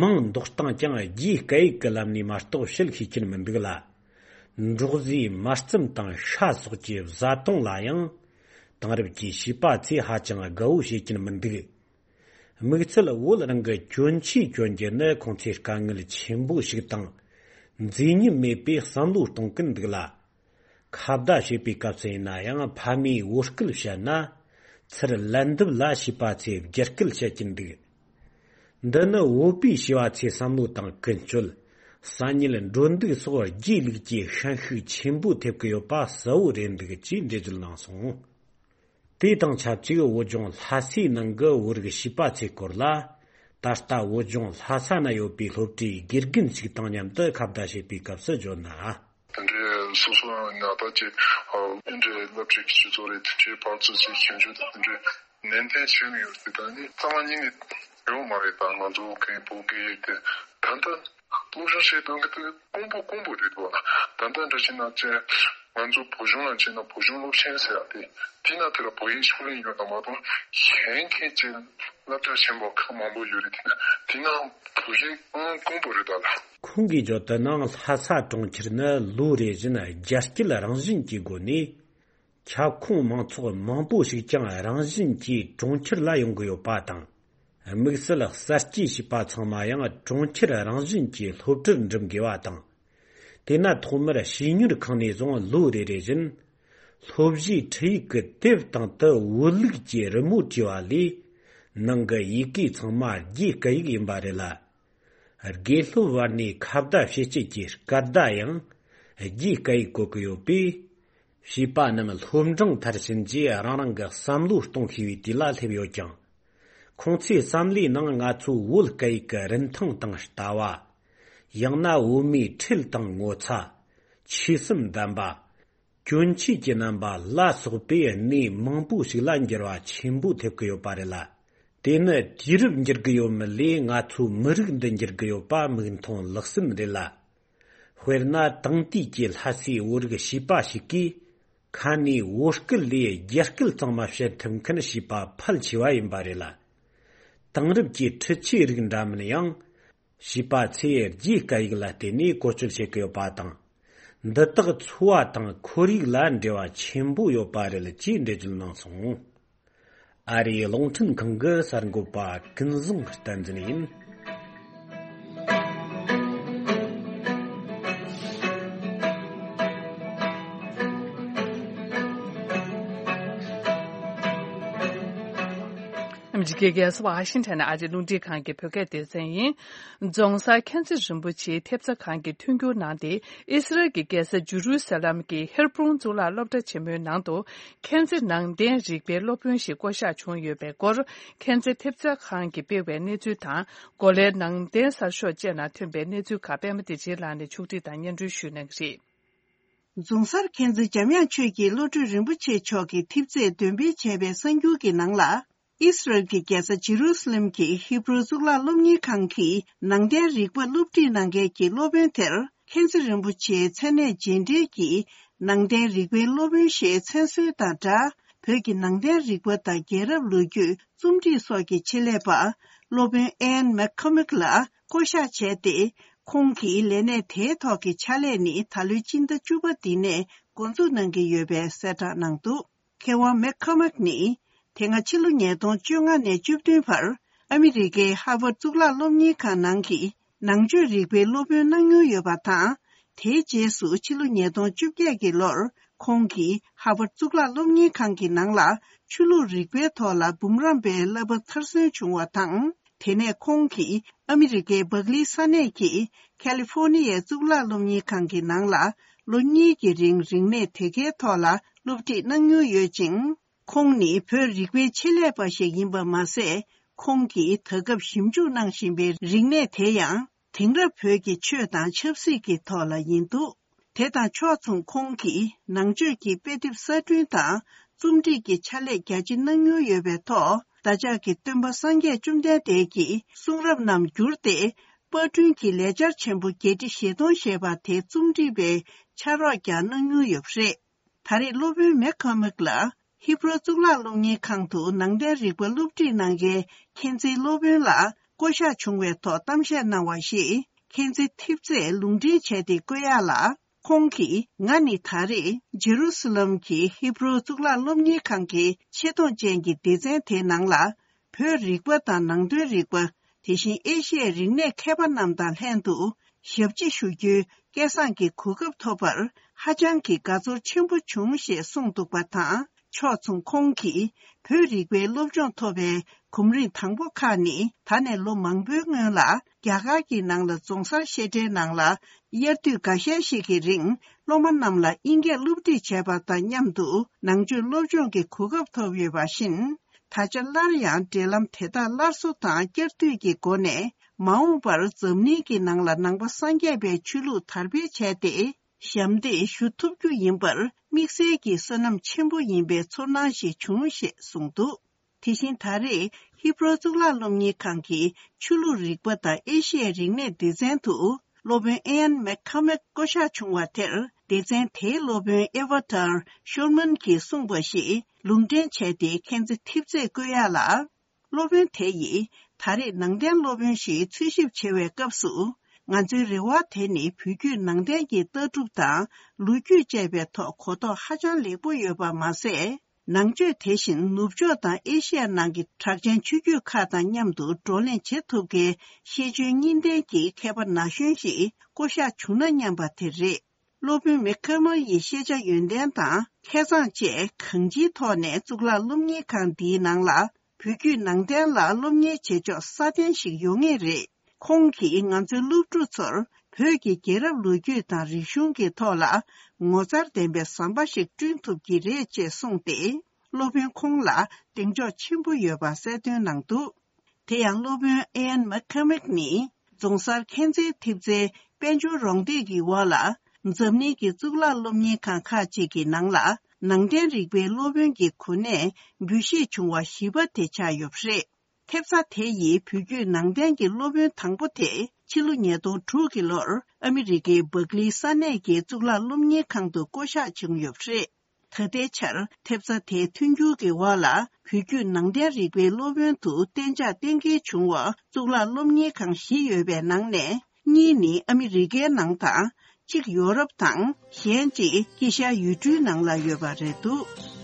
མིང་འདོགས་སྟངས་ཀྱང་རྒྱའི་སྐད་ཡིག་གི་ལམ་ནས་མ་གཏོགས་བཤད་ཤེས་ཀྱིན་མི་འདུག་ལ། འབྲོག་བཟོའི་མ་རྩམ་དང་ཤ་སོགས་ཀྱི་བཟའ་བཏུང་ལ་ཡང་། དེང་རབས་ཀྱི་བྱིས་པ་ཚོས་ཧ་ཅང་དགའ་བོ་བྱེད་ཀྱིན་མི་འདུག་དམིགས་བསལ་བོད་རང་གི་གྱོན་ཆས་གྱོན་རྒྱུ་ནི་ཁོང་ཚོའི་དཀའ་ངལ་ཆེན་པོ་ཞིག་དང་། མཛེས་ཉམས་མེད་པའི་བསམ་བློ་གཏོང་གིན་འདུག་ལ། ཁ་བརྡ་བྱེད་པའི་སྐབས་སུ་ཡིན་ན་ཡང་ཕ་མས་བོད་སྐད་བཤད་ན། ཚུར་ལན་འདེབས་ལ་བྱིས་པ་ཚོས་རྒྱ་སྐད་བཤད་ཀྱིན་འདུག་འདི་ནི་བོད་པའི་བྱིས་པ་ཚོའི་བསམ་བློ་དང་ཀུན་སྤྱོད། ས་ཉིལ་འགྲོ་འདུག་སོགས་རྒྱའི་ལུགས་ཀྱི་ཤན་ཤུགས་ཆེན་པོ་ཐེབས་ཀྱི་ཡོད་པ་གསལ་བོ་རེད་འདུག་ཅེས་འགྲེལ་བརྗོད་གནང་སོང་། དེ་དང་ཆབས་ཅིག་བོད་ལྗོངས་ལྷ་སའི་ནང་གི་བོད་རིགས་བྱིས་པ་ཚོའི་སྐོར་ལ། ད་ལྟ་བོད་ལྗོངས་ལྷ་ས་ན་ཡོད་པའི་སློབ་གྲྭའི་དགེ་རྒན་ཞིག་དང་མཉམ་དུ་ཁ་བརྡ་བྱེད་པའི་སྐབས་སུ་བརྗོད་ན། དེ་འདྲའི་སོ་སོ་ཡང་ཉག་ཐག་ཅིག་ཨ་དེ་འདྲའི་སློབ་ཁྲིད་ཀྱི་སྤྱི་ཚོགས་རེད། དེ་འདྲའི་བར་དུ་ཅིག་ཞིབ་འཇུག་དང་དེ་འདྲའི་ནན་ཏན་བྱས་མི་ཡོད་དེ། ད་ནི་རྩ་བ་ཉིད་ནས་ཡོད་མ་རེད། ད་ང་ཚོ་གི་བོད་སྐད་ཡིག་དེ་ད་ལྟ་སློབ་སྦྱོང་བྱེད་སྟངས་ཀྱི་དེ་དཀོན་པོ་དཀོན་པོ་རེད་འདུག་ད་ལྟ་འདྲ་བྱས་ན་ཅེ་ང་ཚོ་བོད་གཞུང་ལ་བྱས་ན་བོད་གཞུང་སློབ་ཆེན་ཟེར་ཡ་དེ་དེ་ན་དེ་ལ་བོད་ཡིག་ཤུགས་ལེན་ཡོད་ན་མ་གཏོགས་གཞན་མཁན་ཅིག་སློབ་གྲྭ་ཆེན་པོ་ཁག་མང་པོ་ཡོད་རེད། དེ་ན་དེ་ན་བོད་ཡིག་ཨང་དཀོན་པོ་རེད་ད་ལ། ཁོང་གིས་བརྗོད་དོན་ནང་ལྷ་ས་གྲོང་ཁྱེར་ནི་ལོ་རེ་བཞིན་རྒྱ་སྐྱེད་རང་བཞིན་གྱི་སྒོ་ནས། ཁྱབ་ཁོངས་མང་ཚོགས་མང་པོ་ཞིག་ཀྱང་རང་བཞིན་གྱིས་གྲོང་ཁྱེར་ལ་ཡོང་གི་ཡོད་པ་དང་། དམིགས་བསལ་གསར་སྐྱེས་བྱིས་པ་ཚང་མ་ཡང་གྲོང་ཁྱེར་རང་བཞིན་གྱིས་སློབ་གྲྭར་འགྲིམ་དགོས་པ་དང་། དེས་ན་ཐོག་མར་བྱིས་གཉོར་ཁང་ནས་བཟུང་ལོ་རེ་རེ་བཞིན། སློབ་གཞིའི་ཁྲིད་ཡིག་གི་དེབ་སྟེང་དུ་བོད་ལུགས་ཀྱི་རི་མོ་བྲིས་པ་ལས། ནང་གི་ཡི་གེ་ཚང་མ་རྒྱའི་སྐད་ཡིག་ཡིན་པ་རེད་ལ། དགེ་སློབ་བར་ནས་ཁ་བརྡ་བྱེད་སྤྱད་ཀྱི་སྐད་བརྡ་ཡང་རྒྱའི་སྐད་ཡིག་བཀོལ་གྱི་ཡོད་པས། བྱིས་པ་རྣམས་སློབ་འབྲིང་མཐར་ཕྱིན་རྗེས་རང་རང་གི་བསམ་བློ་གཏོང་ཤེས་པའི་དུས་ལ་སླེབས་ཡོད་ཀྱང་། ཁོང་ཚོའི་བསམ་བློའི་ནང་ང་ཚོའི་བོད་སྐད་ཡིག་གི་རིན་ཐང་དང་ལྟ་བ། ཡང་ན་བོད་མིའི་ཁྲེལ་དང་ངོ་ཚ། ཆོས་སེམས་ལྡན་པ། གྱོན་ཆས་ཀྱི་རྣམ་པ་ལ་སོགས་པའི་གནས་མང་པོ་ཞིག་ལ་འགྱུར་བ་ཆེན་པོ་ཐེབས་ཀྱི་ཡོད་པ་རེད་ལ། དེ་ནི་དུས་རབས་འགྱུར་གྱི་ཡོད་མིན་ལས་ང་ཚོའི་མི་རིགས་འདི་འགྱུར་གྱི་ཡོད་པ་མིག་མཐོང་ལག་ཟིན་རེད་ལ། དཔེར་ན་དེང་དུས་ཀྱི་ལྷ་སའི་བོད་རིགས་བྱིས་པ་ཞིག་གིས་ཁ་ནས་བོད་སྐད་ལས་རྒྱ་སྐད་གཙང་མ་བཤད་ཐུབ་མཁན་བྱིས་པ་ཕལ་ཆེ་བ་ཡིན་པ་རེད་ལ། དེང་རབས་ཀྱི་འཕྲུལ་ཆས་རིགས་འདྲ་མིན་ཡང་། བྱིས་པ་ཚོས་རྒྱའི་སྐད་ཡིག་ལ་བརྟེན་ནས་བཀོལ་སྤྱོད་བྱེད་ཀྱི་ཡོད་པ་དང་། འདི་དག་འཚོ་བ་དང་ཁོར་ཡུག་ལ་འབྲེལ་བ་ཆེན་པོ་ཡོད་པ་རེད་ཅེས་འགྲེལ་བརྗོད་གནང་སོང་། ཨ་རིའི་རླུང་འཕྲིན་ཁང་གི་གསར་འགོད་པ་ཀུན་བཟང་བསྟན་འཛིན་ཡིན། ཨ་མི་རི་ཀའི་རྒྱལ་ས་ཝ་ཤིང་ཊོན་ནས་ཨ་རིའི་རླུང་འཕྲིན་ཁང་གི་བོད་སྐད་སྡེ་ཚན་ཡིན། རྫོང་སར་མཁྱེན་བརྩེ་རིན་པོ་ཆེའི་ཐེབས་རྩ་ཁང་གིས་མཐུན་འགྱུར་གནང་སྟེ། ཨི་སི་རལ་གྱི་རྒྱལ་ས་ཇུ་རུ་སཱ་ལམ་གྱི་ཧེར་བྷྲོན་གཙུག་ལག་སློབ་གྲྭ་ཆེན་མོའི་ནང་དུ། མཁྱེན་བརྩེ་ནང་བསྟན་རིག་པའི་སློབ་དཔོན་ཞིག་བསྐོ་གཞག་བྱུང་ཡོད་པའི་སྐོར། མཁྱེན་བརྩེ་ཐེབས་རྩ་ཁང་གིས་སྤེལ་བའི་གནས་ཚུལ་དང་། གོ་ལའི་ནང་བསྟན་གསར་ཤོག་བཅས་ནང་ཐོན་པའི་གནས་ཚུལ་ཁག་པད་མ་བདེ་ཆེན་ལགས་ནས་ཕྱོགས་སྒྲིག་དང་སྙན་སྒྲོན་ཞུ་གནང་གི་རེད། རྫོང་སར་མཁྱེན་བརྩེ་འཇམ་དབྱངས་ཆོས་ཀྱི་བློ་གྲོས་རིན་པོ་ཆེ་མཆོག་གི་ཐེབས་རྩས་འདོན་སྤེལ་བྱས་པའི་གསར་འགྱུར་གྱི་ནང་ལ། ཨིས་རལ་གྱི་རྒྱལ་ས་ཇི་རུ་སི་ལེམ་གྱི་ཧི་བྷྲུ་གཙུག་ལག་སློབ་གཉེར་ཁང་གི་ནང་བསྟན་རིག་པ་སློབ་ཁྲིད་གནང་མཁན་གྱི་སློབ་དཔོན་དེར་མཁྱེན་བརྩེ་རིན་པོ་ཆེའི་མཚན་གནས་རྗེས་འབྲེལ་གྱིས་ནང་བསྟན་རིག་པའི་སློབ་དཔོན་ཞེས་མཚན་གསོལ་དང་སྦྲགས། བོད་ཀྱི་ནང་བསྟན་རིག་པ་དང་རྒྱལ་རབས་ལོ་རྒྱུས། རྩོམ་སྒྲིག་སོགས་ཀྱི་ཆེད་ལས་པ་སློབ་དཔོན་ཨེན་མེག་ཁོ་མིག་ལགས་བསྐོ་གཞག་བྱས་ཏེ། ཁོང་གིས་ལས་གནས་དེའི་ཐོག་གི་ཕྱག་ལས་ནི་ད་ལོའི་སྤྱི་ཟླ་བཅུ་པ་འདི་ནས་འགོ་འཛུགས་གནང་གི་ཡོད་པའི་གསལ་བསྒྲགས་གནང་འདུག་མཁས་དབང་མེག་ཁོ་མིག་ནི། དེ་སྔ་ཕྱི་ལོ་ཉིས་སྟོང་བཅོ་ལྔ་ནས་བཅུ་བདུན་བར་ཨ་མི་རི་ཀའི་ཧར་ཝར་གཙུག་ལག་སློབ་གཉེར་ཁང་ནང་གི་ནང་ཆོས་རིག་པའི་སློབ་དཔོན་གནང་མྱོང་ཡོད་པ་དང་། དེའི་རྗེས་སུ་ཕྱི་ལོ་ཉིས་སྟོང་བཅོ་བརྒྱད་ཀྱི་ལོར་ཁོང་གིས་ཧར་ཝར་གཙུག་ལག་སློབ་གཉེར་ཁང་གི་ནང་ལ་ཆོས་ལུགས་རིག་པའི་ཐོག་ལ་འབུམ་རམས་པའི་བསླབ་པ་མཐར་སོན་བྱུང་བ་དང་། དེ་ནས་ཁོང་གིས་ཨ་མི་རི་ཀའི་སྦག་ལིའི་ས་གནས་ཀྱི་ཁ་ལི་ཧྥོ་ནི་ཡའི་གཙུག་ལག་སློབ་གཉེར་ཁང་གི་ནང་ལ་ལོ་གཉིས་ཀྱི་རིང་རིག་གནས་དེ་གའི་ཐོག་ལ་སློབ་ཁྲིད་གནང་མྱོང་ཡོད་ཅིང་། ཁོང་ནི་བོད་རིག་པའི་ཆེད་ལས་པ་ཞིག་ཡིན་པ་མ་ཟད། ཁོང་གིས་ད་སྐབས་ཞིབ་འཇུག་གནང་བཞིན་པའི་རིག་གནས་དེ་ཡང་དེང་རབས་བོད་ཀྱི་ཆོས་དང་ཆབ་སྲིད་ཀྱི་ཐོག་ལ་ཡིན་འདུག་དེ་དང་ཕྱོགས་མཚུངས་ཁོང་གིས་ནང་ཆོས་ཀྱི་དཔེ་དེབ་གསར་སྐྲུན་དང་རྩོམ་སྒྲིག་གི་ཕྱག་ལས་རྒྱ་ཆེ་གནང་མྱོང་ཡོད་པའི་ཐོག་བདག་ཅག་གི་སྟོན་པ་སངས་རྒྱས་བཅོམ་ལྡན་འདས་ཀྱི་གསུང་རབ་རྣམས་བསྒྱུར་ཏེ། པར་སྐྲུན་གྱི་ལས་འཆར་ཆེན་པོ་བརྒྱད་ཁྲི་བཞི་སྟོང་ཞེས་པ་དེ་རྩོམ་སྒྲིག་པའི་ཕྱག་རོགས་ཀྱང་གནང་མྱོང་ཡོད་པ་རེད། ད་རེས་སློབ་དཔོན་མེག་ཁ་མིག་ལ། ཧི་བྷུ་རོ་གཙུག་ལག་སློབ་གཉེར་ཁང་དུ་ནང་བསྟན་རིག་པ་སློབ་ཁྲིད་གནང་མཁན་མཁྱེན་བརྩེའི་སློབ་དཔོན་ལ་བསྐོ་གཞག་བྱུང་བའི་ཐོག་གཏམ་བཤད་གནང་བ་ཞིག་མཁྱེན་བརྩེ་ཐེབས་རྩས་ལུང་འདྲེན་བྱས་ཏེ་བཀོད་ཡག་ལ། ཁོང་གིས། ང་ནི་ད་རེས་ཇེ་རུ་སི་ལམ་གྱི་ཧི་བྷུ་རོ་གཙུག་ལག་སློབ་གཉེར་ཁང་གི་ཆེ་མཐོང་ཅན་གྱི་སྡེ་ཚན་དེའི་ནང་ལ། བོད་རིག་པ་དང་ནང་དོན་རིག་པ། དེ་བཞིན་ཨེ་ཤི་ཡའི་རིག་གནས་མཁས་པ་རྣམས་དང་ལྷན་དུ་ཞབས་ཕྱི་ཞུ་རྒྱུའི་སྐལ་བཟང་གི་གོ་སྐབས་ཐོབ་པར་ཧ་ཅང་གི་དགའ་ཚོར་ཆེན་པོ་བྱུང་ཞེས་གསུངས་འདུག་པ་དང་། ཕྱོགས་མཚུངས་ཁོང་གིས་བོད་རིག་པའི་སློབ་སྦྱོང་ཐོབ་པའི་གོམ་རིམ་དང་པོ་ཁག་ནི་ད་ནས་ལོ་མང་པོའི་སྔོན་ལ་རྒྱ་གར་གྱི་ནང་ལ་རྫོང་སར་བཤད་གྲྭའི་ནང་ལ་དབྱར་དུས་འགའ་ཤས་ཤིག་གི་རིང་སློབ་མ་རྣམས་ལ་དབྱིན་སྐད་སློབ་ཁྲིད་བྱས་པ་དང་མཉམ་དུ་ནང་ཆོས་སློབ་སྦྱོང་གི་གོ་སྐབས་ཐོབ་ཡོད་པ་བཞིན། ད་ཆ་སླར་ཡང་འབྲེལ་ལམ་དེ་དག་སླར་གསོ་དང་བསྐྱར་མཐུད་ཀྱི་སྒོ་ནས་མ་འོངས་པར་འཛམ་གླིང་གི་ནང་ལ་ནང་པ་སངས་རྒྱས་པའི་ཆོས་ལུགས་དར་སྤེལ་བྱས་ཏེ། ཞབས་འདེགས་ཞུ་ཐུབ་རྒྱུ་ཡིན་པར་དམིགས་བསལ་གྱི་བསོད་ནམས་ཆེན་པོ་ཡིན་པའི་ཚོར་སྣང་ཞིག་བྱུང་ཞེས་གསུངས་འདུག་དེ་བཞིན་ད་རེས་ཧི་བྷུ་རོ་གཙུག་ལག་སློབ་གཉེར་ཁང་གི་ཆོས་ལུགས་རིག་པ་དང་ཨེ་ཤི་ཡའི་རིག་གནས་སྡེ་ཚན་དུ་སློབ་དཔོན་ཨེན་མེག་ཁ་མེག་བསྐོ་གཞག་བྱུང་བ་དེར་སྡེ་ཚན་དེའི་སློབ་དཔོན་ཨེ་ཝ་ཏར་ཤོར་མན་གྱིས་གསུངས་པ་ཞིག་ལུང་འདྲེན་བྱས་ཏེ་མཁྱེན་བརྩེ་ཐེབས་རྩས་བཀོད་ཡག་ལ། སློབ་དཔོན་དེ་ཡིས་ད་རེས་ནང་བསྟན་སློབ་དཔོན་ཞིག་འཚོལ་ཞིབ་བྱེད་པའི་སྐབས་སུ། ང་ཚོའི་རེ་བ་དེ་ནི་བོད་བརྒྱུད་ནང་བསྟན་གྱི་ལྟ་གྲུབ་དང་ལོ་རྒྱུས་བཅས་པའི་ཐོག་གོ་རྟོགས་ཧ་ཅང་ལེགས་པོ་ཡོད་པ་མ་ཟད། ནང་ཆོས་དེ་བཞིན་ནུབ་ཕྱོགས་དང་ཨེ་ཤི་ཡ་ནང་གི་གྲགས་ཅན་ཆོས་བརྒྱུད་ཁག་དང་མཉམ་དུ་བགྲོ་གླེང་བྱེད་ཐུབ་མཁན་ཤེས་འཇོན་གཉིས་ལྡན་གྱི་མཁས་པ་ན་གཞོན་ཞིག་བསྐོ་གཞག་བྱུང་ན་སྙམ་པ་དེ་རེད། སློབ་དཔོན་མེ་ཁེ་མར་ཡི་ཤེས་བྱ་ཡོན་ཏན་དང་མཁས་མཛངས་བཅས་གང་ཅིའི་ཐོག་ནས་གཙུག་ལག་སློབ་གཉེར་ཁང་འདིའི་ནང་ལ་བོད་བརྒྱུད་ནང་བསྟན་ལ་སློབ་གཉེར་བྱེད་ཕྱོགས་སྲ་བརྟན་ཞིག་ཡོང་ངེས་རེད། ཁོང་གིས་ང་ཚོའི་སློབ་ཕྲུག་ཚོར་བོད་ཀྱི་རྒྱལ་རབས་ལོ་རྒྱུས་དང་རིག་གཞུང་གི་ཐོག་ལ་ངོ་མཚར་ལྡན་པའི་ཟམ་པ་ཞིག་བསྐྲུན་ཐུབ་ཀྱི་རེད་ཅེས་གསུངས་ཏེ། སློབ་དཔོན་ཁོང་ལ་གདེང་འཇོག་ཆེན་པོ་ཡོད་པ་གསལ་སྟོན་གནང་འདུག་དེ་ཡང་སློབ་དཔོན་ཨེན་མེག་ཁེ་མེག་ནི་རྫོང་སར་མཁྱེན་བརྩེ་ཐེབས་རྩའི་དཔལ་འབྱོར་རོགས་འདེགས་ཀྱི་འོག་ལ་འཛམ་གླིང་གི་གཙུག་ལག་སློབ་གཉེར་ཁང་ཁག་ཅིག་གི་ནང་ལ་ནང་བསྟན་རིག་པའི་སློབ་དཔོན་གྱི་གོ་གནས་འབུལ་བཞེས་བྱུང་བ་བཞི་པ་དེ་ཆགས་ཡོད་པ་རེད། ཐེབས་རྩ་དེ་ཡིས་བོད་བརྒྱུད་ནང་བསྟན་གྱི་སློབ་དཔོན་དང་པོ་དེ་ཕྱི་ལོ་ཉིས་སྟོང་དྲུག་གི་ལོར་ཨ་མི་རི་ཀའི་སྦག་ལིའི་ས་གནས་ཀྱི་གཙུག་ལག་སློབ་གཉེར་ཁང་དུ་བསྐོ་གཞག་བྱུང་ཡོད་པ་རེད། ད་ལྟའི་ཆར་ཐེབས་རྩ་དེའི་མཐུན་འགྱུར་གྱི་འོག་ལ་བོད་བརྒྱུད་ནང་བསྟན་རིག་པའི་སློབ་དཔོན་དུ་གཏན་འཇགས་གཏན་འཁེལ་བྱུང་བ་གཙུག་ལག་སློབ་གཉེར་ཁང་བཞི་ཡོད་པའི་ནང་ནས་གཉིས་ནི་ཨ་མི་རི་ཀའི་ནང་དང་། གཅིག་ཡོ་རོབ་དང་། གཞན་གཅིག་དཀྱིལ་ཤར་ཡུལ་གྲུའི་ནང་ལ་ཡོད་པ་རེད་འདུག་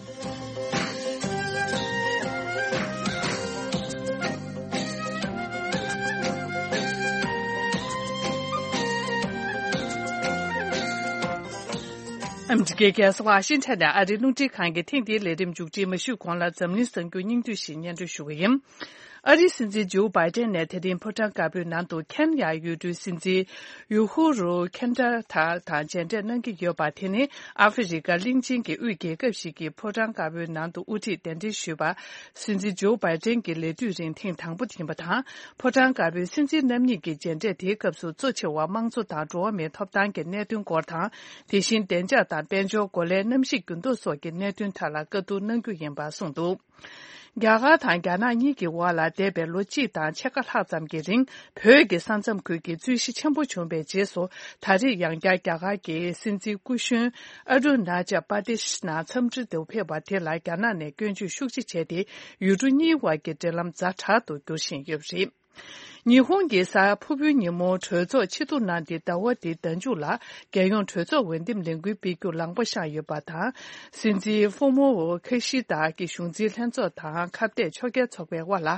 ཨ་མི་རི་ཀའི་རྒྱལ་ས་ཝ་ཤིང་ཊོན་ནས་ཨ་རིའི་རླུང་འཕྲིན་ཁང་གི་ཐེངས་འདིའི་ལས་རིམ་མཇུག་སྒྲིལ་མ་ཞུས་གོང་ལ་འཛམ་གླིང་གསར་འགྱུར་སྙིང་བསྡུས་ཤིག་སྙན་སྒྲོན་ཞུ་གི་ཡིན། ཨ་རིའི་སྲིད་འཛིན་ཇོ་བྷའི་ཏན་ནས་དེ་རིང་ཕོ་བྲང་དཀར་པོའི་ནང་དུ་ཁེན་ཡ་ཡུལ་གྲུའི་སྲིད་འཛིན་ཡུ་ཧུ་རུ་ཁེན་ཏྲ་ཐ་དང་མཇལ་འཕྲད་གནང་གི་ཡོད་པ། དེ་ནི་ཨ་ཧྥེ་རི་ཀ་གླིང་ཆེན་གྱི་དབུས་རྒྱལ་ཁབ་ཞིག་གི་ཕོ་བྲང་དཀར་པོའི་ནང་དུ་དབུ་ཁྲིད་གདན་འདྲེན་ཞུས་པ། སྲིད་འཛིན་ཇོ་བྷའི་ཏན་གྱི་ལས་དུས་རིང་ཐེངས་དང་པོ་ཡིན་པ་དང་། ཕོ་བྲང་དཀར་པོའི་སྲིད་འཛིན་རྣམ་གཉིས་ཀྱི་མཇལ་འཕྲད་དེའི་སྐབས་སུ་གཙོ་ཆེ་བ་དམངས་གཙོ་དང་འགྲོ་བ་མིའི་ཐོབ་ཐང་གི་གནད་དོན་སྐོར་དང་། དེ་བཞིན་བདེ་འཇགས་དང་དཔལ་འབྱོར་འགོ་ལས་གནམ་གཤིས་འགྱུར་ལྡོག་སོགས་ཀྱི་གནད་དོན་ཐད་ལ་བཀའ་བསྡུར་གནང་རྒྱུ་ཡིན་པ་གསུངས་འདུག་རྒྱ་གར་དང་རྒྱ་ནག་གཉིས་ཀྱི་དབར་ལ་འདས་པའི་ལོ་གཅིག་དང་ཕྱེད་ཀ་ལྷག་ཙམ་གྱི་རིང་བོད་ཀྱི་ས་མཚམས་ཁུལ་གྱི་རྩོད་གཞི་ཆེན་པོ་བྱུང་བའི་རྗེས་སུ། ད་རེས་ཡང་བསྐྱར་རྒྱ་གར་གྱི་སྲིད་འཛིན་སྐུ་གཞོན་ཨ་རུ་ན་ཅལ་པར་དེ་ཤི་ནང་འཚམས་འདྲི་དུ་ཕེབས་པ་དེ་ལ་རྒྱ་ནག་ནས་སྐྱོན་བརྗོད་ཤུགས་ཆེ་བྱས་ཏེ། ཡུལ་གྲུ་གཉིས་དབར་གྱི་འབྲེལ་ལམ་ཛ་དྲག་ཏུ་འགྱུར་བཞིན་ཡོད་པ་རེད། ཉི་ཧོང་གི་གཟའ་ཕུར་བུའི་ཉིན་མོ་གྲོས་ཚོགས་ཆེ་མཐོང་གནང་སྟེ། ཟླ་བ་འདིའི་ཟླ་མཇུག་ལ་རྒྱལ་ཡོངས་གྲོས་ཚོགས་འོས་འདེམས་ལས་འགུལ་སྤེལ་རྒྱུ་ལངས་པ་བཞག་ཡོད་པ་དང་། སྲིད་འཛིན་ཧྥུ་མོ་ཁ་ཤི་ད་ཀྱི་གཞུང་འཛིན་ལྷན་ཚོགས་དང་ཁ་གཏད་ཕྱོགས་འགལ་ཚོགས་པའི་དབར་ལ།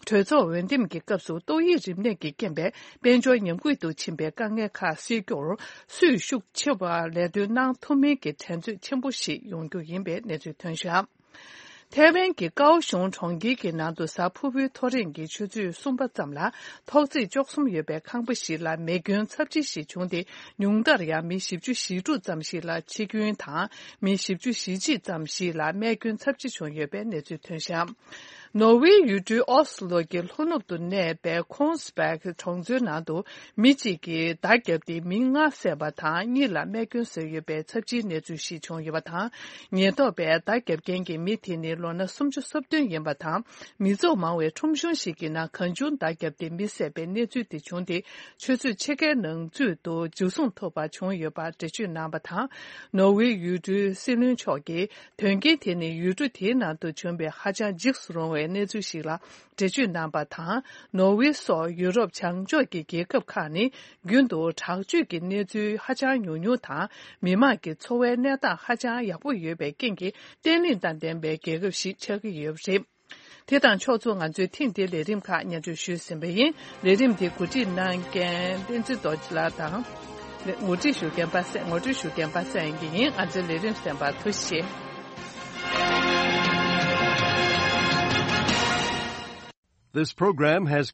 གྲོས་ཚོགས་འོས་འདེམས་ཀྱི་སྐབས་སུ་ཏོག་དབྱིབས་རིམས་ནད་ཀྱི་རྐྱེན་པས་དཔལ་འབྱོར་ཉམས་རྒུད་དུ་ཕྱིན་པའི་དཀའ་ངལ་ཁག་སེལ་རྒྱུར་སུས་ཤུགས་ཆེ་བ་ལས་དོན་གནང་ཐུབ་མིན་གྱི་འགྲན་རྩོད་ཆེན་པོ་ཞིག་ཡོང་རྒྱུ་ཡིན་པའི་གནས་ཚུལ་ཐོན་བཞག་ཐའེ་ཝན་གྱི་ཀའོ་ཤུང་གྲོང་ཁྱེར་གྱི་ནང་དུ་གཟའ་ཕུར་བུའི་ཐོ་རེངས་ཀྱི་ཆུ་ཚོད་གསུམ་པ་ཙམ་ལ་ཐོག་བརྩེགས་བཅུ་གསུམ་ཡོད་པའི་ཁང་པ་ཞིག་ལ་མེ་སྐྱོན་ཚབས་ཆེ་ཞིག་བྱུང་སྟེ། ཉུང་མཐར་ཡང་མི་བཞི་བཅུ་ཞེ་དྲུག་ཙམ་ཞིག་ལ་འཆི་སྐྱོན་དང་། མི་བཞི་བཅུ་ཞེ་གཅིག་ཙམ་ཞིག་ལ་རྨས་སྐྱོན་ཚབས་ཆེ་བྱུང་ཡོད་པའི་གནས་ཚུལ་ཐོན་བཞག་ནོར་ཝེ་ཡུལ་གྲུའི་ཨོ་སི་ལོ་གྱི་ལྷོ་ནུབ་ཏུ་གནས་པའི་ཁོང་སྦེག་གྲོང་ཚོའི་ནང་དུ་མི་གཅིག་གིས་མདའ་བརྒྱབ་སྟེ་མི་ལྔ་བསད་པ་དང་གཉིས་ལ་རྨས་སྐྱོན་བཟོས་ཡོད་པའི་ཚབས་ཆེའི་གནས་ཚུལ་ཞིག་བྱུང་ཡོད་པ་དང་། ཉེན་རྟོག་པས་མདའ་བརྒྱབ་མཁན་གྱི་མི་དེ་ནི་ལོ་ན་སུམ་ཅུ་སོ་བདུན་ཡིན་པ་དང་། མི་ཚོགས་མང་བའི་ཁྲོམ་གཞུང་ཞིག་གི་ནང་གང་བྱུང་མདའ་བརྒྱབ་སྟེ་མི་བསད་པའི་གནས་ཚུལ་དེ་བྱུང་སྟེ། ཆུ་ཚོད་ཕྱེད་ཀའི་ནང་ཚུད་དུ་འཇུ་བཟུང་ཐུབ་པ་བྱུང་ཡོད་པ་འགྲེལ་བརྗོད་གནང་བ་དང་། ནོར་ཝེ་ཡུལ་གྲུའི་སྲིད་བློན་མཆོག་གིས། དོན་རྐྱེན་དེ་ནི་ཡུལ་གྲུ་དེའི་ནང་དུ་བྱུང་བའི་ཧ་ཅང་འཇིགས་སུ་རུང་བའི་གནས་ཚུལ་ཞིག་ལ་འགྲེལ་བརྗོད་གནང་བ་དང་། ནོར་ཝེ་སོགས་ཡུ་རོབ་བྱང་ཕྱོགས་ཀྱི་རྒྱལ་ཁབ་ཁག་ནི་རྒྱུན་དུ་དྲག་སྤྱོད་ཀྱི་གནས་ཚུལ་ཧ་ཅང་ཉུང་ཉུང་དང་། མི་དམངས་ཀྱི་འཚོ་བའི་གནས་སྟངས་ཧ་ཅང་ཡག་པོ་ཡོད་པའི་རྐྱེན་གྱིས། བརྟན་ལྷིང་དང་ལྡན་པའི་རྒྱལ་ཁབ་ཞིག་ཆགས་ཀྱི་ཡོད་པ་རེད། དེ་དང་ཕྱོགས་མཚུངས། ང་ཚོས་ཐེངས་འདིའི་ལས་རིམ་ཁག་སྙན་སྒྲོན་ཞུས་ཟིན་པ་ཡིན། ལས་རིམ་འདི་གོ་སྒྲིག་གནང་མཁན་བསྟན་འཛིན་རྡོ་རྗེ་ལགས་དང་། ངོ་སྒྲིག་ཞུ་མཁན་པ་སངས། ངོ་སྒྲིག་ཞུ་མཁན་པ་སངས་དབྱངས་སྐྱིད་ཡིན། ང་ཚོའི་ལས་རིམ་གསན་པར་ཐུགས་རྗེ་ཆེ། This program has